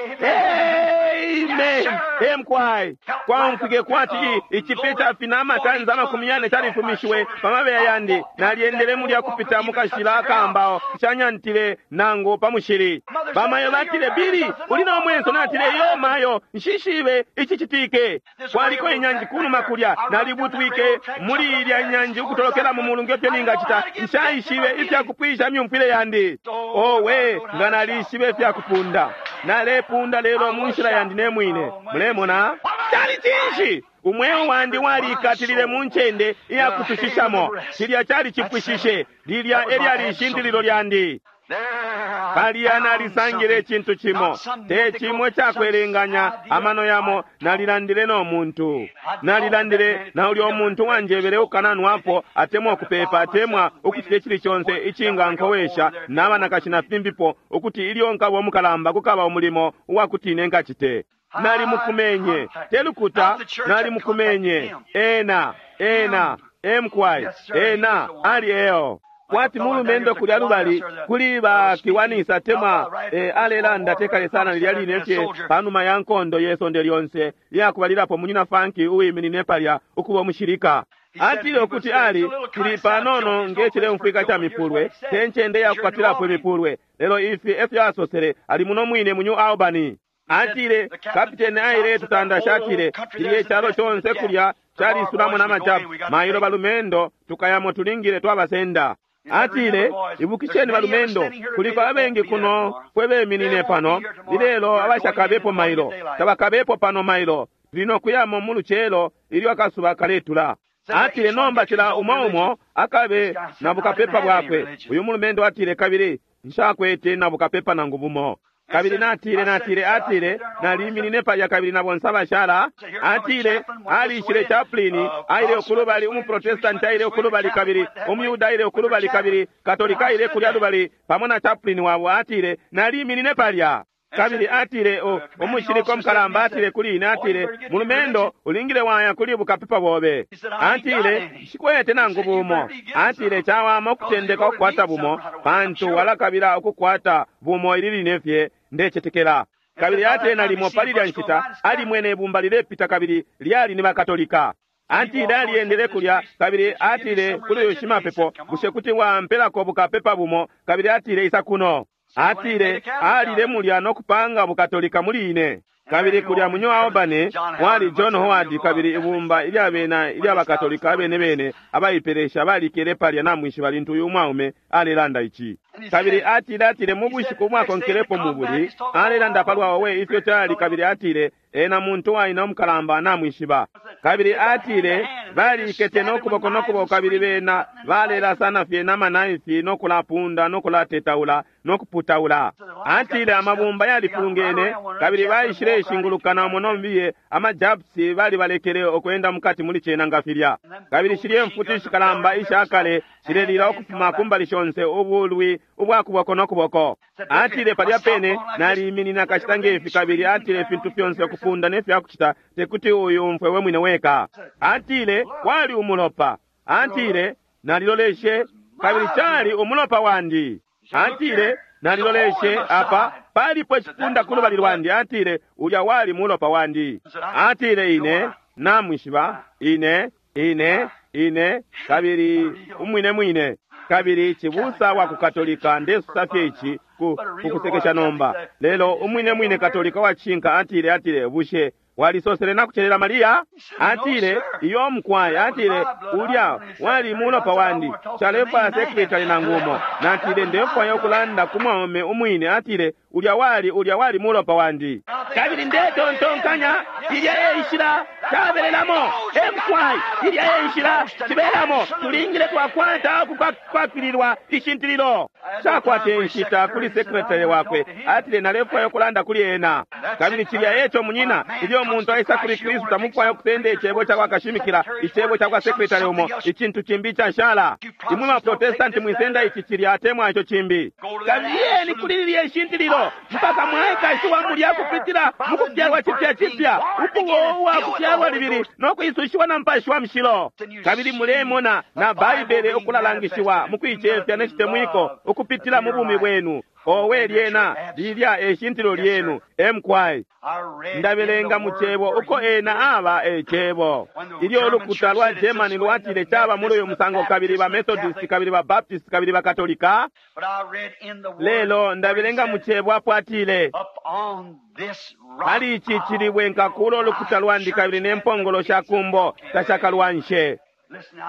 Amen. Emkwai kwaumfwike kwati ichipe chafina amatanza amakumi yane chalifumishiwe pamabeya yandi naliendele mulya kupita mukashila akambawo chanyantile nangu pamushili bamayo batile bili uli nomwenso natile yo mayo nshishibe ichichitike kwaliko inyanji kunuma kulya nalibutwike muli ilya nyanji ukutolokela mu mulungu efyo ningachita nshaishibe ifyakupwisha myumfwile yandi owe nga nalishibe ifyakupunda nalepunda lelo munshila yandi nemwine mulemona chali chinshi umweo wandi walikatilile mu ncende iyakutushishamo chilya chali chipwishishe lilya elyali ishintililo lyandi palya nalisangile icintu cimo te cimo cakwelenganya amano yamo nalilandile no muntu nalilandile na ulya umuntu wanjebele ukananwapo atemwa ukupepa atemwa ukucita icili conse icingankowesha n'abanakashi na fimbipo ukuti ilyo nkaba omukalamba kukaba umulimo uwakuti ine nkacite nalimukumenye telukuta nalimukumenye ena ena emkwai ena ali eo kwati mulumendo kulya lubali kuli bakiwanisa temwa e, alelanda tekale sana lilya line fye panuma ya nkondo yesonde lyonse iyakubalilapo munyina fanki uwiminine palya ukuba omushilika atile ukuti ali tili panono ngecileumfwika ca mipulwe te ncende yakukwatilapo imipulwe lelo ifi efyo asosele ali muno mwine mu New Albany atile kapiteni aile tutandasha atile tiliye chalo chonse kulya chalisulamo n'amachapu mailo balumendo tukayamo tulingile twabasenda atile ibukisheni balumendo kuliko abengi kuno fwe beminine pano lilelo abashakabepo mailo tabakabepo pano mailo tulino kuyamo mu lucelo ilyo akasuba kaletula atile nomba cila umo umo akabe na bukapepa bwakwe uyu mulumendo atile kabili nshakwete na bukapepa nangu bumo kabili natile natile atile naliminine palya kabili na bonse abashala atile alishile chaplini aile ukulubali umuprotestanti aile ukulubali kabili umuyuda aile ukulubali kabili katolika aile kulya lubali pamo na chaplini wabo atile naliminine palya kabili atile umushilika omukalamba atile kuli ine atile mulumendo ulingile waya kuli bukapepa bobe atile nshikwete nangu bumo atile chawama okutendeka okukwata bumo pantu walakabila okukwata bumo ili line fye ndecetekela kabili atile nalimo pali lya nshita alimwene ibumba lilepita kabili lyali ni bakatolika atile aliyendele kulya kabili atile kuli uyu shimapepo bushe kuti wampelako bukapepa bumo kabili atile isa kuno atile alile mulya nokupanga bukatolika muli ine kabili kulya mu New Albany mwali John Howard kabili ibumba ilyabena ilyabakatolika abene bene abaipelesha balikele palya namwishiba lintu uyu mwaume alelanda ici kabili atile atile mu bushiku bwakonkelepo mubuli alelanda palwa we ifyo cali kabili atile ena muntu waina omukalamba namwishiba kabili atile balikete nokuboko nokuboko kabili bena balelasana fye namanaifi nokulapunda nokulatetaula nokuputaula atile amabumba yalifulungene kabili baishile ishingulukana umo nombiye amajapsi balibalekele okwenda mukati muli cena nga filya kabili shilye mfuti ishikalamba ishakale shilelila ukufuma kumbali shonse ubulwi ubwakuboko nokuboko atile palya pene naliminina kashita ngefi kabili atile ifintu fyonse okufunda nefyakucita tekuti uyu umfwe we mwine weka atile kwali umulopa atile naliloleshe kabili chali umulopa wandi atile naliloleshe apa palipo icipunda kulubali lwandi atile ulya wali mulopa wandi atile ine namwishiba ine ine ine kabili umwine mwine kabili chibusa wa kukatolika ndesusa fye ichi ku kukusekesha nomba lelo umwine mwine katolika wachinka atile atile bushe walisosele nakuchelela mariya atile iyo mkwai atile ulya wali mulopa wandi chalefwaya sekretari nangumo natile ndefwaya okulanda ku mwaume umwine atile ulya wali ulya wali mulopa wandi kabili ndetontonkanya ilya eishila cabelelamo emkwai ilya eishila cibelamo tulingile twakwata okukwakililwa ishintililo cakwata enshita kuli sekretari wakwe atile nalefwaya okulanda kuli ena kabili cilya eco munyina ilyo omuntu aisa kuli kristu tamufwaya okusenda icebo cakwa kashimikila icebo cakwa sekretari umo icintu cimbi cashala imwe baprotestanti mwisenda ici cilya atemwa ico cimbi kabiyeni kuli lilya ishintililo mpaka mwaikashiwa mulya kupitila mukufyalwa cipya cipya ukuwowa kufyalwa libili nokwisushiwa na mpashi wa mshilo kabili mulemona na baibele okulalangishiwa mukuicefya necitemwiko ukupitila mu bumi bwenu Owe lyena lilya eshintilo lyenu emkwai. Ndabelenga mu cebo uko ena aba ecebo. Ilyo ulukuta lwa Germany lwatile chaba muri uyu musango, kabili ba Methodist, kabili ba Baptist, kabili ba Katolika. Lelo ndabelenga mu cebo apo atile, pali ichi chilibwe nkakulo ulukuta lwandi, kabili nempongolo sha kumbo tashakalwanshe.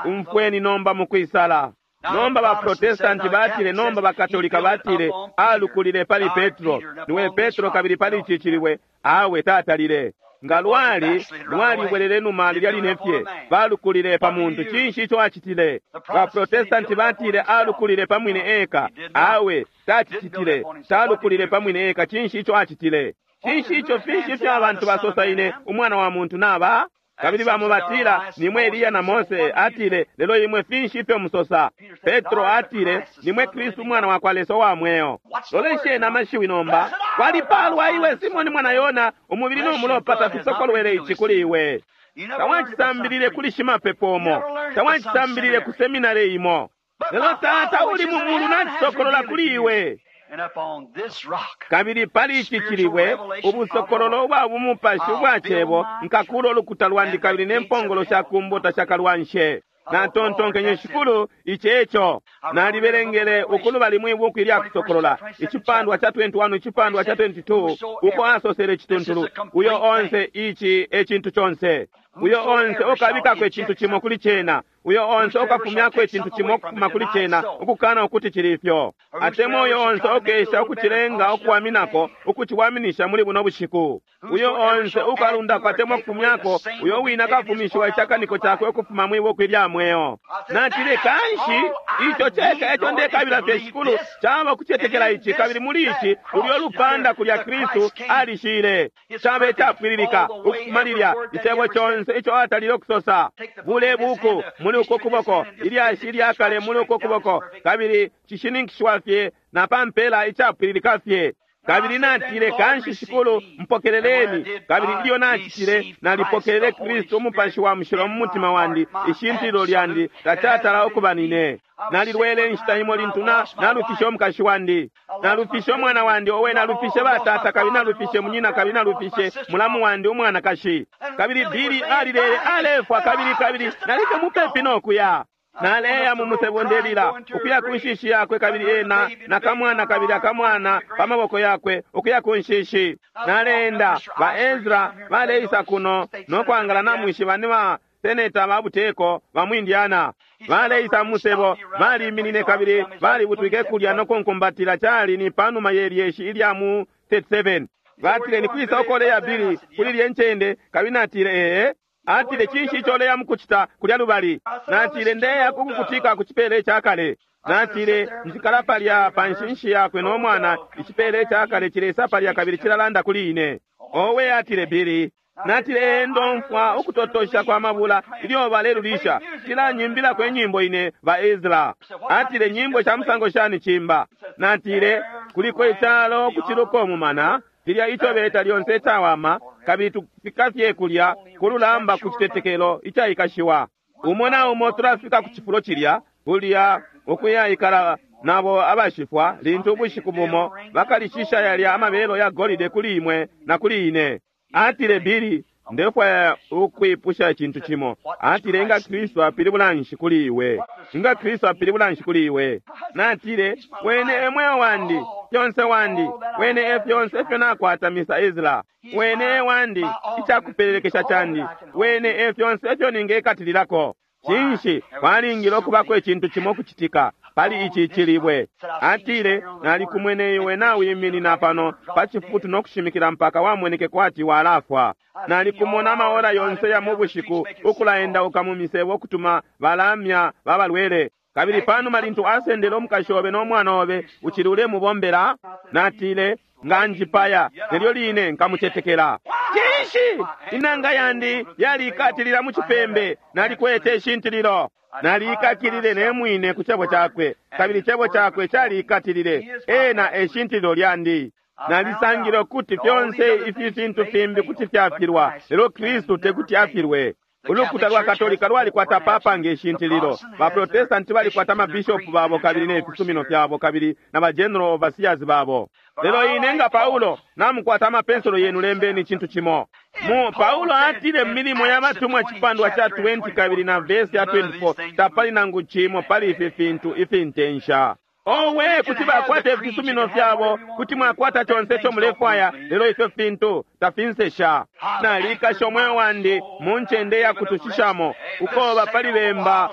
Umfweni nomba mukwisala. Nomba ba Protestanti batile, nomba ba Katolika batile, alukulile pali Petro, niwe Petro, kabili pali ichi chilibwe. Awe tatalile nga lwali lwalibwelele numa lilya linefye balukulile pa muntu. Cinshi ico acitile? Ba Protestanti batile alukulile pa mwine eka. Awe tacicitile, talukulile pa mwine eka. Cinshi ico acitile? Cinshi ico? Finshi ifyo abantu basosa ine umwana wa muntu naba? Kabili bamo batila nimwe Eliya na Mose. Atile, lelo imwe finshi ifyo musosa? Petro atile, nimwe Kristu umwana wa kwa Lesa wa mweo. Lolesheni amashiwi nomba. Walipalwa iwe Simoni mwana Yona, umubili n'umulopa tafisokolwele ichi kuli iwe. Tawachisambilile kuli shimapepo umo, tawachisambilile ku seminari imo, lelo Tata uli mu mulu nacisokolola kuli iwe. Kabili pali ichi chilibwe ubusokololo ubwa bumupashi ubwa cebo nkakulo ulukuta lwandi, kabili nempongolo sha kumbo tashakalwanshe. Natontonkenye, Shikulu, ichi eco. Nalibelengele ukulubali mwi buku ilya kusokolola icipandwa cha twenty-one, icipandwa cha twenty-two, uko asosele cituntulu, uyo onse ichi ecintu conse, uyo onse ukabikako ecintu cimo kuli cena, uyo onse ukafumyako ecintu cimo ukufuma kuli cena, ukukana ukuti chili ifyo, atemwa uyo onse ukesha ukuchilenga ukuwaminako, ukuchiwaminisha muli buno bushiku, uyo onse ukalundako atemwa ukufumyako, uyo wina kafumishiwa ichakaniko chakwe ukufuma mwi buku ilya mweo. Natile, kanshi icho cheka echo ndekabila fye Shikulu chaba kuchetekela ichi, kabili muli ichi ulyo lupanda kulya Kristu alishile chaba echapwililika ukufuma lilya icebo chonse icho atalile okusosa. Bule buku muli uko kuboko, ilyashi ilyakale muli uko kuboko, kabili chishininkishwa fye na pampela ichapwililika fye. Kabili natile, kanshi Shikulu, mpokeleleni. Kabili ilyo nachitile, nalipokelele Kristu umupashi wa mushilo mu mutima wandi, ishintilo lyandi tachatala ukuba nine. Nalilwele inshita imo lintu na nalufishe omukashi wandi, nalufishe omwana wandi, owe nalufishe batata, kabili nalufishe munyina, kabili nalufishe mulamu wandi umwanakashi. Kabili Bili alilele alefwa, kabili kabili nalifye mupepi nokuya. Naleya mu musebo ndelila ukuya ku nshishi yakwe, kabili ena nakamwana, kabili akamwana pa maboko yakwe ukuya ku nshishi. Naleenda ba Ezra baleisa kuno nokwangala namwishiba ni ba seneta ba buteko ba mu Indiana. Baleisa mu musebo, baliminine kabili balibutwike kulya nokunkumbatila. Chali ni panuma ye lyeshi ilya mu thirty-seven. Batile, ni kwisa ukoleya Bili kuli lye ncende? Kabili natile, ee. Atile, cinshi icho leya mukuchita kulya lubali? Natile, ndeya kukukutika kuchipele chakale. Natile, nchikala palya pa nshinshi yakwe nomwana, ichipele chakale chilesa palya kabili chilalanda kuli ine. Owe, atile Bili. Natile, ndomfwa ukutotosha kwa mabula ilyo balelulisha, chilanyimbila enyimbo ine ba Ezra. Atile, nyimbo cha musango shani chimba? Natile, kuliko ichalo kuchiluko mumana, tilya icho beta lyonse chawama, kabili tufika fye kulya kululamba ku chitetekelo ichaikashiwa. Umo na umo tulafika ku chifulo chilya kulya ukuyayikala nabo abashifwa, lintu ubushiku bumo bakalishisha yalya amabelo ya golide kuli imwe na kuli ine. Atile, Bili, ndefwaya ukwipusha icintu cimo. Atile, nga Kristu apilibula nshi kuli iwe? Nga Kristu apilibula nshi kuli iwe? Natile, wene e mweo wandi, fyonse wandi, wene e fyonse ifyo nakwata, Mister Ezra. Wene e wandi, ichakupelelekesha chandi, wene e fyonse ifyo ningekatililako. Cinshi kwalingile okubako icintu cimo kuchitika pali ichi chilibwe? Atile, nalikumwene iwe nawiminina pano pa chifutu nokushimikila mpaka wamweneke kwati walafwa. Nalikumona amaora yonse ya mu bushiku ukulaendauka mu misebo okutuma balamya babalwele. Kabili panuma lintu asendele omukashi obe n'omwana obe, uchili ulemubombela? Natile, nga njipaya nelyo line nkamuchetekela. Cinshi inanga yandi yalikatilila mu chipembe, nalikwete ishintililo. Nalikakilile nemwine ku chebo chakwe, kabili chebo chakwe chalikatilile ena eshintililo lyandi. Nalisangile ukuti fyonse ifi fintu fimbi kuti fyafilwa, lelo Kristu tekuti afilwe. Ulukuta lwa Katolika lwalikwata papa nge shintililo, baprotestanti balikwata amabishopu babo kabili ne fisumino fyabo kabili na ba general overseers babo. Lelo ine nga Paulo namukwata amapensolo yenu, lembeni icintu cimo. Mu Paulo atile mu Milimo ya Batumwa cipandwa ca twenty kabili na vesi ya twenty-four, tapali nangu cimo pali ifi fintu ifintensha. Owe, kuti bakwata ifisumino fyabo, kuti mwakwata conse ico mulefwaya, lelo ifyo fintu tafinsesha. Nalikasha umweo wandi mu ncende ya kutushishamo, ukoba pali bemba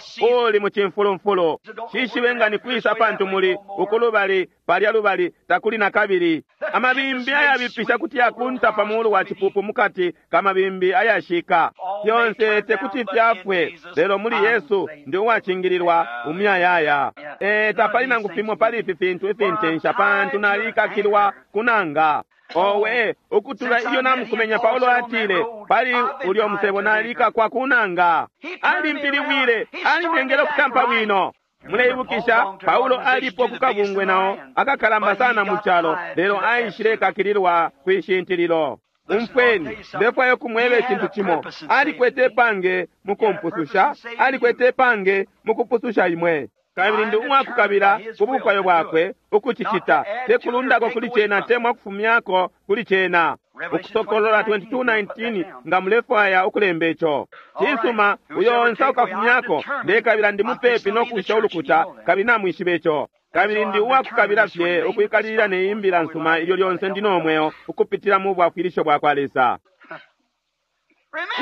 uli mu cimfulumfulu. Shishibe nga ni kwisa pantu muli ukulubali palya lubali takuli na kabili. Amabimbi ayabipisha kuti yakunta pa mulu wa cipupu mukati kamabimbi ayashika. Fyonse tekuti fyafwe, lelo muli Yesu ndi uwacingililwa umuyayaya. E, tapali nangu fimo pali ifi fintu ifintensha, pantu nalikakilwa kunanga. Owe, ukutula ilyo namukumenya Paulo atile pali ulyo musebo nalikakwa kunanga. Alimpiliwile, alinengele ukutampa bwino. Muleibukisha Paulo alipo kukabungwe nao akakalamba sana mu calo, lelo aishile kakililwa kwishintililo. Umfweni, ndefwayo kumweba icintu cimo. Alikwete pange mukumpususha, alikwete pange mukupususha imwe. Kabili ndi umwakukabila ku bukwayo bwakwe ukucicita, tekulundako kuli cena temwa kufumyako kuli cena. Ukusokolola twenty-two nineteen, nga mulefwaya ukulemba ico. Cisuma, uyo onse ukafumyako, ndekabila ndi mupepi no kusha ulukuta, kabili namwishiba ico. Kabili ndi uwakukabila fye ukwikalilila ne imbila nsuma ilyo lyonse ndi no mweo ukupitila mu bwafwilisho bwa kwa Lesa.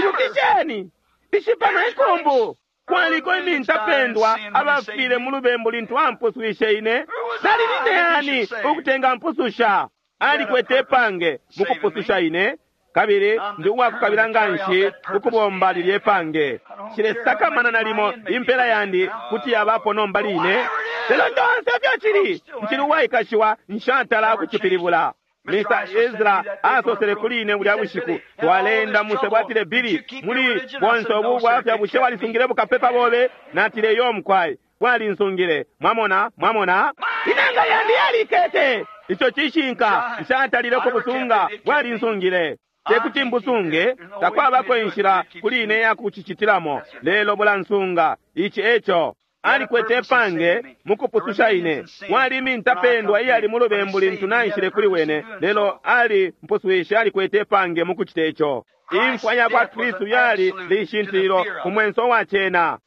Ibukisheni, ishipano inkumbu. Kwaliko imintapendwa abafile mu lubembu lintu ampuswishe ine. Nali nine yani ukutenga mpususha? Alikwete pange mukupususha ine, kabili ndi uwakukabila nganshi ukubomba lilye pange. Shilesakamana nalimo impela yandi kuti yabapo nomba line, lelo ndonse fyo cili nchili uwaikashiwa, nshatala ukucipilibula. Mister Ezra asosele kuli ine bulya bushiku twalenda musebo, atile, Billy, muli bonse ubu bwafya bushe walisungile bukapepa bobe? Natile, yo mukwai, bwalinsungile. Mwamona, mwamona, inanga yandi yalikete. Ico cishinka, nshatalile kubusunga, bwalinsungile. Tekuti mbusunge, takwabako inshila kuli ine ya kucicitilamo, lelo bulansunga. Ici eco alikwete pange mukupususha ine. Wali mintapendwa iyali mu lubembu lintu naishile kuli wene, lelo ali mpuswishe, alikwete pange mukucita ico. Imfwa ya kwa Kristu yali lishintililo ku mwenso wa cena.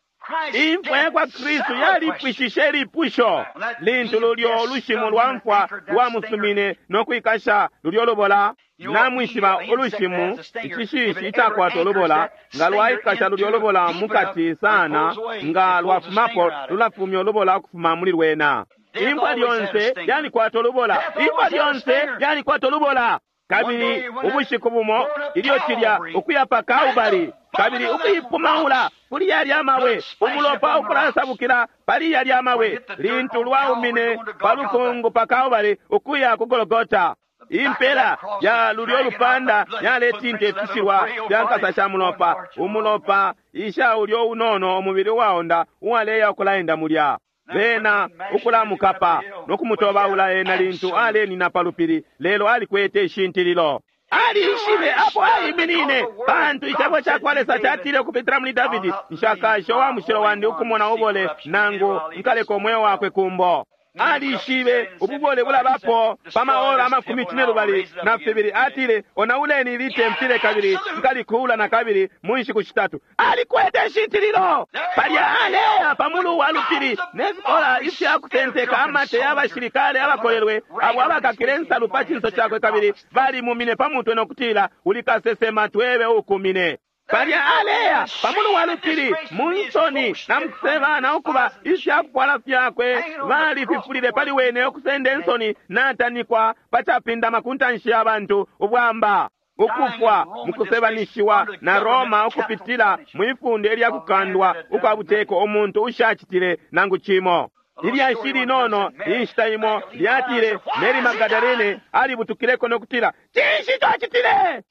Imfwa ya kwa Kristu yalipwishishe lipusho lintu lulyo lushimu lwa mfwa lwamusumine no kwikasha lulyo lubola. Namwishiba ulushimu icishishi icakwata ulubola, nga lwaikasha lulyo lubola mukati sana, nga lwafumapo lulafumya ulubola ukufuma muli lwena. Imfwa lyonse yalikwata ulubola, imfwa lyonse yalikwata ulubola. Kabili ubushiku bumo ilyo cilya ukuya pa Kalbali, kabili ukuipumaula kuli yalya amabwe, umulopa ukulasabukila pali yalya amabwe, lintu lwaumine pa lukungu pa Kalbali ukuya ku Golgota. Impela ya lulyo lupanda yaletinta ifishilwa fya nkasa sha mulopa, umulopa isha ulyo unono umubili uwaonda uwaleya ukulaenda mulya. Bena ukulamukapa no kumutobaula ena lintu alenina pa lupili, lelo alikwete ishintililo. Alishibe apo aiminine, pantu icebo ca kwa Lesa catile ukupitila muli Davidi, nshakashe wa mushilo wandi ukumona ubole nangu nkaleka umweo wakwe kumbo. Alishibe ububole bulabapo pa maora amakumi cine lubali na fibili. Atile, onauleni ilitempile kabili nkalikuula na kabili mu nshiku shitatu. Alikwete ishintililo palya aleya pa mulu wa lupili ne fikola ifya kutenteka amate y'abashilikale abakolelwe abo abakakile nsalu pa cinso cakwe, kabili balimumine pa mutwe no kutila, uli kasesema, twebe ukumine. Palya aleya pamulu wa lupili mu nsoni na mukuseba na ukuba ifyakufwala fyakwe balififulile pali wene ukusenda insoni natanikwa pacapindama ku ntanshi ya bantu ubwamba ukufwa mukusebanishiwa na Roma ukupitila mwifunde lya kukandwa ukwa buteko umuntu ushacitile nangu cimo. Ilyashi linono inshita imo lyatile Mary Magdalene alibutukileko no kutila, cinshi twacitile?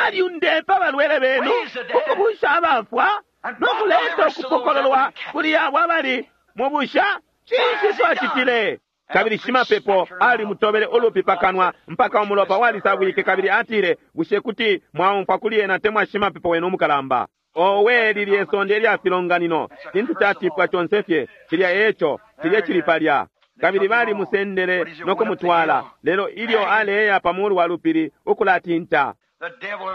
Aliundepa abalwele benu, ukubusha abafwa no kuleta ukupokololwa kuli abo abali mu busha. Cinshi twacitile? Kabili shimapepo alimutobele ulupi pakanwa mpaka umulopa walisabwike, kabili atile, bushe kuti mwaumfwa kuli ena temwa shimapepo wenu umukalamba? Owe, lilye sonde lya filonganino, cintu catipwa conse fye, cilya eco, cilye cili palya. Kabili balimusendele no kumutwala, lelo ilyo aleya pa mulu wa lupili ukulatinta.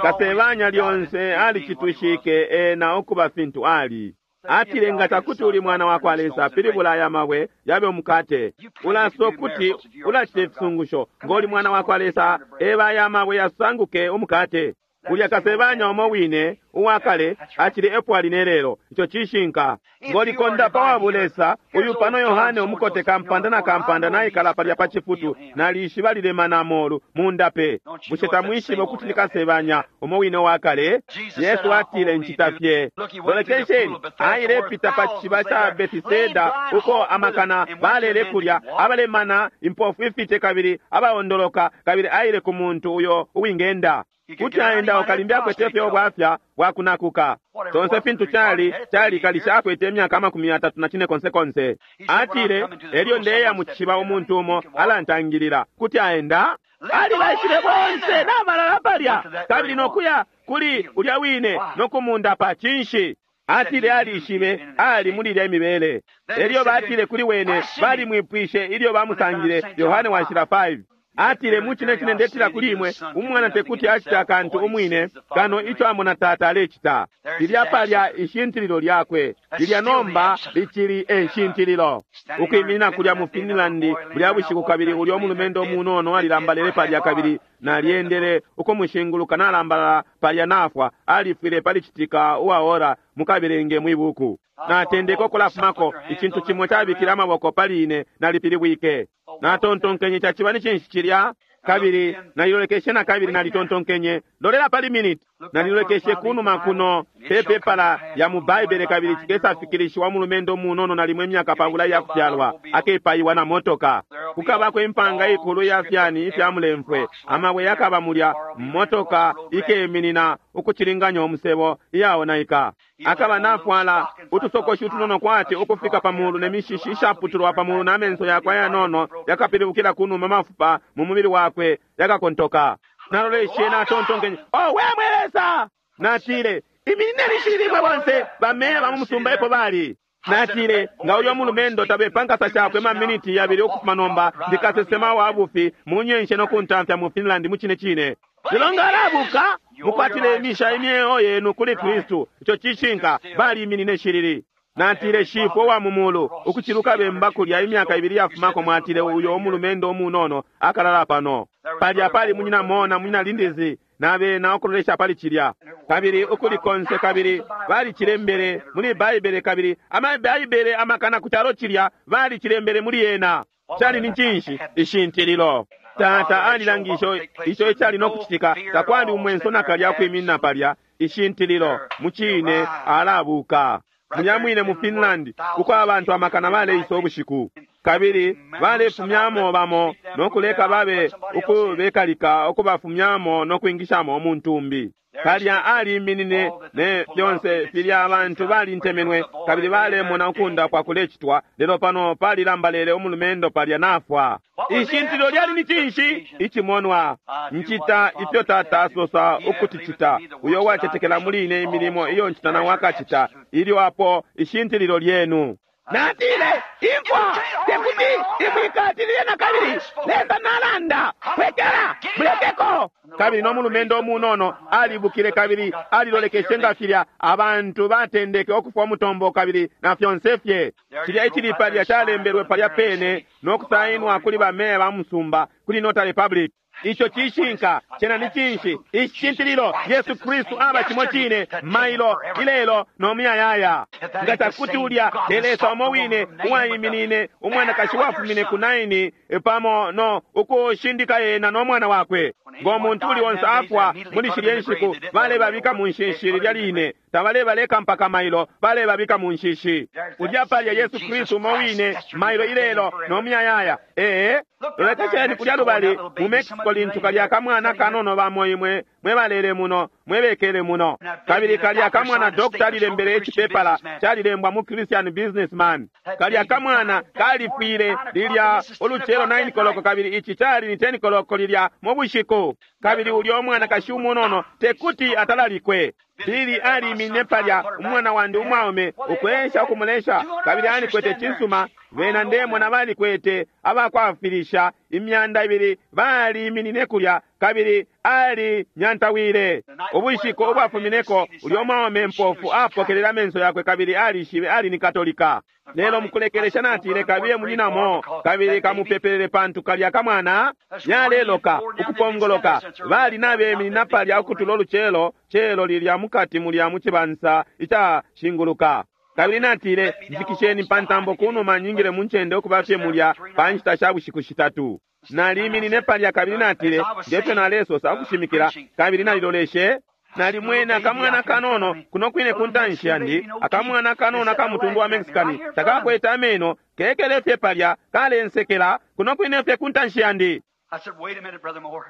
Kasebanya lyonse alicitwishike ena ukuba fintu ali. Atile, nga cakuti uli mwana wa kwa Lesa, pilibula aya mabwe yabe umukate. Ulaso kuti ulacita ifisungusho, ngoli mwana wa kwa Lesa, eba aya mabwe yasanguke umukate. Ulya kasebanya umo wine uwakale acili epo ali nelelo. Ico cishinka. Ngoli kondapa wa bulesa uyu pano Yohane umukote kampanda na kampanda naikala palya pa cifutu nalishiba lilemana amolu mundape. Bushe tamwishibe ukuti ni kasebanya umo wine uwakale? Yesu atile ncita fye. Lolekesheni, ailepita pa cishiba ca Betiseda uko amakana balele kulya abalemana impofu ifite kabili abaondoloka, kabili aile ku muntu uyo uwingenda. Kuti aenda okalimbi akwete fye obwafya bwakunakuka. Tonse fintu cali cali kalisha akwete emyaka amakumi yatatu na cine konse konse. Atile elyo ndeya mu cishiba umuntu umo alantangilila. Kuti aenda alibaishile bonse nabalala palya kabili nokuya kuli ulya wine nokumundapa. Cinshi? Atile alishibe ali muli ilya imibele. Elyo batile kuli wene balimwipwishe ilyo bamusangile. Yohane washila five. Atile mucine cine ndetila kuli imwe, umwana tekuti acita akantu umwine kano ico amona tata alecita. Lilya palya ishintililo lyakwe, lilya nomba licili eshintililo. Ukwiminina kulya mu Finland bulya bushiku, kabili ulya umulumendo umunono alilambalele palya, kabili nalyendele ukumushinguluka nalambalala palya nafwa, alifwile pali citika uwaora mukabelenge mwibuku. Natendeka ukulafumako, icintu cimo cabikile amaboko pali ine, nalipilibwike. Natontonkenye caciba ni cinshi cilya, kabili nalilolekeshe na kabili nalitontonkenye lolela pali minute. Nalilolekeshe kunuma kuno pepepala ya mu Baibele, kabili cikesafikilishiwa mulumendo munono nalimwe emyaka pabula yakufyalwa akepayiwa na motoka. Kukabako impanga ikulu ya fyani ifya mulemfwe, amabwe yakaba mulya, motoka ikeminina ukucilinganya umusebo iyaonaika. Akaba nafwala utusokoshi utunono kwati ukufika pamulu ne mishishi ishaputulwa pamulu na menso yakwe ayanono yakapilibukila kunuma, mafupa mu mubili wakwe yakakontoka. Naloleshe natontonkenye, oh we mwe Lesa! Natile iminineni shilimwe bonse bameya ba mu musumba epo bali. Natile nga uyo mulumendo tabepa nkasa shakwe maminiti yabili ukufuma nomba, ndikasesema wa bufi munyenshe nokuntamfya mu Finland mu cine cine. Lelo nga alabuka mukwatile imisha imyeo yenu kuli Kristu. Ico cishinka, baliminine shilili. Natile shifwe wa mumulu ukuciluka bemba kulya imyaka ibili yafumako, mwatile uyo umulumendo umunono akalala pano palya pali munyina mona munyina lindizi nabena ukulolesha pali cilya kabili ukuli konse, kabili balicilembele muli Baibele, kabili amabaibele amakana ku calo cilya balicilembele muli yena. Cali ni cinshi? Ishintililo. Tata alilangisho ico icali no kucitika, takwali umwenso nakalya kwiminina palya. Ishintililo mucine alabuka. Mulya mwine mu Finland uko abantu amakana baleisa ubushiku, kabili balefumyamo bamo nokuleka babe ukubekalika ukubafumyamo nokwingishamo umuntu umbi. Kalya aliminine ne fyonse filya abantu balintemenwe kabili balemona ukundapwa kulecitwa, lelo pano palilambalele umulumendo palya nafwa. Ishintililo lyali ni cinshi? Icimonwa. Ncita ifyo tata asosa ukuti cita, uyo wacetekela muli ine imilimo iyo ncita nawe akacita. Ilyo apo ishintililo lyenu. Natile imfwa tekuti imwikatilile na kabili. Lesa nalanda, kwekela mulekeko. Kabili no mulumendo umunono alibukile kabili alilolekeshe nga filya abantu batendeke ukufwa umutombo kabili na fyonse fye. Cilya icili palya calembelwe palya pene no kusainwa kuli bameya ba musumba kuli Notary Republic. Ico cishinka cena ni cinshi? Ishintililo. Yesu Kristu aba cimo cine mailo ilelo no muyayaya. Nga cakuti ulya te Lesa umo wine uwaiminine umwanakashi wafumine ku Naini pamo no ukushindika yena no mwana wakwe. Ngo muntu uli onse afwa muli shilye nshiku balebabika mu nshishi lilya line, tabalebaleka mpaka mailo, balebabika mu nshishi. Ulya palya Yesu Kristu umo wine mailo ilelo no muyayaya. Ee, lolekesheni kulya lubali mu Mexico lintu kalya kamwana kanono bamo imwe mwebalele muno mwebekele muno, kabili kalya kamwana dokta alilembele icipepala calilembwa mu Christian Businessman. Kalya kamwana kalifwile lilya ulucelo nine koloko, kabili ici cali ni ten koloko lilya mu bushiku. Kabili ulya umwanakashi umunono tekuti atalalikwe. Bili alimine palya umwana wandi umwaume ukwesha ukumulesha, kabili alikwete cisuma. Bena ndemona balikwete abakwafilisha imyanda ibili baliminine kulya, kabili ali nyantawile. Ubushiku ubwafumineko ulya umwaume mpofu apokelela amenso yakwe, kabili alishibe ali ni Katolika. Lelo mukulekelesha natile, kabiye munyinamo kabili kamupepelele, pantu kalya kamwana yaleloka ukupongoloka. Bali nabeminina palya ukutula ulucelo celo lilya mukati mulya mucibansa icashinguluka. Kabili natile, nzikisheni pantambo kunuma nyingile muncende ukuba fye mulya pa nshita sha bushiku shitatu. Naliminine palya kabili natile, ngefyo nalesosa ukushimikila, kabili naliloleshe. Nalimwene akamwana kanono kuno kwine ku ntanshi yandi, akamwana kanono akamutundu wa Mexicani, takakwete ameno, kekele fye palya kalensekela kuno kwine fye ku ntanshi yandi. I said, wait a minute, Brother Moore.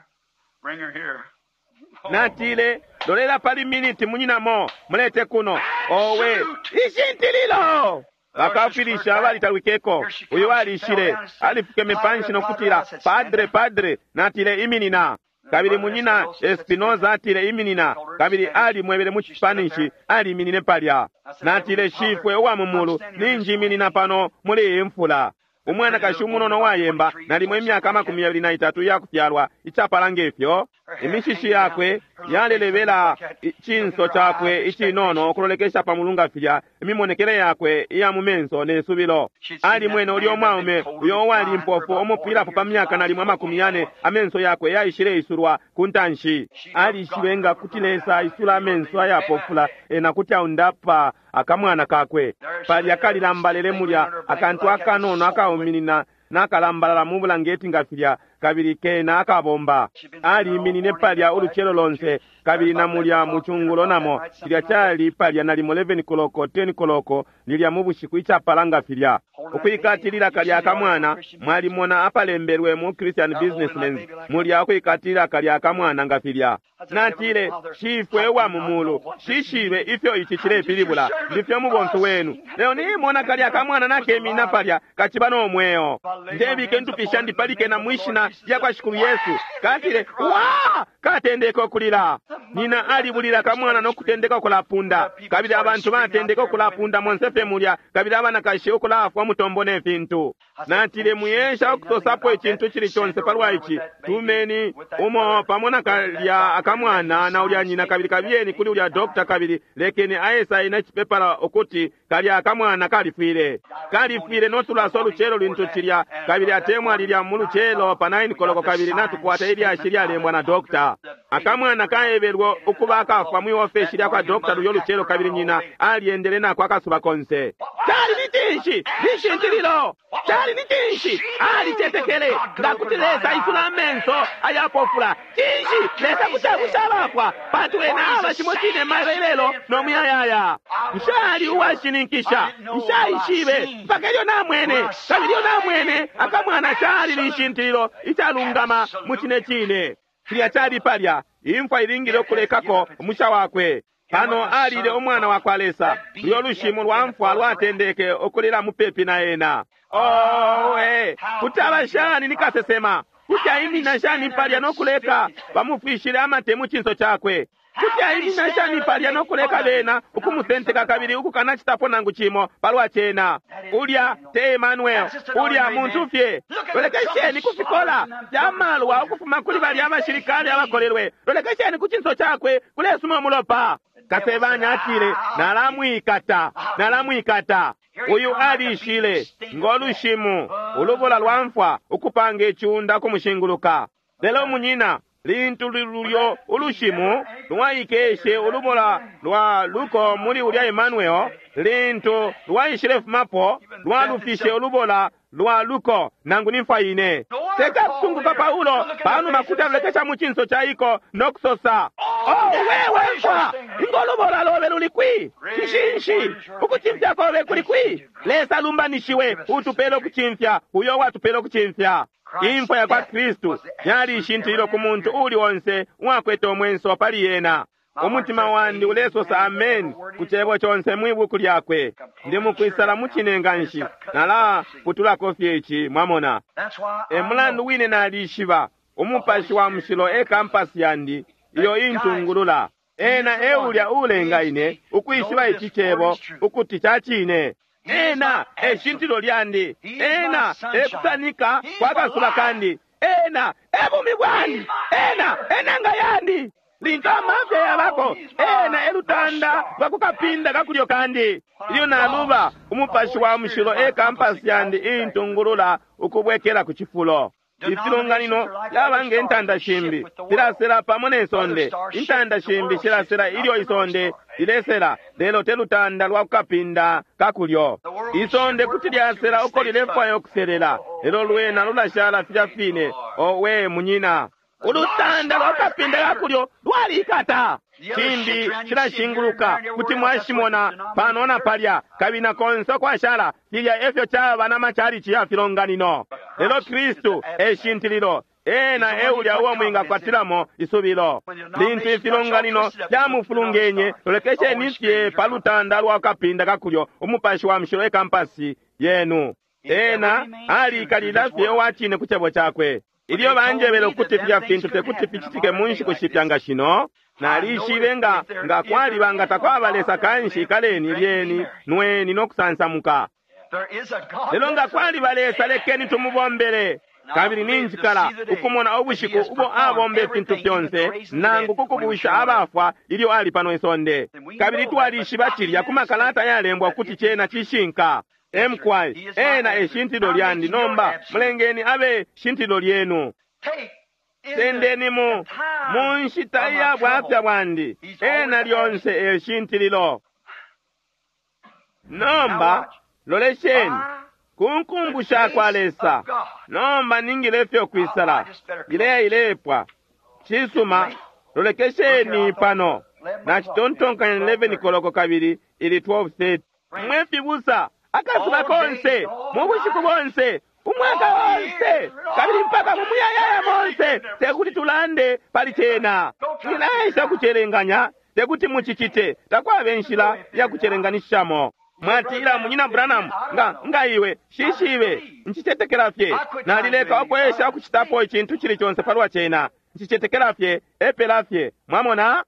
Bring her here. Natile, lolela pali miniti munyinamo, mulete kuno. Owe, ishintililo! Bakafilisha balitalwikeko. Uyu alishile, alifukeme panshi nokutila, padre, padre. Natile, iminina. Kabili munyina Espinoza atile, iminina. Kabili alimwebele mu Spanish, aliminine palya. Natile, shifwe uwa mumulu, ninjiminina pano muli iyi mfula. Umwanakashi umunono wayemba, nalimo imyaka amakumi yabili na itatu iyakufyalwa, icapala ngefyo. Imishishi yakwe yalelebela icinso cakwe icinono ukulolekesha pa mulunga filya, imimonekele yakwe iya mu menso ne subilo. Alimwene ulya umwaume uyo uwali impofu umupwilapo pa myaka nalimo amakumi yane, amenso yakwe yaishile isulwa ku ntanshi. Alishibe nga kuti Lesa aisula amenso ayapofula, ena kuti aundapa akamwana kakwe. Palya kalilambalele mulya akantu akanono akauminina nakalambalala mu bulangeti nga filya, kabili kena akabomba. Aliminine palya ulucelo lonse, kabili na mulya mucungulo namo. Cilya cali palya nalimo eleven koloko, ten koloko lilya mu bushiku icapala nga filya. Ukwikatilila kalya akamwana, mwalimona apalembelwe mu Christian Businessmen, mulya ukwikatilila kalya akamwana nga filya. Natile, shifwe wa mumulu, shishibe ifyo ici cilepilibula, ndifyo mubomfi wenu. Lelo nimona kalya akamwana nakemina palya, kaciba no mweo. Ndebike ntupisha ndipalike na mwishina lya kwa Shikulu Yesu. Katile, wa! Katendeka okulila. Nina alibulila kamwana nokutendeka okulapunda. Kabili abantu batendeka okulapunda monse fye mulya, kabili abanakashi okulafwa mutombo ne fintu. Natile, muyesha okusosapo icintu cili conse palwa ici. Tumeni umo pamo na kalya akamwana na ulya nyina, kabili kabiyeni kuli ulya dokta, kabili lekeni ayesaina icipepala ukuti kalya akamwana kalifwile. Kalifwile notulaso ulucelo lintu cilya, kabili atemwa lilya mu lucelo pa nine koloko, kabili natukwata ilyashi lyalembwa na dokta. Akamwana kaebelwe ukuba akafwa mwi ofeshi lya kwa dokta lulyo lucelo, kabili nyina alyendele nako akasuba konse. Cali ni cinshi? Lishintililo! Cali ni cinshi? Alicetekele nga kuti Lesa aisula amenso ayapofula. Cinshi? Lesa kuti abusha abafwa, pantu ena aba cimo cine mailo ilelo no muyayaya. Nshali uwashininkisha, nshaishibe mpaka ilyo namwene, kabili ilyo namwene akamwana cali lishintililo icalungama mu cine cine. Cilya cali palya, imfwa ilingile ukulekako umusha wakwe. Pano alile umwana wa kwa Lesa, uyo lushimu lwa mfwa lwatendeke ukulila mupepi na ena. Owe, kuti aba shani ni kasesema? Kuti aimina shani palya no kuleka bamufwishile amate mu cinso cakwe? Kuti aimina shani palya no kuleka bena ukumusenteka kabili ukukanacitapo nangu cimo palwa cena? Ulya te Emmanuel, ulya muntu fye. Lolekesheni kufikola fyamalwa ukufuma kuli balya abashilikale abakolelwe. Lolekesheni ku cinso cakwe kulesuma umulopa. Kasebanya atile, nalamwikata, nalamwikata. Uyu alishile ngolushimu ulubola lwa mfwa ukupanga iciunda kumushinguluka. Lelo munyina, lintu lulyo ulushimu lwaikeshe ulubola lwa luko muli ulya Emmanuel, lintu lwaishile fumapo lwalufishe ulubola lwa luko nangu nimfwa ine. Teka kusunguka Paulo panuma kuti alolekesha mu cinso ca iko nokusosa, oh wewe mfwa, ingolubola lobe luli kwi? Nshinshi ukucimfya kobe kuli kwi? Lesa alumbanishiwe utupele ukucimfya, uyo watupele ukucimfya. Imfwa ya kwa Kristu yali ishintililo ku muntu uli onse uwakwete umwenso pali yena. Umutima wandi ulesosa amen ku cebo conse mwi buku lyakwe. Ndi mukwisala mu cine nganshi, nalaputulako fye ici, mwamona. E mulandu wine nalishiba Umupashi wa Mushilo e kampasi yandi iyo intungulula. Ena e ulya ulenga ine ukwishiba ici cebo ukuti ca cine. Ena e shintilo lyandi. Ena e kusanika kwa kasuba kandi. Ena e bumi bwandi. Ena e nanga yandi. Lintu amafya yabako, ena e lutanda lwa kukapinda kakulyo kandi. Ilyo naluba, Umupashi wa Mushilo e kampasi yandi intungulula ukubwekela ku cifulo. Ifilonganino yaba nge ntanda shimbi filasela pamo ne sonde. Intanda shimbi shilasela ilyo isonde lilesela, lelo te lutanda lwa kukapinda kakulyo. Isonde kuti lyasela uko lilefwaya ukuselela, lelo lwena lulashala filya fine. Owe munyina, ulutanda lwa kukapinda kakulyo lwalikata. Shimbi shilashinguluka, kuti mwashimona pano na palya, kabili na konse ukwashala. Filya efyo caba na machalichi ya filonganino. Lelo Kristu e shintililo. Ena e ulya uo mwingakwatilamo isubilo. Lintu ifilonganino fyamufulungenye, lolekesheni fye pa lutanda lwa kapinda kakulyo, Umupashi wa Mushilo e kampasi yenu. Ena aliikalila fye uwa cine ku cebo cakwe. Ilyo banjebele ukuti filya fintu tekuti ficitike mu nshiku shipya nga shino, nalishibe nga nga kwaliba nga takwaba Lesa kanshi ikaleni lyeni nweni no kusansamuka. Lelo nga kwaliba Lesa, lekeni tumubombele. Kabili ninjikala ukumona ubushiku ubo abomba ifintu fyonse, nangu kukubusha abafwa ilyo ali pano isonde. Kabili twalishiba cilya ku makalata yalembwa ukuti cena cishinka. Emkwai, ena e shintilo lyandi. Nomba mulengeni abe shintilo lyenu. Sendeni mu mu nshita iya bwafya bwandi, ena lyonse e shintililo. Nomba lolesheni ku nkumbu sha kwa Lesa. Nomba ningile fyo kwisala ileya ilepwa. Cisuma, lolekesheni pano. Nacitontonkanya eleven koloko kabili ili twelve thirty. Mwe fibusa, akasuba konse, mu bushiku bonse, umwaka onse, kabili mpaka mu muyayaya monse, tekuti tulande pali cena. Mwilaesha kucelenganya, tekuti mucicite, takwaba inshila ya kucelenganishamo. Mwatila, Munyina Branham, nga nga iwe shishibe, nchicetekela fye. Nalileka ukwesha ukucitapo icintu cili conse palwa cena. Nchicetekela fye, epela fye. Mwamona?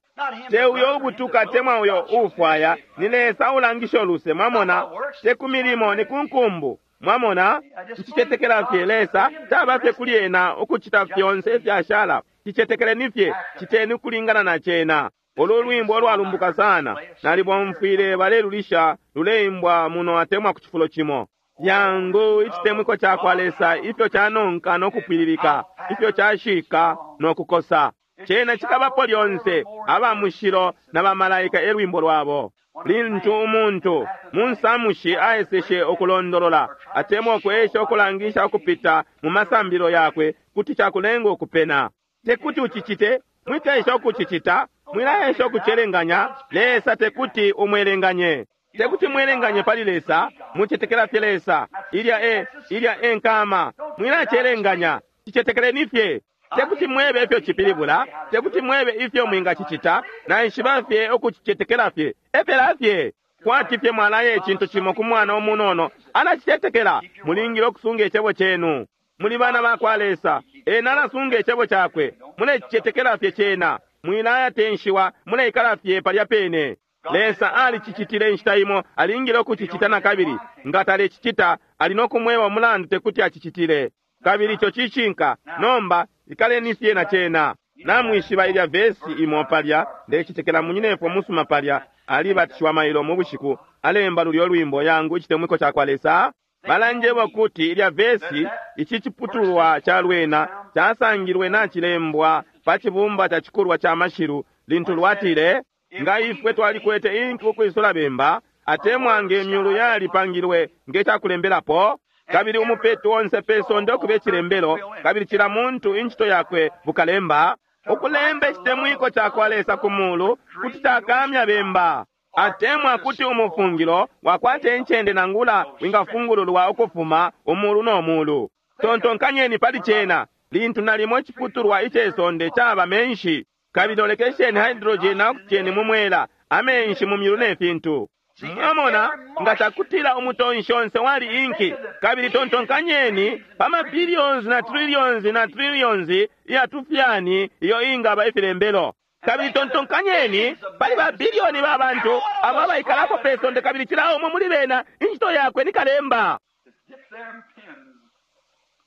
Te uyo ubutuka temwa uyo ufwaya, ni Lesa ulangisha uluse. Mwamona? Te ku milimo, ni ku nkumbu. Mwamona? Nchicetekela fye Lesa taba fye kuli ena ukucita fyonse ifyashala. Chicetekeleni fye, citeni ukulingana na cena. Ulu lwimbo lwalumbuka sana, nalibomfwile balelulisha luleimbwa muno atemwa ku cifulo cimo. Yangu icitemwiko ca kwa Lesa ifyo canonka no kupwililika, ifyo cashika no kukosa. Cena cikabapo lyonse, aba mushilo na bamalaika e lwimbo lwabo. Lintu umuntu mu nsamushi aeseshe ukulondolola atemwa ukwesha ukulangisha ukupita mu masambilo yakwe, kuti cakulenga ukupena. Tekuti ucicite, mwikaesha ukucicita, mwilaesha ukucelenganya. Lesa tekuti umwelenganye. Tekuti mwelenganye pali Lesa, mucetekela fye Lesa. Ilya e, ilya e nkama, mwilacelenganya, cicetekeleni fye. Tekuti mwebe ifyo cipilibula, tekuti mwebe ifyo mwingacicita, naishiba fye ukucicetekela fye, epela fye. Kwati fye mwalaye icintu cimo ku mwana umunono, alacicetekela. Mulingile ukusunga icebo cenu. Muli bana ba kwa Lesa, ena alasunga icebo cakwe. Mulecicetekela fye cena, mwilayatenshiwa, muleikala fye palya pene. Lesa alicicitile inshita imo, alingile ukucicita na kabili. Nga talecicita, ali no kumweba umulandu tekuti acicitile. Kabili ico cishinka. Nomba ikaleni fye na cena. Namwishiba ilya vesi imo palya, ndecitekela munyinefwe musuma palya, alibatishiwa mailo mu bushiku, alemba lulyo lwimbo yangu icitemwiko ca kwa Lesa. Balanjeba kuti ilya vesi, ici ciputulwa ca lwena casangilwe nacilembwa pa cibumba ca cikulwa ca mashilu, lintu lwatile, nga ifwe twalikwete inki ukwisula bemba, atemwa nge myulu yalipangilwe nge cakulembelapo, kabili umupeto onse pe sonde okube cilembelo, kabili cila muntu incito yakwe bukalemba, ukulemba icitemwiko ca kwa Lesa ku mulu kuti cakamya bemba, atemwa kuti umufungilo wakwate incende nangula wingafungululwa ukufuma umulu no mulu. Tontonkanyeni pali cena, lintu nalimo iciputulwa ice sonde caba menshi, kabili lolekesheni hydrogen na oxygen mu mwela, amenshi mu myulu ne fintu. Mwamona, nga cakutila umutonshi onse wali inki, kabili tontonkanyeni pa mabiliyons na trillions na trillions iya tufyani iyo ingaba ifilembelo. Kabili tontonkanyeni pali ba biliyoni ba bantu abo abaikalako pe sonde, kabili cila umo muli bena incito yakwe ni kalemba.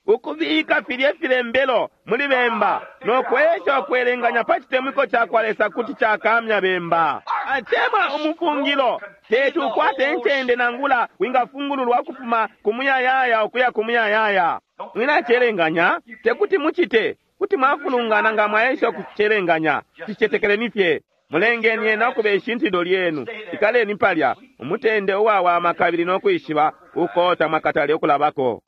Ukubika filye filembelo muli bemba no kwesha ukwelenganya pa chitemwiko cakwa Lesa kuti cakamya bemba atemwa umufungilo. Teti ukwate incende nangula wingafungululwa ukufuma ku muyayaya ukuya ku muyayaya. Mwinacelenganya, tekuti mucite, kuti mwafulungana nga mwaesha ukucelenganya. Cicetekeleni fye, mulengeni ena ukuba ishintililo lyenu. Ikaleni palya umutende uwawama kabili no kwishiba uko tamwakatale ukulabako.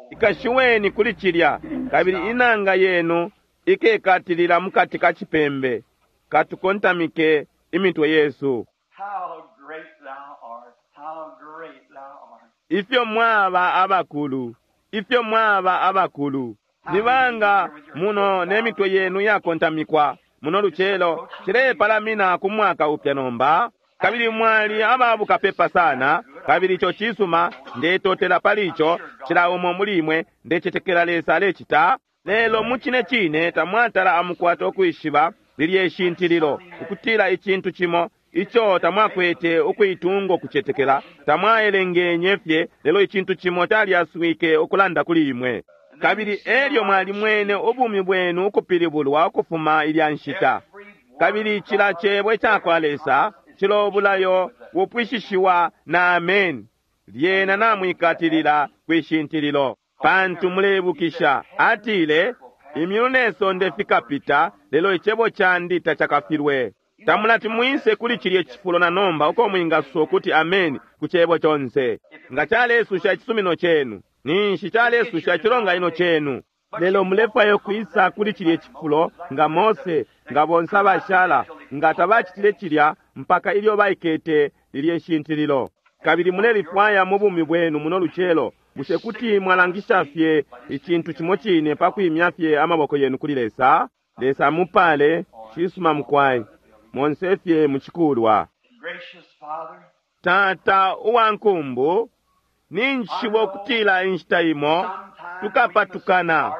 Ikashiweni kuli cilya, kabili inanga yenu ikekatilila mukati ka cipembe. Katukontamike imitwe yesu. Ifyo mwaba abakulu, ifyo mwaba abakulu! Nibanga muno ne mitwe yenu yakontamikwa muno lucelo, cilepalamina ku mwaka upya nomba. Kabili mwali ababukapepa sana, kabili ico cisuma, ndetotela pali ico. Cila umo muli imwe ndecetekela Lesa alecita. Lelo mucine cine tamwatala amukwata ukwishiba lilye shintililo, ukutila icintu cimo ico tamwakwete ukuitunga ukucetekela, tamwaelengenye fye, lelo icintu cimo calyaswike ukulanda kuli imwe. Kabili elyo mwalimwene ubumi bwenu ukupilibulwa ukufuma ilya nshita. Kabili cila cebo icakwa Lesa cilo bulayo bupwishishiwa na amen. Lyena namwikatilila kwishintililo, pantu mulebukisha atile, imyulu ne sonde fikapita, lelo icebo candi tacakafilwe. Tamulati mwise kuli cilye cifulo na nomba uko mwingasosa ukuti amen ku cebo conse. Nga calesusha icisumino cenu, ninshi calesusha icilonganino cenu. Lelo mulefwayo kwisa kuli cilye cifulo nga Mose, nga bonse abashala, nga tabacitile cilya mpaka ilyo baikete lilye shintililo. Kabili mulelifwaya mu bumi bwenu muno lucelo. Bushe kuti mwalangisha fye icintu cimo cine pa kwimya fye amaboko yenu kuli Lesa? Lesa mupale, cisuma mukwai, monse fye mucikulwa. Tata uwankumbu, ninjishiba ukutila inshita imo tukapatukana.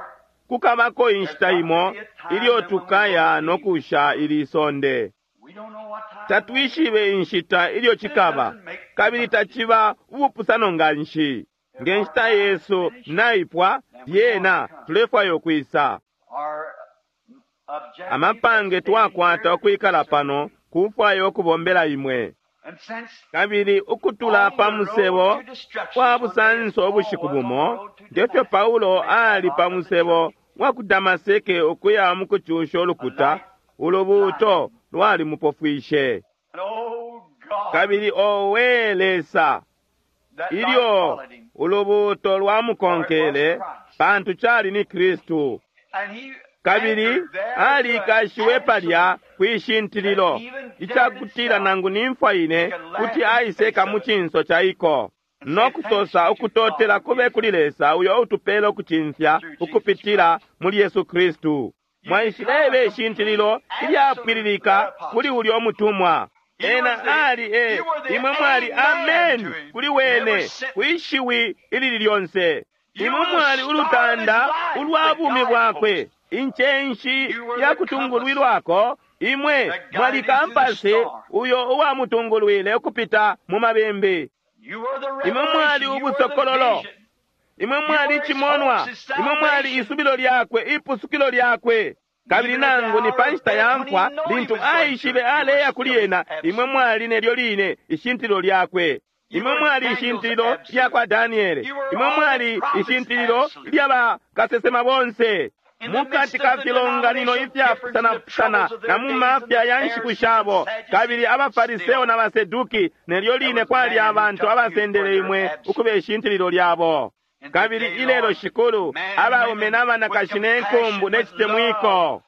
Kukabako inshita imo ilyo tukaya no kusha ili sonde. Tatwishibe inshita ilyo cikaba, kabili taciba ubupusano nganshi. Nge nshita yesu naipwa, lyena tulefwaya ukwisa. Amapange twakwata ukwikala pano kufwaya ukubombela imwe. Kabili ukutula pa musebo wa busanso ubushiku bumo, ngefyo Paulo ali pa musebo wa ku Damaseke ukuya mu kucusha ulukuta, ulubuuto lwalimupofwishe. Kabili owe Lesa, ilyo ulubuuto lwamukonkele, pantu cali ni Kristu. Kabili alikashiwe palya kwishintililo, icakutila nangu nimfwa ine kuti aiseka mu cinso ca iko, no kusosa ukutotela kube kuli Lesa uyo utupela ukucimfya ukupitila muli Yesu Kristu. Mwaishilebe ishintililo ilyapwililika kuli ulyo mutumwa. Ena ali e, imwe mwali amen kuli wene, kwishiwi ilili lyonse. Imwe mwali ulutanda ulwa bumi bwakwe, incenshi ya kutungulwilwako. Imwe mwali kampasi uyo uwamutungulwile ukupita mu mabimbi. Imwe mwali ubusokololo, imwe mwali icimonwa, imwe mwali isubilo lyakwe, ipusukilo lyakwe. Kabili nangu ni pa nshita ya mfwa, lintu aishibe aleya kuli ena, imwe mwali nelyo line ishintililo lyakwe. Imwe mwali ishintililo lya kwa Daniele, imwe mwali ishintililo lya bakasesema bonse. Mukati ka filonganino ifyapusanapusana na mu mafya ya nshiku shabo, kabili abafariseo na baseduki, nelyo line kwali abantu abasendele imwe ukuba ishintililo lyabo. Kabili ilelo Shikulu, abaume n'abanakashi n'enkumbu n'ecitemwiko,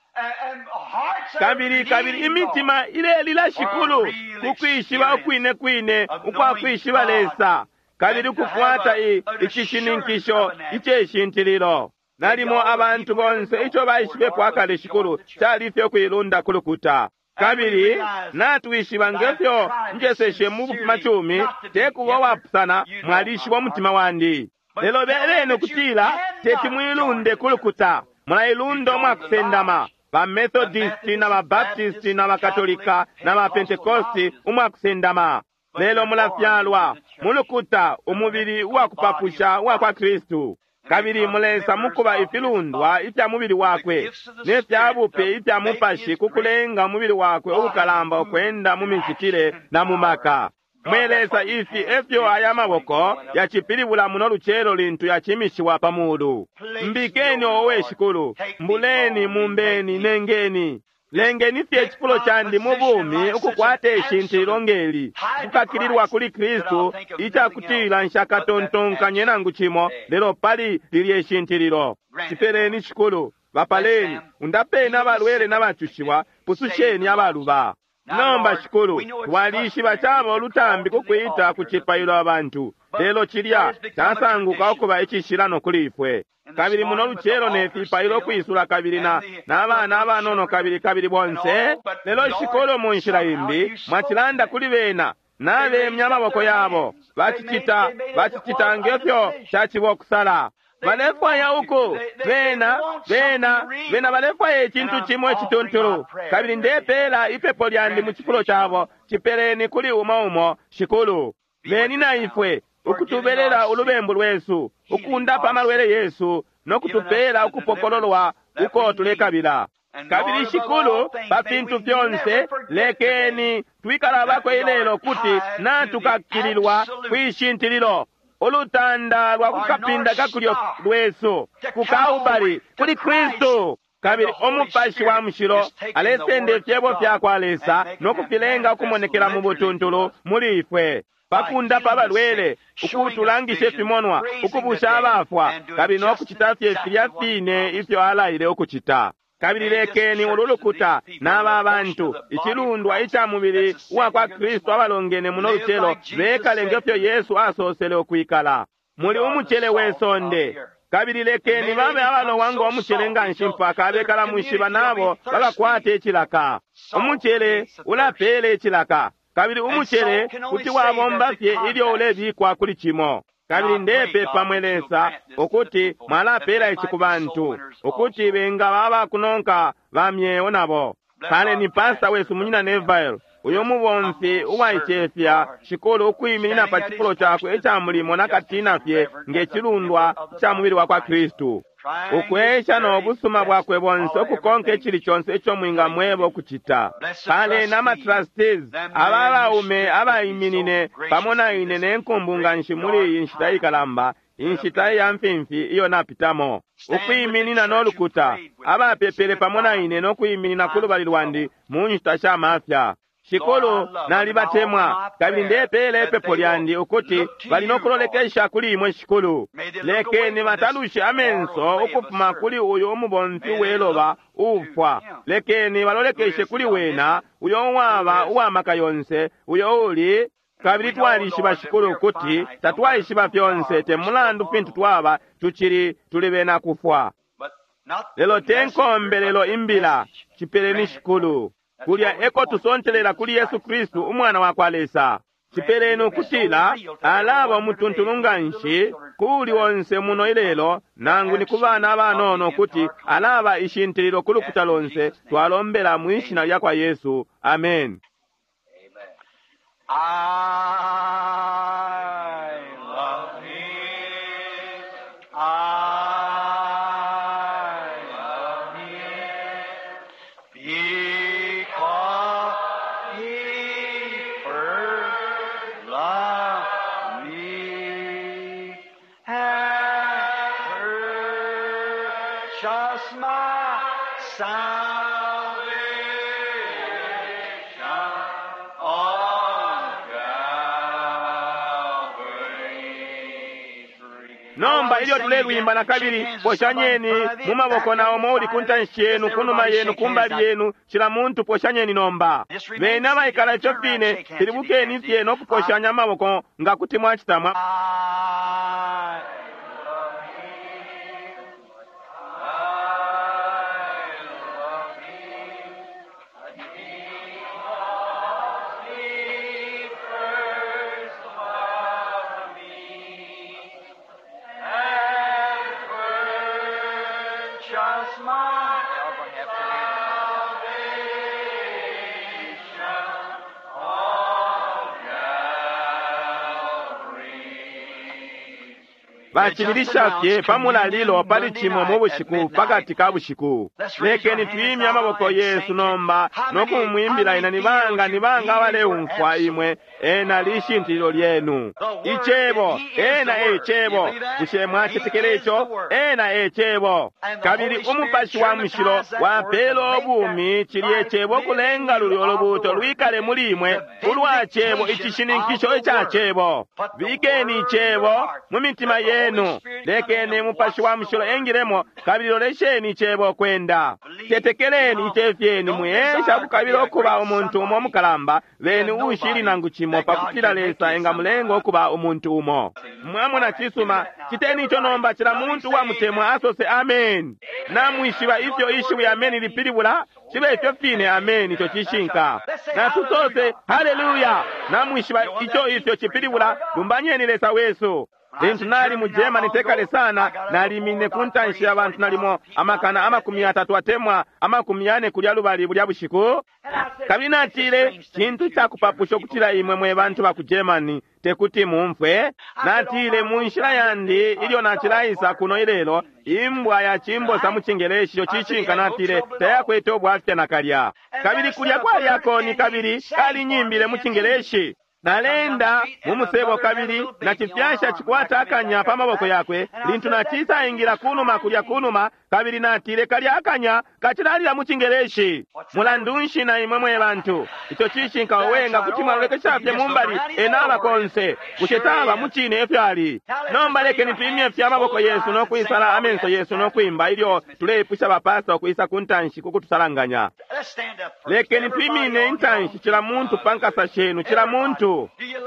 kabili kabili imitima ilelila Shikulu kukwishiba ukwine kwine ukwa kwishiba Lesa, kabili ukukwata icishininkisho iceshintililo. Nalimo abantu bonse ico baishibepo akale Shikulu cali fye ukuilunda ku lukuta. Kabili natwishiba ngefyo njeseshe mu bufumacumi tekuba wapusana, mwalishiba umutima wandi. Lelo beleni ukutila teti mwilunde ku lukuta, mulailunda umwakusendama ba Methodisti na ba Baptisti na ba Katolika na ba Pentecosti umwakusendama. Lelo mulafyalwa mu lukuta, umubili uwakupapusha uwa kwa Kristu, kabili mulesa mukuba ifilundwa ifya mubili wakwe ne fya bupe ifya mupashi ku kulenga umubili wakwe ubukalamba ukwenda mu micitile na mu maka. Mwe Lesa, ifi efyo aya maboko yacipilibula muno lucelo lintu yacimishiwa pa mulu. Mbikeni owe Shikulu, mbuleni, mumbeni, nengeni. Lengeni fye icifulo candi mu bumi ukukwata ishintililo ngeli kukakililwa kuli Kristu, icakutila nshakatontonkanye nangu cimo lelo pali lilye shintililo. Cipeleni Shikulu, bapaleni, undapeni abalwele n'abacushiwa, pususheni abaluba. Nomba Shikulu, twalishiba caba ulutambi kukwita ku cipailo abantu, lelo cilya casanguka ukuba icishilano kuli ifwe. Kabili muno lucelo ne fipailo kwisula kabili na n'abana abanono kabili kabili bonse. Lelo Shikulu, mu nshila imbi mwacilanda kuli bena, nabemya amaboko yabo, bacicita bacicita ngefyo caciba okusala. Balefwaya uku bena bena bena balefwaya icintu cimo icituntulu. Kabili ndepeela ipepo lyandi mu cifulo cabo, cipeleni kuli umo umo Shikulu. Beni na ifwe ukutubelela ulubembu lwesu, ukundapa amalwele yesu, no kutupeela ukupokololwa uko tulekabila. Kabili Shikulu, pa fintu fyonse lekeni twikalabako ilelo kuti natukakililwa kwishintililo ulutanda lwa kukapinda kakulyo lwesu ku Kalbali kuli Kristu. Kabili umupashi wa mushilo alesenda ifyebo fya kwa Lesa no kufilenga ukumonekela mu butuntulu muli ifwe, pakundapa abalwele, ukutulangisha ifimonwa, ukubusha abafwa, kabili no kucita fye filya fine ifyo alaile ukucita. Kabili lekeni ulu lukuta n'aba bantu, icilundwa ica mubili uwa kwa Kristu abalongene muno lucelo, bekale ngefyo Yesu asosele ukwikala. Muli umucele we sonde, kabili lekeni babe abalowa ngo mucele nganshi mpaka abekala mwishiba nabo bakakwate icilaka. Umucele ulapeela icilaka, kabili umucele kuti wabomba fye ilyo ulebikwa kuli cimo. Kabili ndepepa mwe Lesa ukuti mwalapeela ici ku bantu, ukuti bengaba abakunonka ba myeo nabo. Paleni pasta wesu munyina Neville, uyo mubomfi uwaicefya Shikulu, ukwiminina pa cifulo cakwe ica mulimo nakatina fye nge cilundwa ica mubili wa kwa Kristu, ukwesha no busuma bwakwe bonse ukukonka icili conse ico mwingamweba ukucita. Paleni ama trustees, aba abaume abaiminine pamo na ine ne nkumbu nganshi muli iyi nshita ikalamba, inshita iya mfimfi iyo napitamo, ukwiminina no lukuta, abapepele pamo na ine no kwiminina ku lubali lwandi mu nshita sha mafya. Shikulu, nalibatemwa, kabili ndepeela ipepo lyandi ukuti bali no kulolekesha kuli imwe Shikulu. Lekeni batalushe amenso ukufuma kuli uyu umubomfi weloba uufwa. Lekeni balolekeshe kuli wena, uyo uwaba uwamaka yonse, uyo uli. Kabili twalishiba Shikulu ukuti tatwaishiba fyonse, te mulandu fintu twaba, tucili tuli bena kufwa. Lelo te nkombelelo imbila, cipeleni Shikulu. Kulya eko tusontelela kuli Yesu Kristu umwana wa kwa Lesa. Cipeleni ukutila alaba umutuntulu nganshi kuli onse muno ilelo, nangu ni ku bana abanono, kuti alaba ishintililo ku lukuta lonse. Twalombela mwi shina lya kwa Yesu, amen. I love him. I love him. Because he first loved me and purchased my salvation on Calvary's tree. Nomba ilyo tulelwimba na kabili, poshanyeni mu maboko na umo uli ku ntanshi yenu, ku numa yenu, ku mbali yenu, cila muntu poshanyeni nomba. Bene abaikala ifyo fine, filibukeni fye no kuposhanya amaboko nga kuti mwacita mwa. I love him. I love him. Bacibilisha fye pa mulalilo pali cimo mu bushiku pakati ka bushiku. Lekeni twimye amaboko yesu nomba no kumwimbila ena. Nibanga nibanga abaleumfwa imwe? Ena lishintililo lyenu. Icebo, ena e cebo. Bushe mwacetekela ico? Ena e cebo. Kabili Umupashi wa Mushilo wapela ubumi cilye cebo kulenga lulyo lubuto lwikale muli imwe ulwa cebo, icishininkisho ica cebo. Bikeni icebo mu mitima yenu, lekeni Mupashi wa Mushilo engilemo, kabili lolesheni icebo kwenda. Tetekeleni icefyeni, mwiyesha kukabila ukuba umuntu umo mukalamba, beni ushili nangu cimo pakutila Lesa engamulenga ukuba umuntu umo. Mwamona? Cisuma, citeni ico nomba. Cila muntu uwamutemwa asose ameni. Namwishiba ifyo ishiwi ameni lipilibula? Cibe ifyo fine, ameni, ico cishinka. Natusose haleluya. Namwishiba ico ifyo cipilibula? Lumbanyeni Lesa wesu. Lintu nali mu Germany tekale sana, nalimine ku ntanshi ya bantu nalimo amakana amakumi atatu atemwa amakumi yane kulya lubali bulya bushiku, kabili natile, cintu cakupapusha ukutila imwe mwe bantu ba ku Germany tekuti mumfwe. Natile, mu nshila yandi ilyo nacilaisa kuno ilelo, imbwa ya cimbosa mu Cingeleshi, ico cishinka, natile, tayakwete ubwafya nakalya. Kabili kulya kwali akoni, kabili kalinyimbile mu Cingeleshi. Nalenda mu musebo, kabili nacifyasha cikwata akanya pa maboko yakwe lintu nacisaingila kunuma kulya kunuma, kabili natile, kalya akanya kacilalila mu Cingeleshi. Mulandu nshi na imwe mwe bantu? Ico cishinka. Owenga kuti mwalolekesha fye mumbali, ena aba konse. Bushe taba mucine efyo ali? Nomba lekeni twimye fye amaboko yesu no kwisala amenso yesu no kwimba ilyo tuleipusha bapasta ukwisa ku ntanshi kukutusalanganya. Let's stand up first. Lekeni twimine intanshi, cila muntu pa nkasa shenu, cila muntu.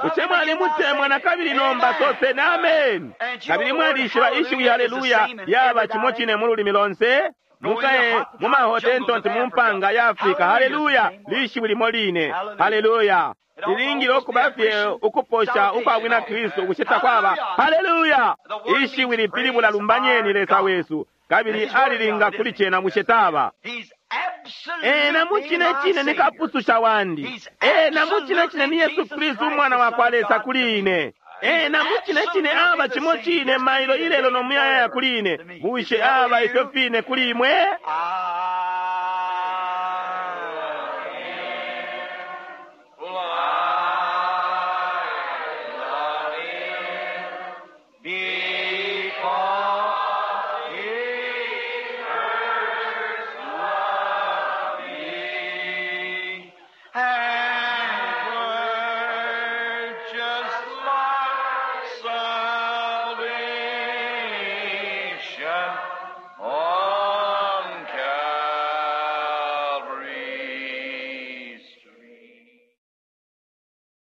Bushe mwalimutemwa na kabili? Nomba soseni ameni. Kabili mwalishiba ishiwi haleluya yaba cimo cine mu lulimi lonse. Mukaye mu mahotentonti mu mpanga ya Afrika, haleluya lishiwi limo line. Haleluya lilingile ukuba fye ukuposha ukwa bwina Kristu. Bushe takwaba? Haleluya ishiwi lipilibula lumbanyeni Lesa wesu, kabili alilinga kuli cena. Bushe taba? He's absolutely Ena mu cine my cine ni Savior. kapususha wandi. Ena mu cine cine ni Yesu Kristu umwana wa kwa Lesa kuli ine. Ena mu cine cine aba cimo cine mailo ilelo no muyayaya kuli ine. Bushe aba ifyo fine kuli imwe? I